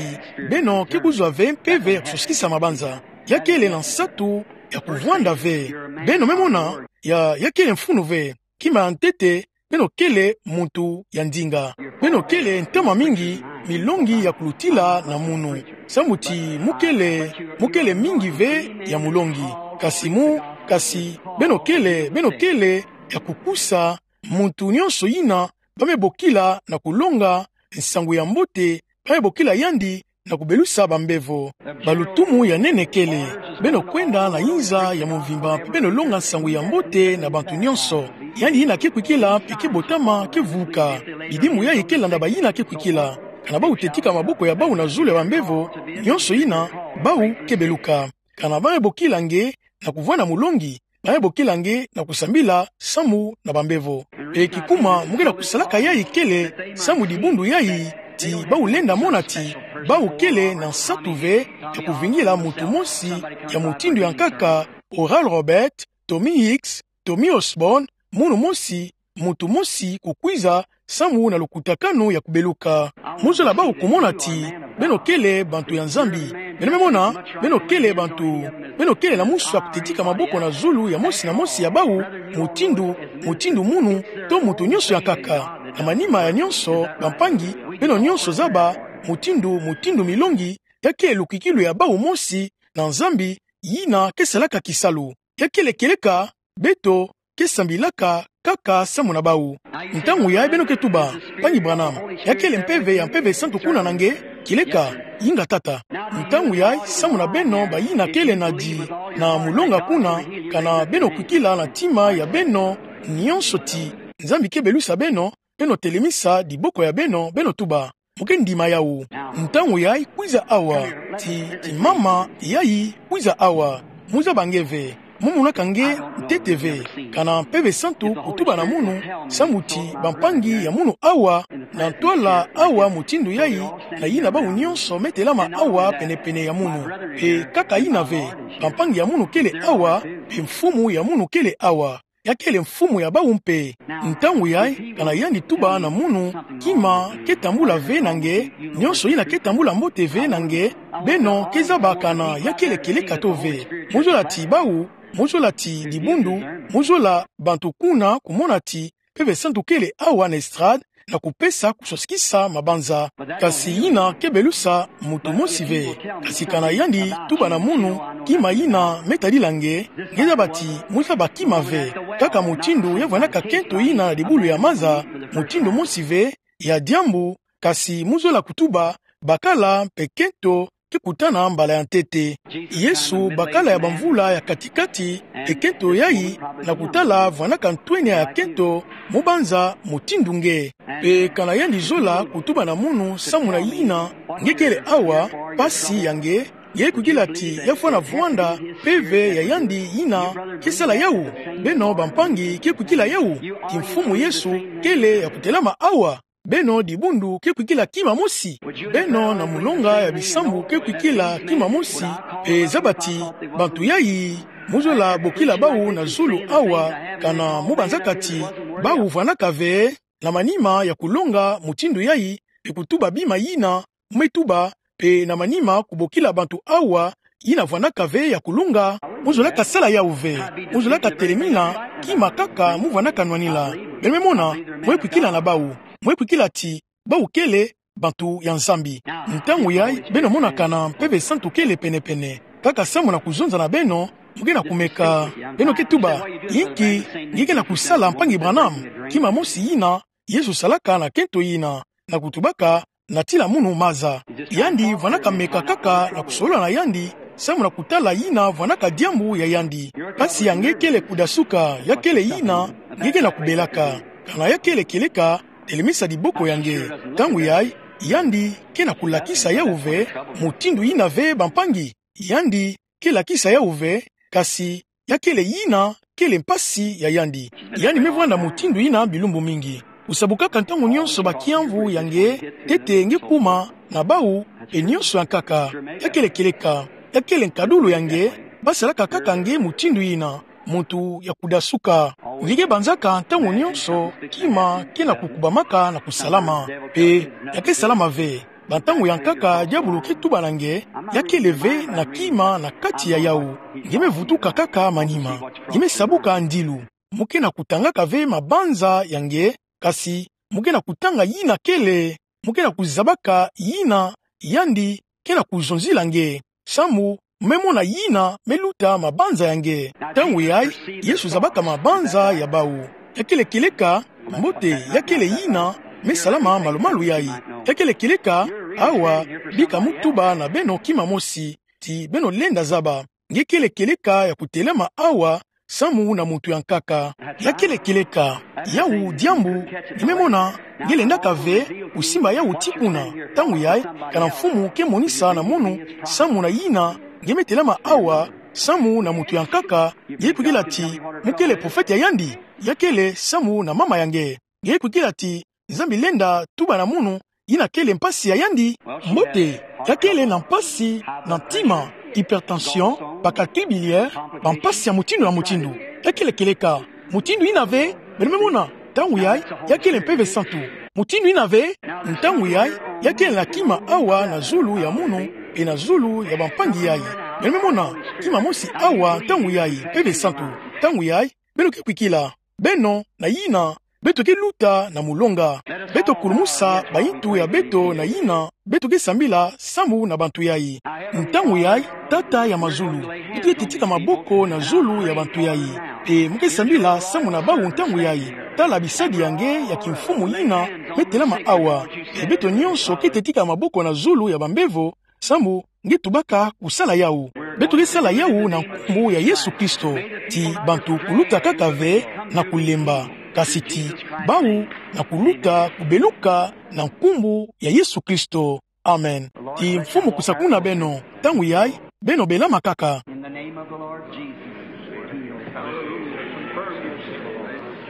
beno ke kuzwa ve mpeve ya kusosikisa mabanza. Ya kele na nsatu ya kuvwanda ve. Beno me mona, ya, ya kele mfunu ve. Kima ya ntete, beno kele muntu ya ndinga. Beno kele ntama mingi, milongi ya kulutila na munu. Samu ti mu kele, mu kele mingi ve ya molongi. Kasi mu, kasi, beno kele, beno kele ya kukusa muntu nyonso yina ba me bokila na kulonga nsangu ya mbote, ba me bokila yandi na kubelusa bambevo. Balutumu ya nene kele. Beno kwenda na inza ya momvimba, mpe beno longa nsangu ya mbote na bantu nyonso. Yandi yina ke kwikila, mpe ke botama, ke vuka. Bidimu yayi ke landa bayina ke kwikila. Kana bau te tika maboko ya bau na zulu ya bambevo, nyonso yina, bau ke beluka. Kana ba me bokila nge na kuvwanda molongi, ba me bokila nge na kusambila samu na bambevo. Mpe kikuma mu ke na kusalaka yayi kele samu dibundu yayi ti bau lenda mona ti bau kele na nsatu ve ya kuvingila muntu mosi ya mutindu ya nkaka, Oral Roberts, Tommy Hicks, Tommy Osborn, munu mosi, muntu mosi kukwiza samu na lukutakanu ya kubeluka. Mu zola bau kumona ti beno kele bantu ya Nzambi. Beno me mona, beno kele bantu, beno kele na musu ya kute tika maboko na zulu ya mosi na mosi ya bau, mutindu, mutindu munu, to muntu nyonso ya nkaka. Na manima ya nyonso, bampangi, beno nyonso zaba, mutindu, mutindu milongi, ya kele lukwikilu ya bau mosi na Nzambi, yina ke salaka kisalu. Ya kele kieleka, beto ke sambilaka kaka samu na bau. Ntangu yayi beno ke tuba: Mpangi Branham, ya kele mpeve ya Mpeve Santu kuna na nge? Kieleka, inga tata. Ntangu yayi, samu na beno bayina kele na di na molonga kuna, kana beno kwikila na ntima ya beno nyonso ti Nzambi ke belusa beno, beno telemisa diboko ya beno, beno tuba: Mu ke ndima yawu. Ntangu yayi kwiza awa, ti, ti mama yayi kwiza awa. Mu zaba nge ve, mu monaka nge ntete ve. Kana Mpeve Santu kutuba na munu, samu ti bampangi ya munu awa, na ntwala awa mutindu yayi, na yina bau nyonso me telama awa pene-pene ya munu. Mpe kaka yina ve, bampangi ya munu kele awa, mpe mfumu ya munu kele awa. Ya kele mfumu ya bau mpe. Ntangu yayi, kana yandi tuba na munu, kima ke tambula ve na nge, nyonso yina ke tambula mbote ve na nge, beno ke zaba kana ya kele kieleka to ve. Mu zola ti bau, mu zola ti dibundu, mu zola bantu kuna kumona ti Mpeve Santu kele awa na estrade, na kupesa kusosikisa mabanza. Kasi yina ke belusa muntu mosi ve. Kasi kana yandi tuba na munu, kima yina me tadila nge, nge zaba ti mu zaba kima ve. Kaka mutindu ya vwandaka kento yina na dibulu ya maza, mutindu mosi ve, ya diambu, kasi mu zola kutuba, bakala mpe kento ke kutana mbala ya ntete. Yesu, bakala ya bamvula ya kati-kati, mpe kento yayi, na kutala vwandaka ntwenia ya kento, mu banza mutindu nge. Mpe kana yandi zola kutuba na munu samu na yina, nge kele awa, mpasi ya nge, nge kwikila ti ya fwana vwanda mpeve ya yandi yina ke sala yawu? Beno bampangi ke kwikila yawu? Ti Mfumu Yesu kele ya kutelama awa. Beno dibundu ke kwikila kima mosi? Beno na molonga ya bisambu ke kwikila kima mosi? Mpe zaba ti bantu yayi, mu zola bokila bau na zulu awa, kana mu banzaka ti bau vwandaka ve, na manima ya kulonga mutindu yayi, mpe kutuba bima yina mu me tuba, mpe na manima kubokila bantu awa yina vwandaka ve ya kulonga? Mu zolaka sala yawu ve. Mu zolaka telemina kima kaka mu vwandaka nwanila. Beno me mona, mu me kwikila na bau. Mu me kwikila ti bau kele bantu ya Nzambi. Ntangu yayi, beno mona kana Mpeve Santu kele pene-pene. Kaka samu na kuzonza na beno, mu ke na kumeka. Beno ke tuba: Inki nge ke na kusala, Mpangi Branham? Kima mosi yina Yesu salaka na kento yina, na kutubaka: Natila munu maza. Yandi vwandaka meka kaka na kusolola na yandi, samu na kutala yina vwandaka diambu ya yandi. Mpasi ya nge kele kudasuka, ya kele yina nge ke na kubelaka. Kana ya kele kieleka, telemisa diboko ya nge. Ntangu yayi, yandi ke na kulakisa yawu ve, mutindu yina ve, bampangi? Yandi ke lakisa yawu ve, kasi ya kele yina kele mpasi ya yandi. Yandi me vwanda mutindu yina bilumbu mingi. Kusabu kaka ntangu nyonso bakiamvu ya nge, ntete nge kuma na bau, mpe nyonso ya nkaka. Ya kele kieleka, ya kele nkadulu ya nge, basalaka kaka nge mutindu yina, muntu ya kudasuka. Nge ke banzaka ntangu nyonso kima ke na kukubamaka na kusalama. Mpe ya ke salama ve. Bantangu ya nkaka diabulu ke tuba na nge, ya kele ve na kima na kati ya yawu. Nge me vutuka kaka manima. Nge me sabuka ndilu. Mu ke na kutangaka ve mabanza ya nge, kasi mu ke na kutanga yina kele, mu ke na kuzabaka yina yandi nge na kuzonzila nge. Samu me mona yina meluta mabanza ya nge. Ntangu yayi, Yesu zabaka mabanza ya bawu. Ya kele kieleka, mbote, ya kele yina mesalama malumalu yayi. Ya kele kieleka, awa, bika mu tuba na beno kima mosi, ti beno lenda zaba. Nge kele kieleka ya kutelama awa, samu na muntu ya nkaka. Ya kele kieleka, yawu diambu nge me mona, nge lendaka ve kusimba yawu tii kuna. Ntangu yayi, kana Mfumu ke monisa na mono, samu na yina nge me telama awa, samu na muntu ya nkaka, nge kwikila ti, mu kele profete ya yandi, ya kele samu na mama ya nge. Nge kwikila ti, Nzambi lenda tuba na mono, yina kele mpasi ya yandi. Mbote, ya kele na mpasi na ntima, hypertension, ba calcul biliaire, bampasi ya mutindu na mutindu. Ya kele kieleka, mutindu yina ve, beno me mona, ntangu yayi, ya kele Mpeve Santu. Mutindu yina ve, ntangu yayi, ya kele na kima awa na zulu ya mono, mpe na zulu ya bampangi yayi. Beno me mona, kima mosi awa, ntangu yayi, Mpeve Santu. Ntangu yayi, beno ke kwikila. Beno, na yina, beto ke luta na molonga. Beto kulumusa bayintu ya beto na yina, beto ke sambila samu na bantu yayi. Ntangu yayi, Tata ya mazulu, beto ke tetika maboko na zulu ya bantu yayi. Mpe mu ke sambila samu na bawu ntangu yayi. Tala bisadi ya nge ya kimfumu yina me telama awa. Mpe beto nyonso ke tetika maboko na zulu ya bambevo, samu nge tubaka kusala yawu. Beto ke sala yawu na nkumbu ya Yesu Kristo, ti bantu kuluta kaka ve na kulemba, kasi ti bawu na kuluta kubeluka na nkumbu ya Yesu Kristo. Amen. Ti Mfumu kusa kuna beno, ntangu yayi, beno belama kaka. In the name of the Lord Jesus.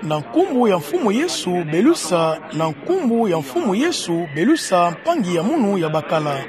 Na nkumbu ya Mfumu Yesu belusa, na nkumbu ya Mfumu Yesu belusa mpangi ya mono ya bakala.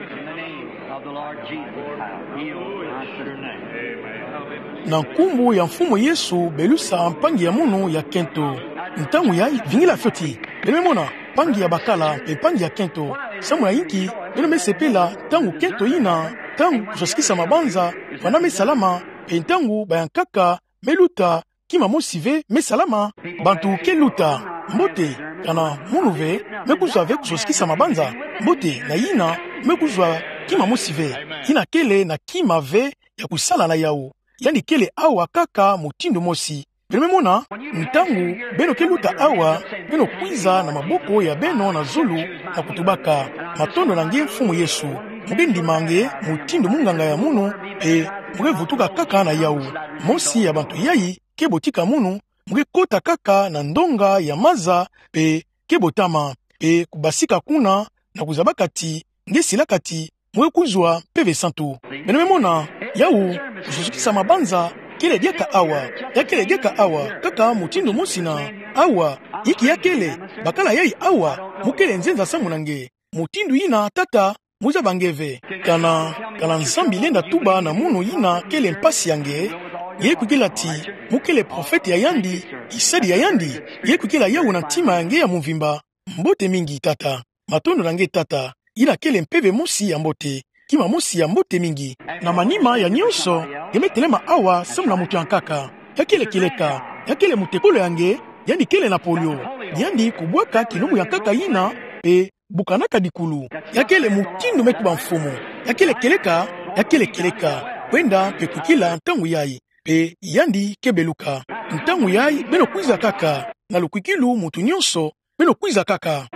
Na nkumbu ya Mfumu Yesu belusa mpangi ya mono ya kento. Ntangu yayi vingila fioti. Beno me mona, mpangi ya bakala, mpe mpangi ya kento. Samu na yinki beno me sepela ntangu kento yina, ntangu kuzwazikisa mabanza, vanda me salama, mpe ntangu bayankaka me luta, kima mosi ve me salama? Bantu ke luta, mbote, kana mono ve me kuzwa ve kuzwazikisa mabanza, mbote, na yina me kuzwa kima mosi ve. Yina kele na kima ve ya kusala na yawu. Yandi kele awa kaka mutindu mosi. Beno me mona, ntangu beno ke luta awa, beno kwiza na maboko ya beno na zulu, na kutubaka: Matondo na nge Mfumu Yesu. Mu ke ndima nge mutindu munganga ya mono, mpe mu ke vutuka kaka na yawu. Mosi ya bantu yayi ke botika mono, mu ke kota kaka na ndonga ya maza, mpe ke botama, mpe kubasika kuna, na kuzabaka ti nge silaka ti mu ke kuzwa Mpeve Santu. Beno me mona, yawu, kuzwazikisa mabanza, kele diaka awa, ya kele diaka awa, kaka mutindu mosi na awa, inki ya kele, bakala yayi awa, mu kele nzenza samu na nge. Mutindu yina Tata mu zaba nge ve. Kana, kana Nzambi lenda tuba na mono yina kele mpasi ya nge, nge kwikila ti mu kele profete ya yandi, tisadi ya yandi, nge kwikila yawu na ntima ya nge ya mvimba. Mbote mingi Tata. Matondo na nge Tata. Yina kele mpeve mosi ya mbote. Kima mosi ya mbote mingi. Na manima ya nyonso, nge me telema awa samu na muntu ya nkaka. Ya kele kieleka. Ya kele mutekolo ya nge, yandi kele na polio. Yandi kubwaka kilumbu ya nkaka yina, mpe bukanaka dikulu. Ya kele mutindu me tuba Mfumu. Ya kele kieleka, ya kele kieleka. Kwenda mpe kwikila ntangu yayi. Mpe yandi ke beluka. Ntangu yayi, beno kwiza kaka. Na lukwikilu muntu nyonso, beno kwiza kaka.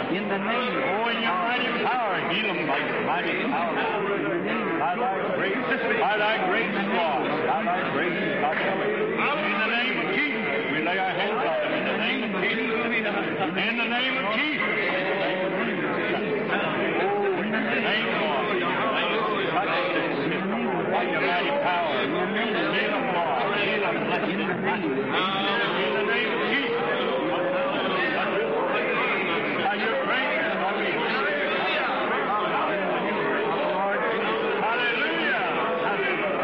In the name of Jesus. In the name of Jesus. In the name of Jesus. In the name of Jesus. Thank you, Lord. Thank you, Lord. By your mighty power. Heal them, Lord. Heal them. In the name of Jesus. By your grace, Lord, we have it. Hallelujah. Hallelujah.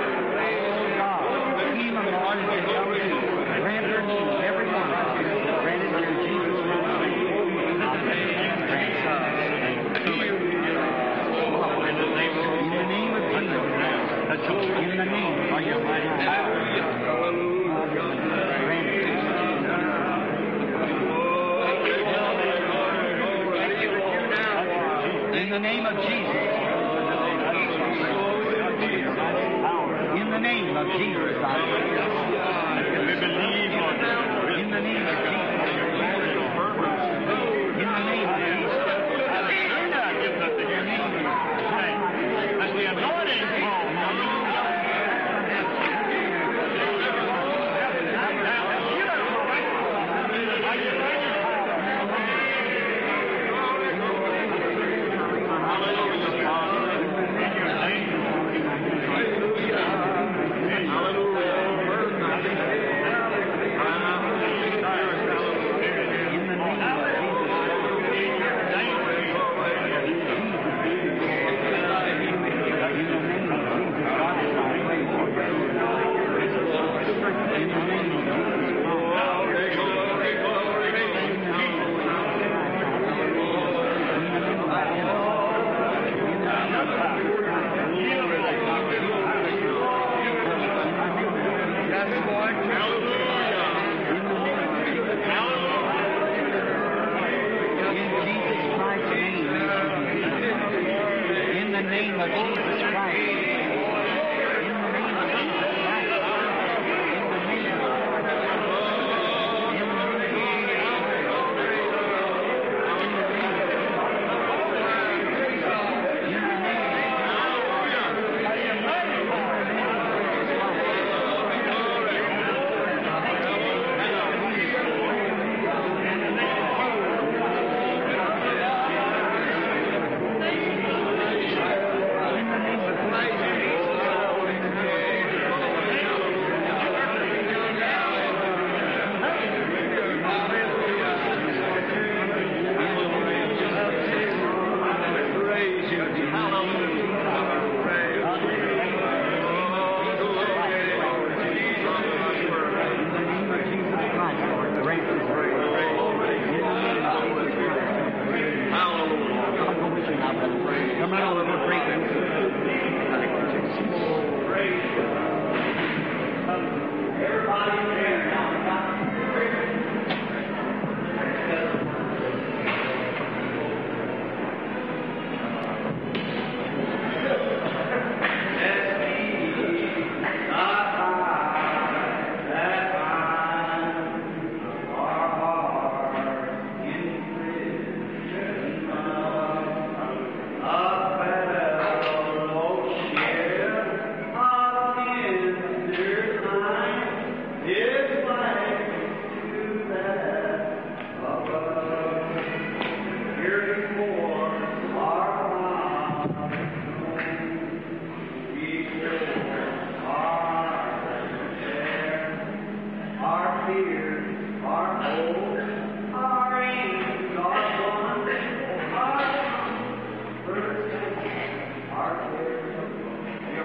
In the name of Jesus. In the name of Jesus, I pray. In the name of Jesus. In the name of Jesus. In the name of Jesus Christ. In the name of Jesus Christ. In the name of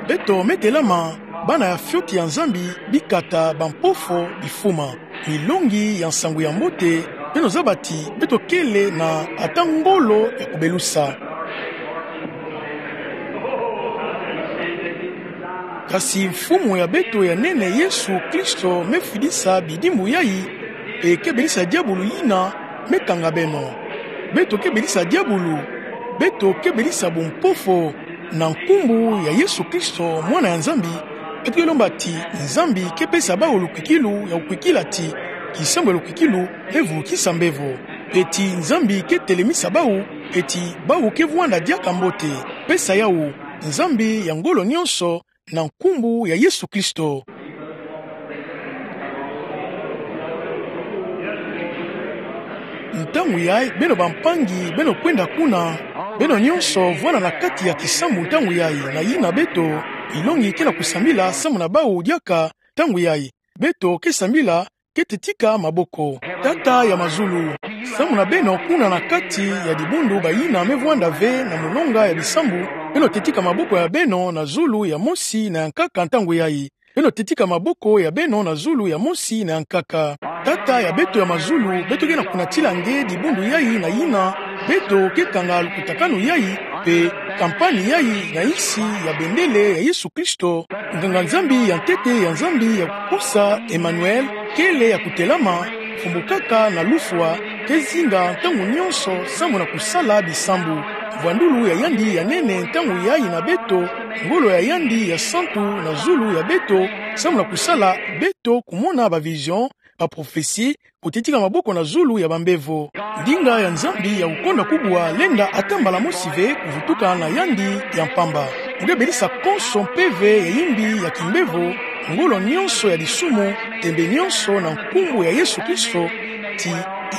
Beto me telama bana ya fioti ya Nzambi, bikata, bampofo, bifuma. Milongi ya nsangu ya mbote, beno zaba ti beto kele na ata ngolo ya kubelusa. Kasi Mfumu ya beto ya nene, Yesu Kristo, me fidisa bidimbu yayi, e kebelisa diabulu yina me kanga beno. Beto kebelisa diabulu, beto kebelisa bumpofo, na nkumbu ya Yesu Kristo, Mwana ya Nzambi. Beto ke lomba ti Nzambi ke pesa bawu lukwikilu ya kukwikila ti kisambu ya lukwikilu me vukisa mbevo. Eti Nzambi ke telemisa bawu, eti bawu ke vwanda diaka mbote. Pesa yawu, Nzambi ya ngolo nyonso, na nkumbu ya Yesu Kristo. Ntangu yayi, beno bampangi, beno kwenda kuna, beno nyonso vwanda na kati ya kisambu ntangu yayi, na yina beto, milongi ke na kusambila samu na bawu diaka ntangu yayi. Beto ke sambila, ke tetika maboko. Tata ya mazulu, samu na beno kuna na kati ya dibundu bayina me vwanda ve na molonga ya bisambu, beno tetika maboko ya beno na zulu ya mosi na ya nkaka ntangu yayi. Beno tetika maboko ya beno na zulu ya mosi na ya nkaka. Tata ya beto ya mazulu, beto ke na kunatila nge dibundu yayi na yina beto ke kanga lukutakanu yayi, mpe kampani yayi na nsi ya bendele ya Yesu Kristo, nganga Nzambi ya ntete ya Nzambi ya kukosa, Emmanuel, kele ya kutelama, mfumbukaka na lufwa, ke zinga ntangu nyonso samu na kusala bisambu. Mvwandulu ya yandi ya nene ntangu yayi na beto, ngolo ya yandi ya santu na zulu ya beto, samu na kusala beto kumona ba vision, ba prophetie, kutitika maboko na zulu ya bambevo. Ndinga ya Nzambi ya kukonda kubwa lenda ata mbala mosi ve kuvutuka na yandi ya mpamba. Nge belisa konso mpeve ya yimbi ya kimbevo, ngolo nyonso ya lisumu, tembe nyonso na nkumbu ya Yesu Kristo, ti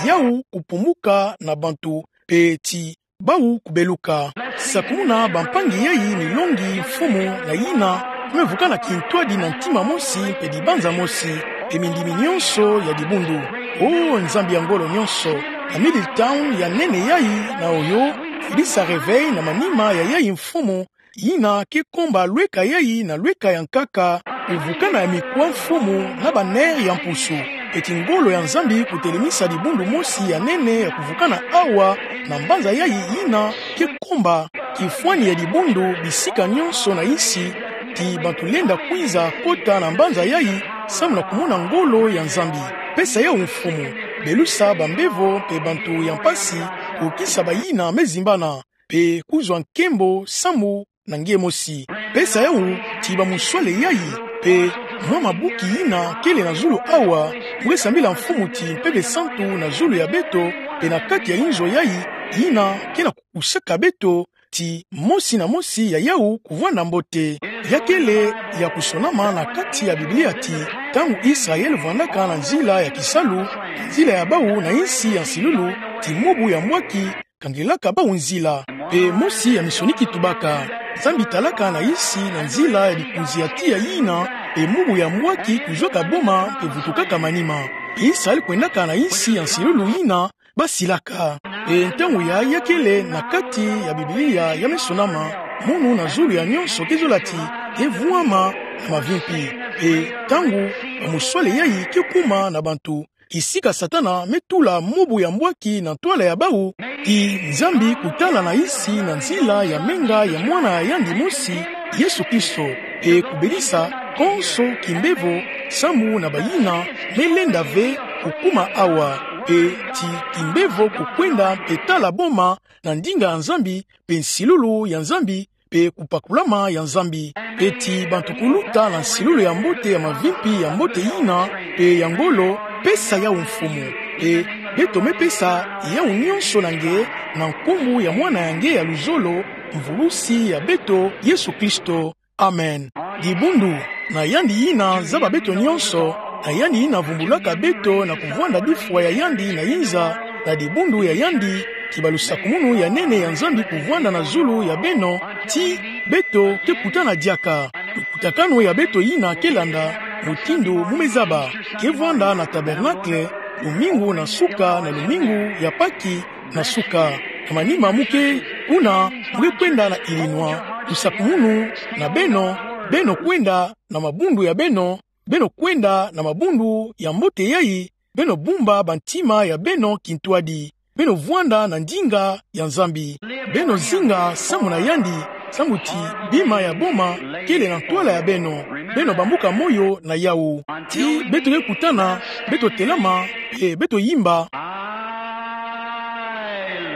yawu kupumuka na bantu, mpe ti bawu kubeluka. Sakumuna bampangi yayi milongi, mfumu, na yina me vukana kintwadi na ntima mosi mpe dibanza mosi, mpe mindimi nyonso ya dibundu. O Nzambi ya ngolo nyonso, na Middletown ya nene yayi na Ohio, fidisa reveil na manima ya yayi mfumu, yina ke komba lweka yayi na lweka ya nkaka, kuvukana ya mikwa mfumu na ba nerfs ya mpusu. Eti ngolo ya Nzambi kutelemisa dibundu mosi ya nene ya kuvukana awa na mbanza yayi yina ke komba kifwani ya dibundu bisika nyonso na yinsi, ti bantu lenda kwiza kota na mbanza yayi samu na kumona ngolo ya Nzambi. Pesa yawu mfumu, belusa bambevo mpe bantu ya mpasi, kukisa bayina me zimbana, mpe kuzwa nkembo samu na nge mosi. Pesa yawu ti bamuswale yayi, mpe mwa mabuki yina kele na zulu awa, nge sambila mfumu ti mpeve santu na zulu ya beto, mpe na kati ya inzo yayi, yina ke na kukusaka beto, ti mosi na mosi ya yawu kuvwanda mbote. Ya kele ya kusonama na kati ya Biblia ti, ntangu Israel vwandaka na nzila ya kisalu, nzila ya bawu na yinsi ya nsilulu, ti mubu ya mbwaki kangelaka bawu nzila. Mpe mosi ya minsoni kitubaka: Nzambi talaka na yinsi na nzila ya bikunzi ya tiya yina, mpe mubu ya mbwaki kuzwaka boma mpe vutukaka manima. Israel kwendaka na yinsi ya nsilulu yina basilaka. Mpe ntangu ya, ya kele na kati ya Biblia ya me sonama, munu na zulu ya nyonso ke zola ti, ke vwama na mavimpi. Mpe ntangu bamuswale yayi ke kuma na bantu, kisika Satana me tula mubu ya mbwaki na ntwala ya bawu, ti Nzambi kutala na yinsi na nzila ya menga ya Mwana ya yandi mosi, Yesu Kristo, mpe kubelisa konso kimbevo samu na bayina me lenda ve kukuma awa, mpe ti kimbevo kukwenda mpe tala boma na ndinga ya Nzambi, mpe nsilulu ya Nzambi, mpe kupakulama ya Nzambi. Mpe ti bantu kuluta na nsilulu ya mbote ya mavimpi ya mbote yina, mpe ya ngolo, pesa yawu mfumu. Mpe beto me pesa yawu nyonso na nge, na nkumbu ya Mwana ya nge ya luzolo, Mvulusi ya beto, Yesu Kristo. Amen. Dibundu, na yandi yina zaba beto nyonso, na yandi yina vumbulaka beto na kuvwanda difwa ya yandi na yinza, na dibundu ya yandi, ti balusakumunu ya nene ya Nzambi kuvwanda na zulu ya beno, ti beto ke kutana diaka. Lukutakanu ya beto yina ke landa, mutindu mu me zaba, ke vwanda na Tabernacle, lumingu na suka na lumingu ya Paki, na suka. Na manima mu ke kuna, mu ke kwenda na Illinois. Lusakumunu na beno, beno kwenda na mabundu ya beno, beno kwenda na mabundu ya mbote yayi, beno bumba bantima ya beno kintwadi. Beno vwanda na ndinga ya Nzambi. Beno zinga samu na yandi, samu ti bima ya boma kele na ntwala ya beno. Beno bambuka moyo na yawu. Ti beto ke kutana, beto telama, mpe beto yimba. I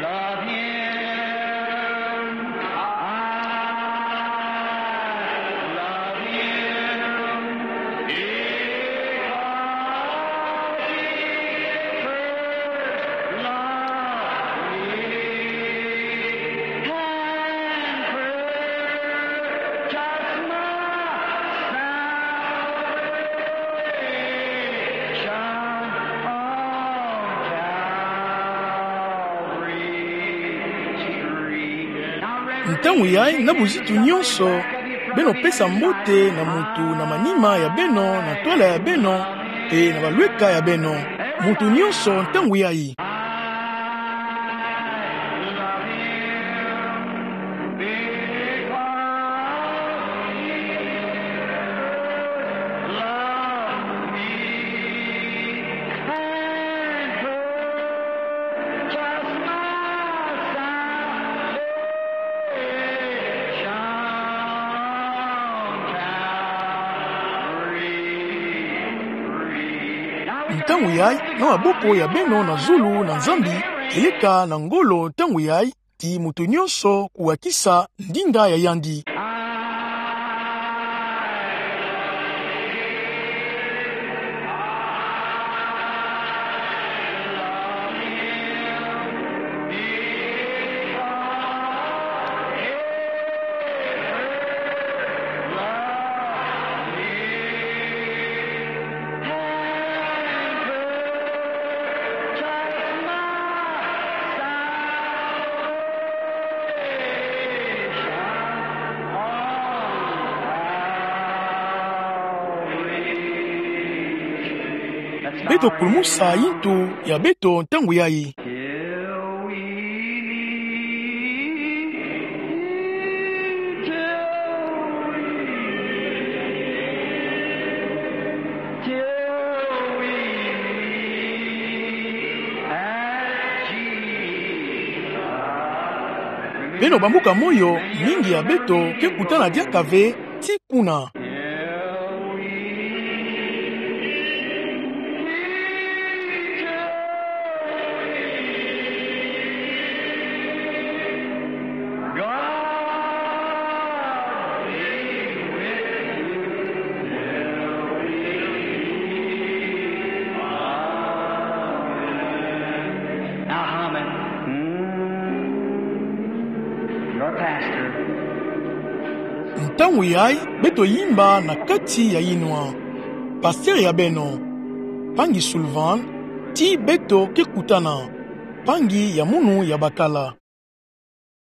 love him. I love him. Because he first loved me and purchased my salvation on Calvary's tree. Ntangu yayi, na buzitu nyonso, beno pesa mbote na muntu na manima ya beno, na ntwala ya beno, mpe na balweka ya beno. Muntu nyonso ntangu yayi. Ntangu yai, na maboko ya beno na zulu na Nzambi, keyeka na ngolo ntangu yai, ti moto nyonso kuwakisa ndinga ya yandi. Beto kulumusa yintu ya beto ntangu yai. Beno bambuka moyo, mingi ya beto kekutana diaka ve ti kuna. Now, Haman, mm, your pastor. Ntangu yai, beto yimba na kati ya yinwa. Pasteur ya beno, mpangi Sullivan, ti beto kekutana, mpangi ya munu ya bakala.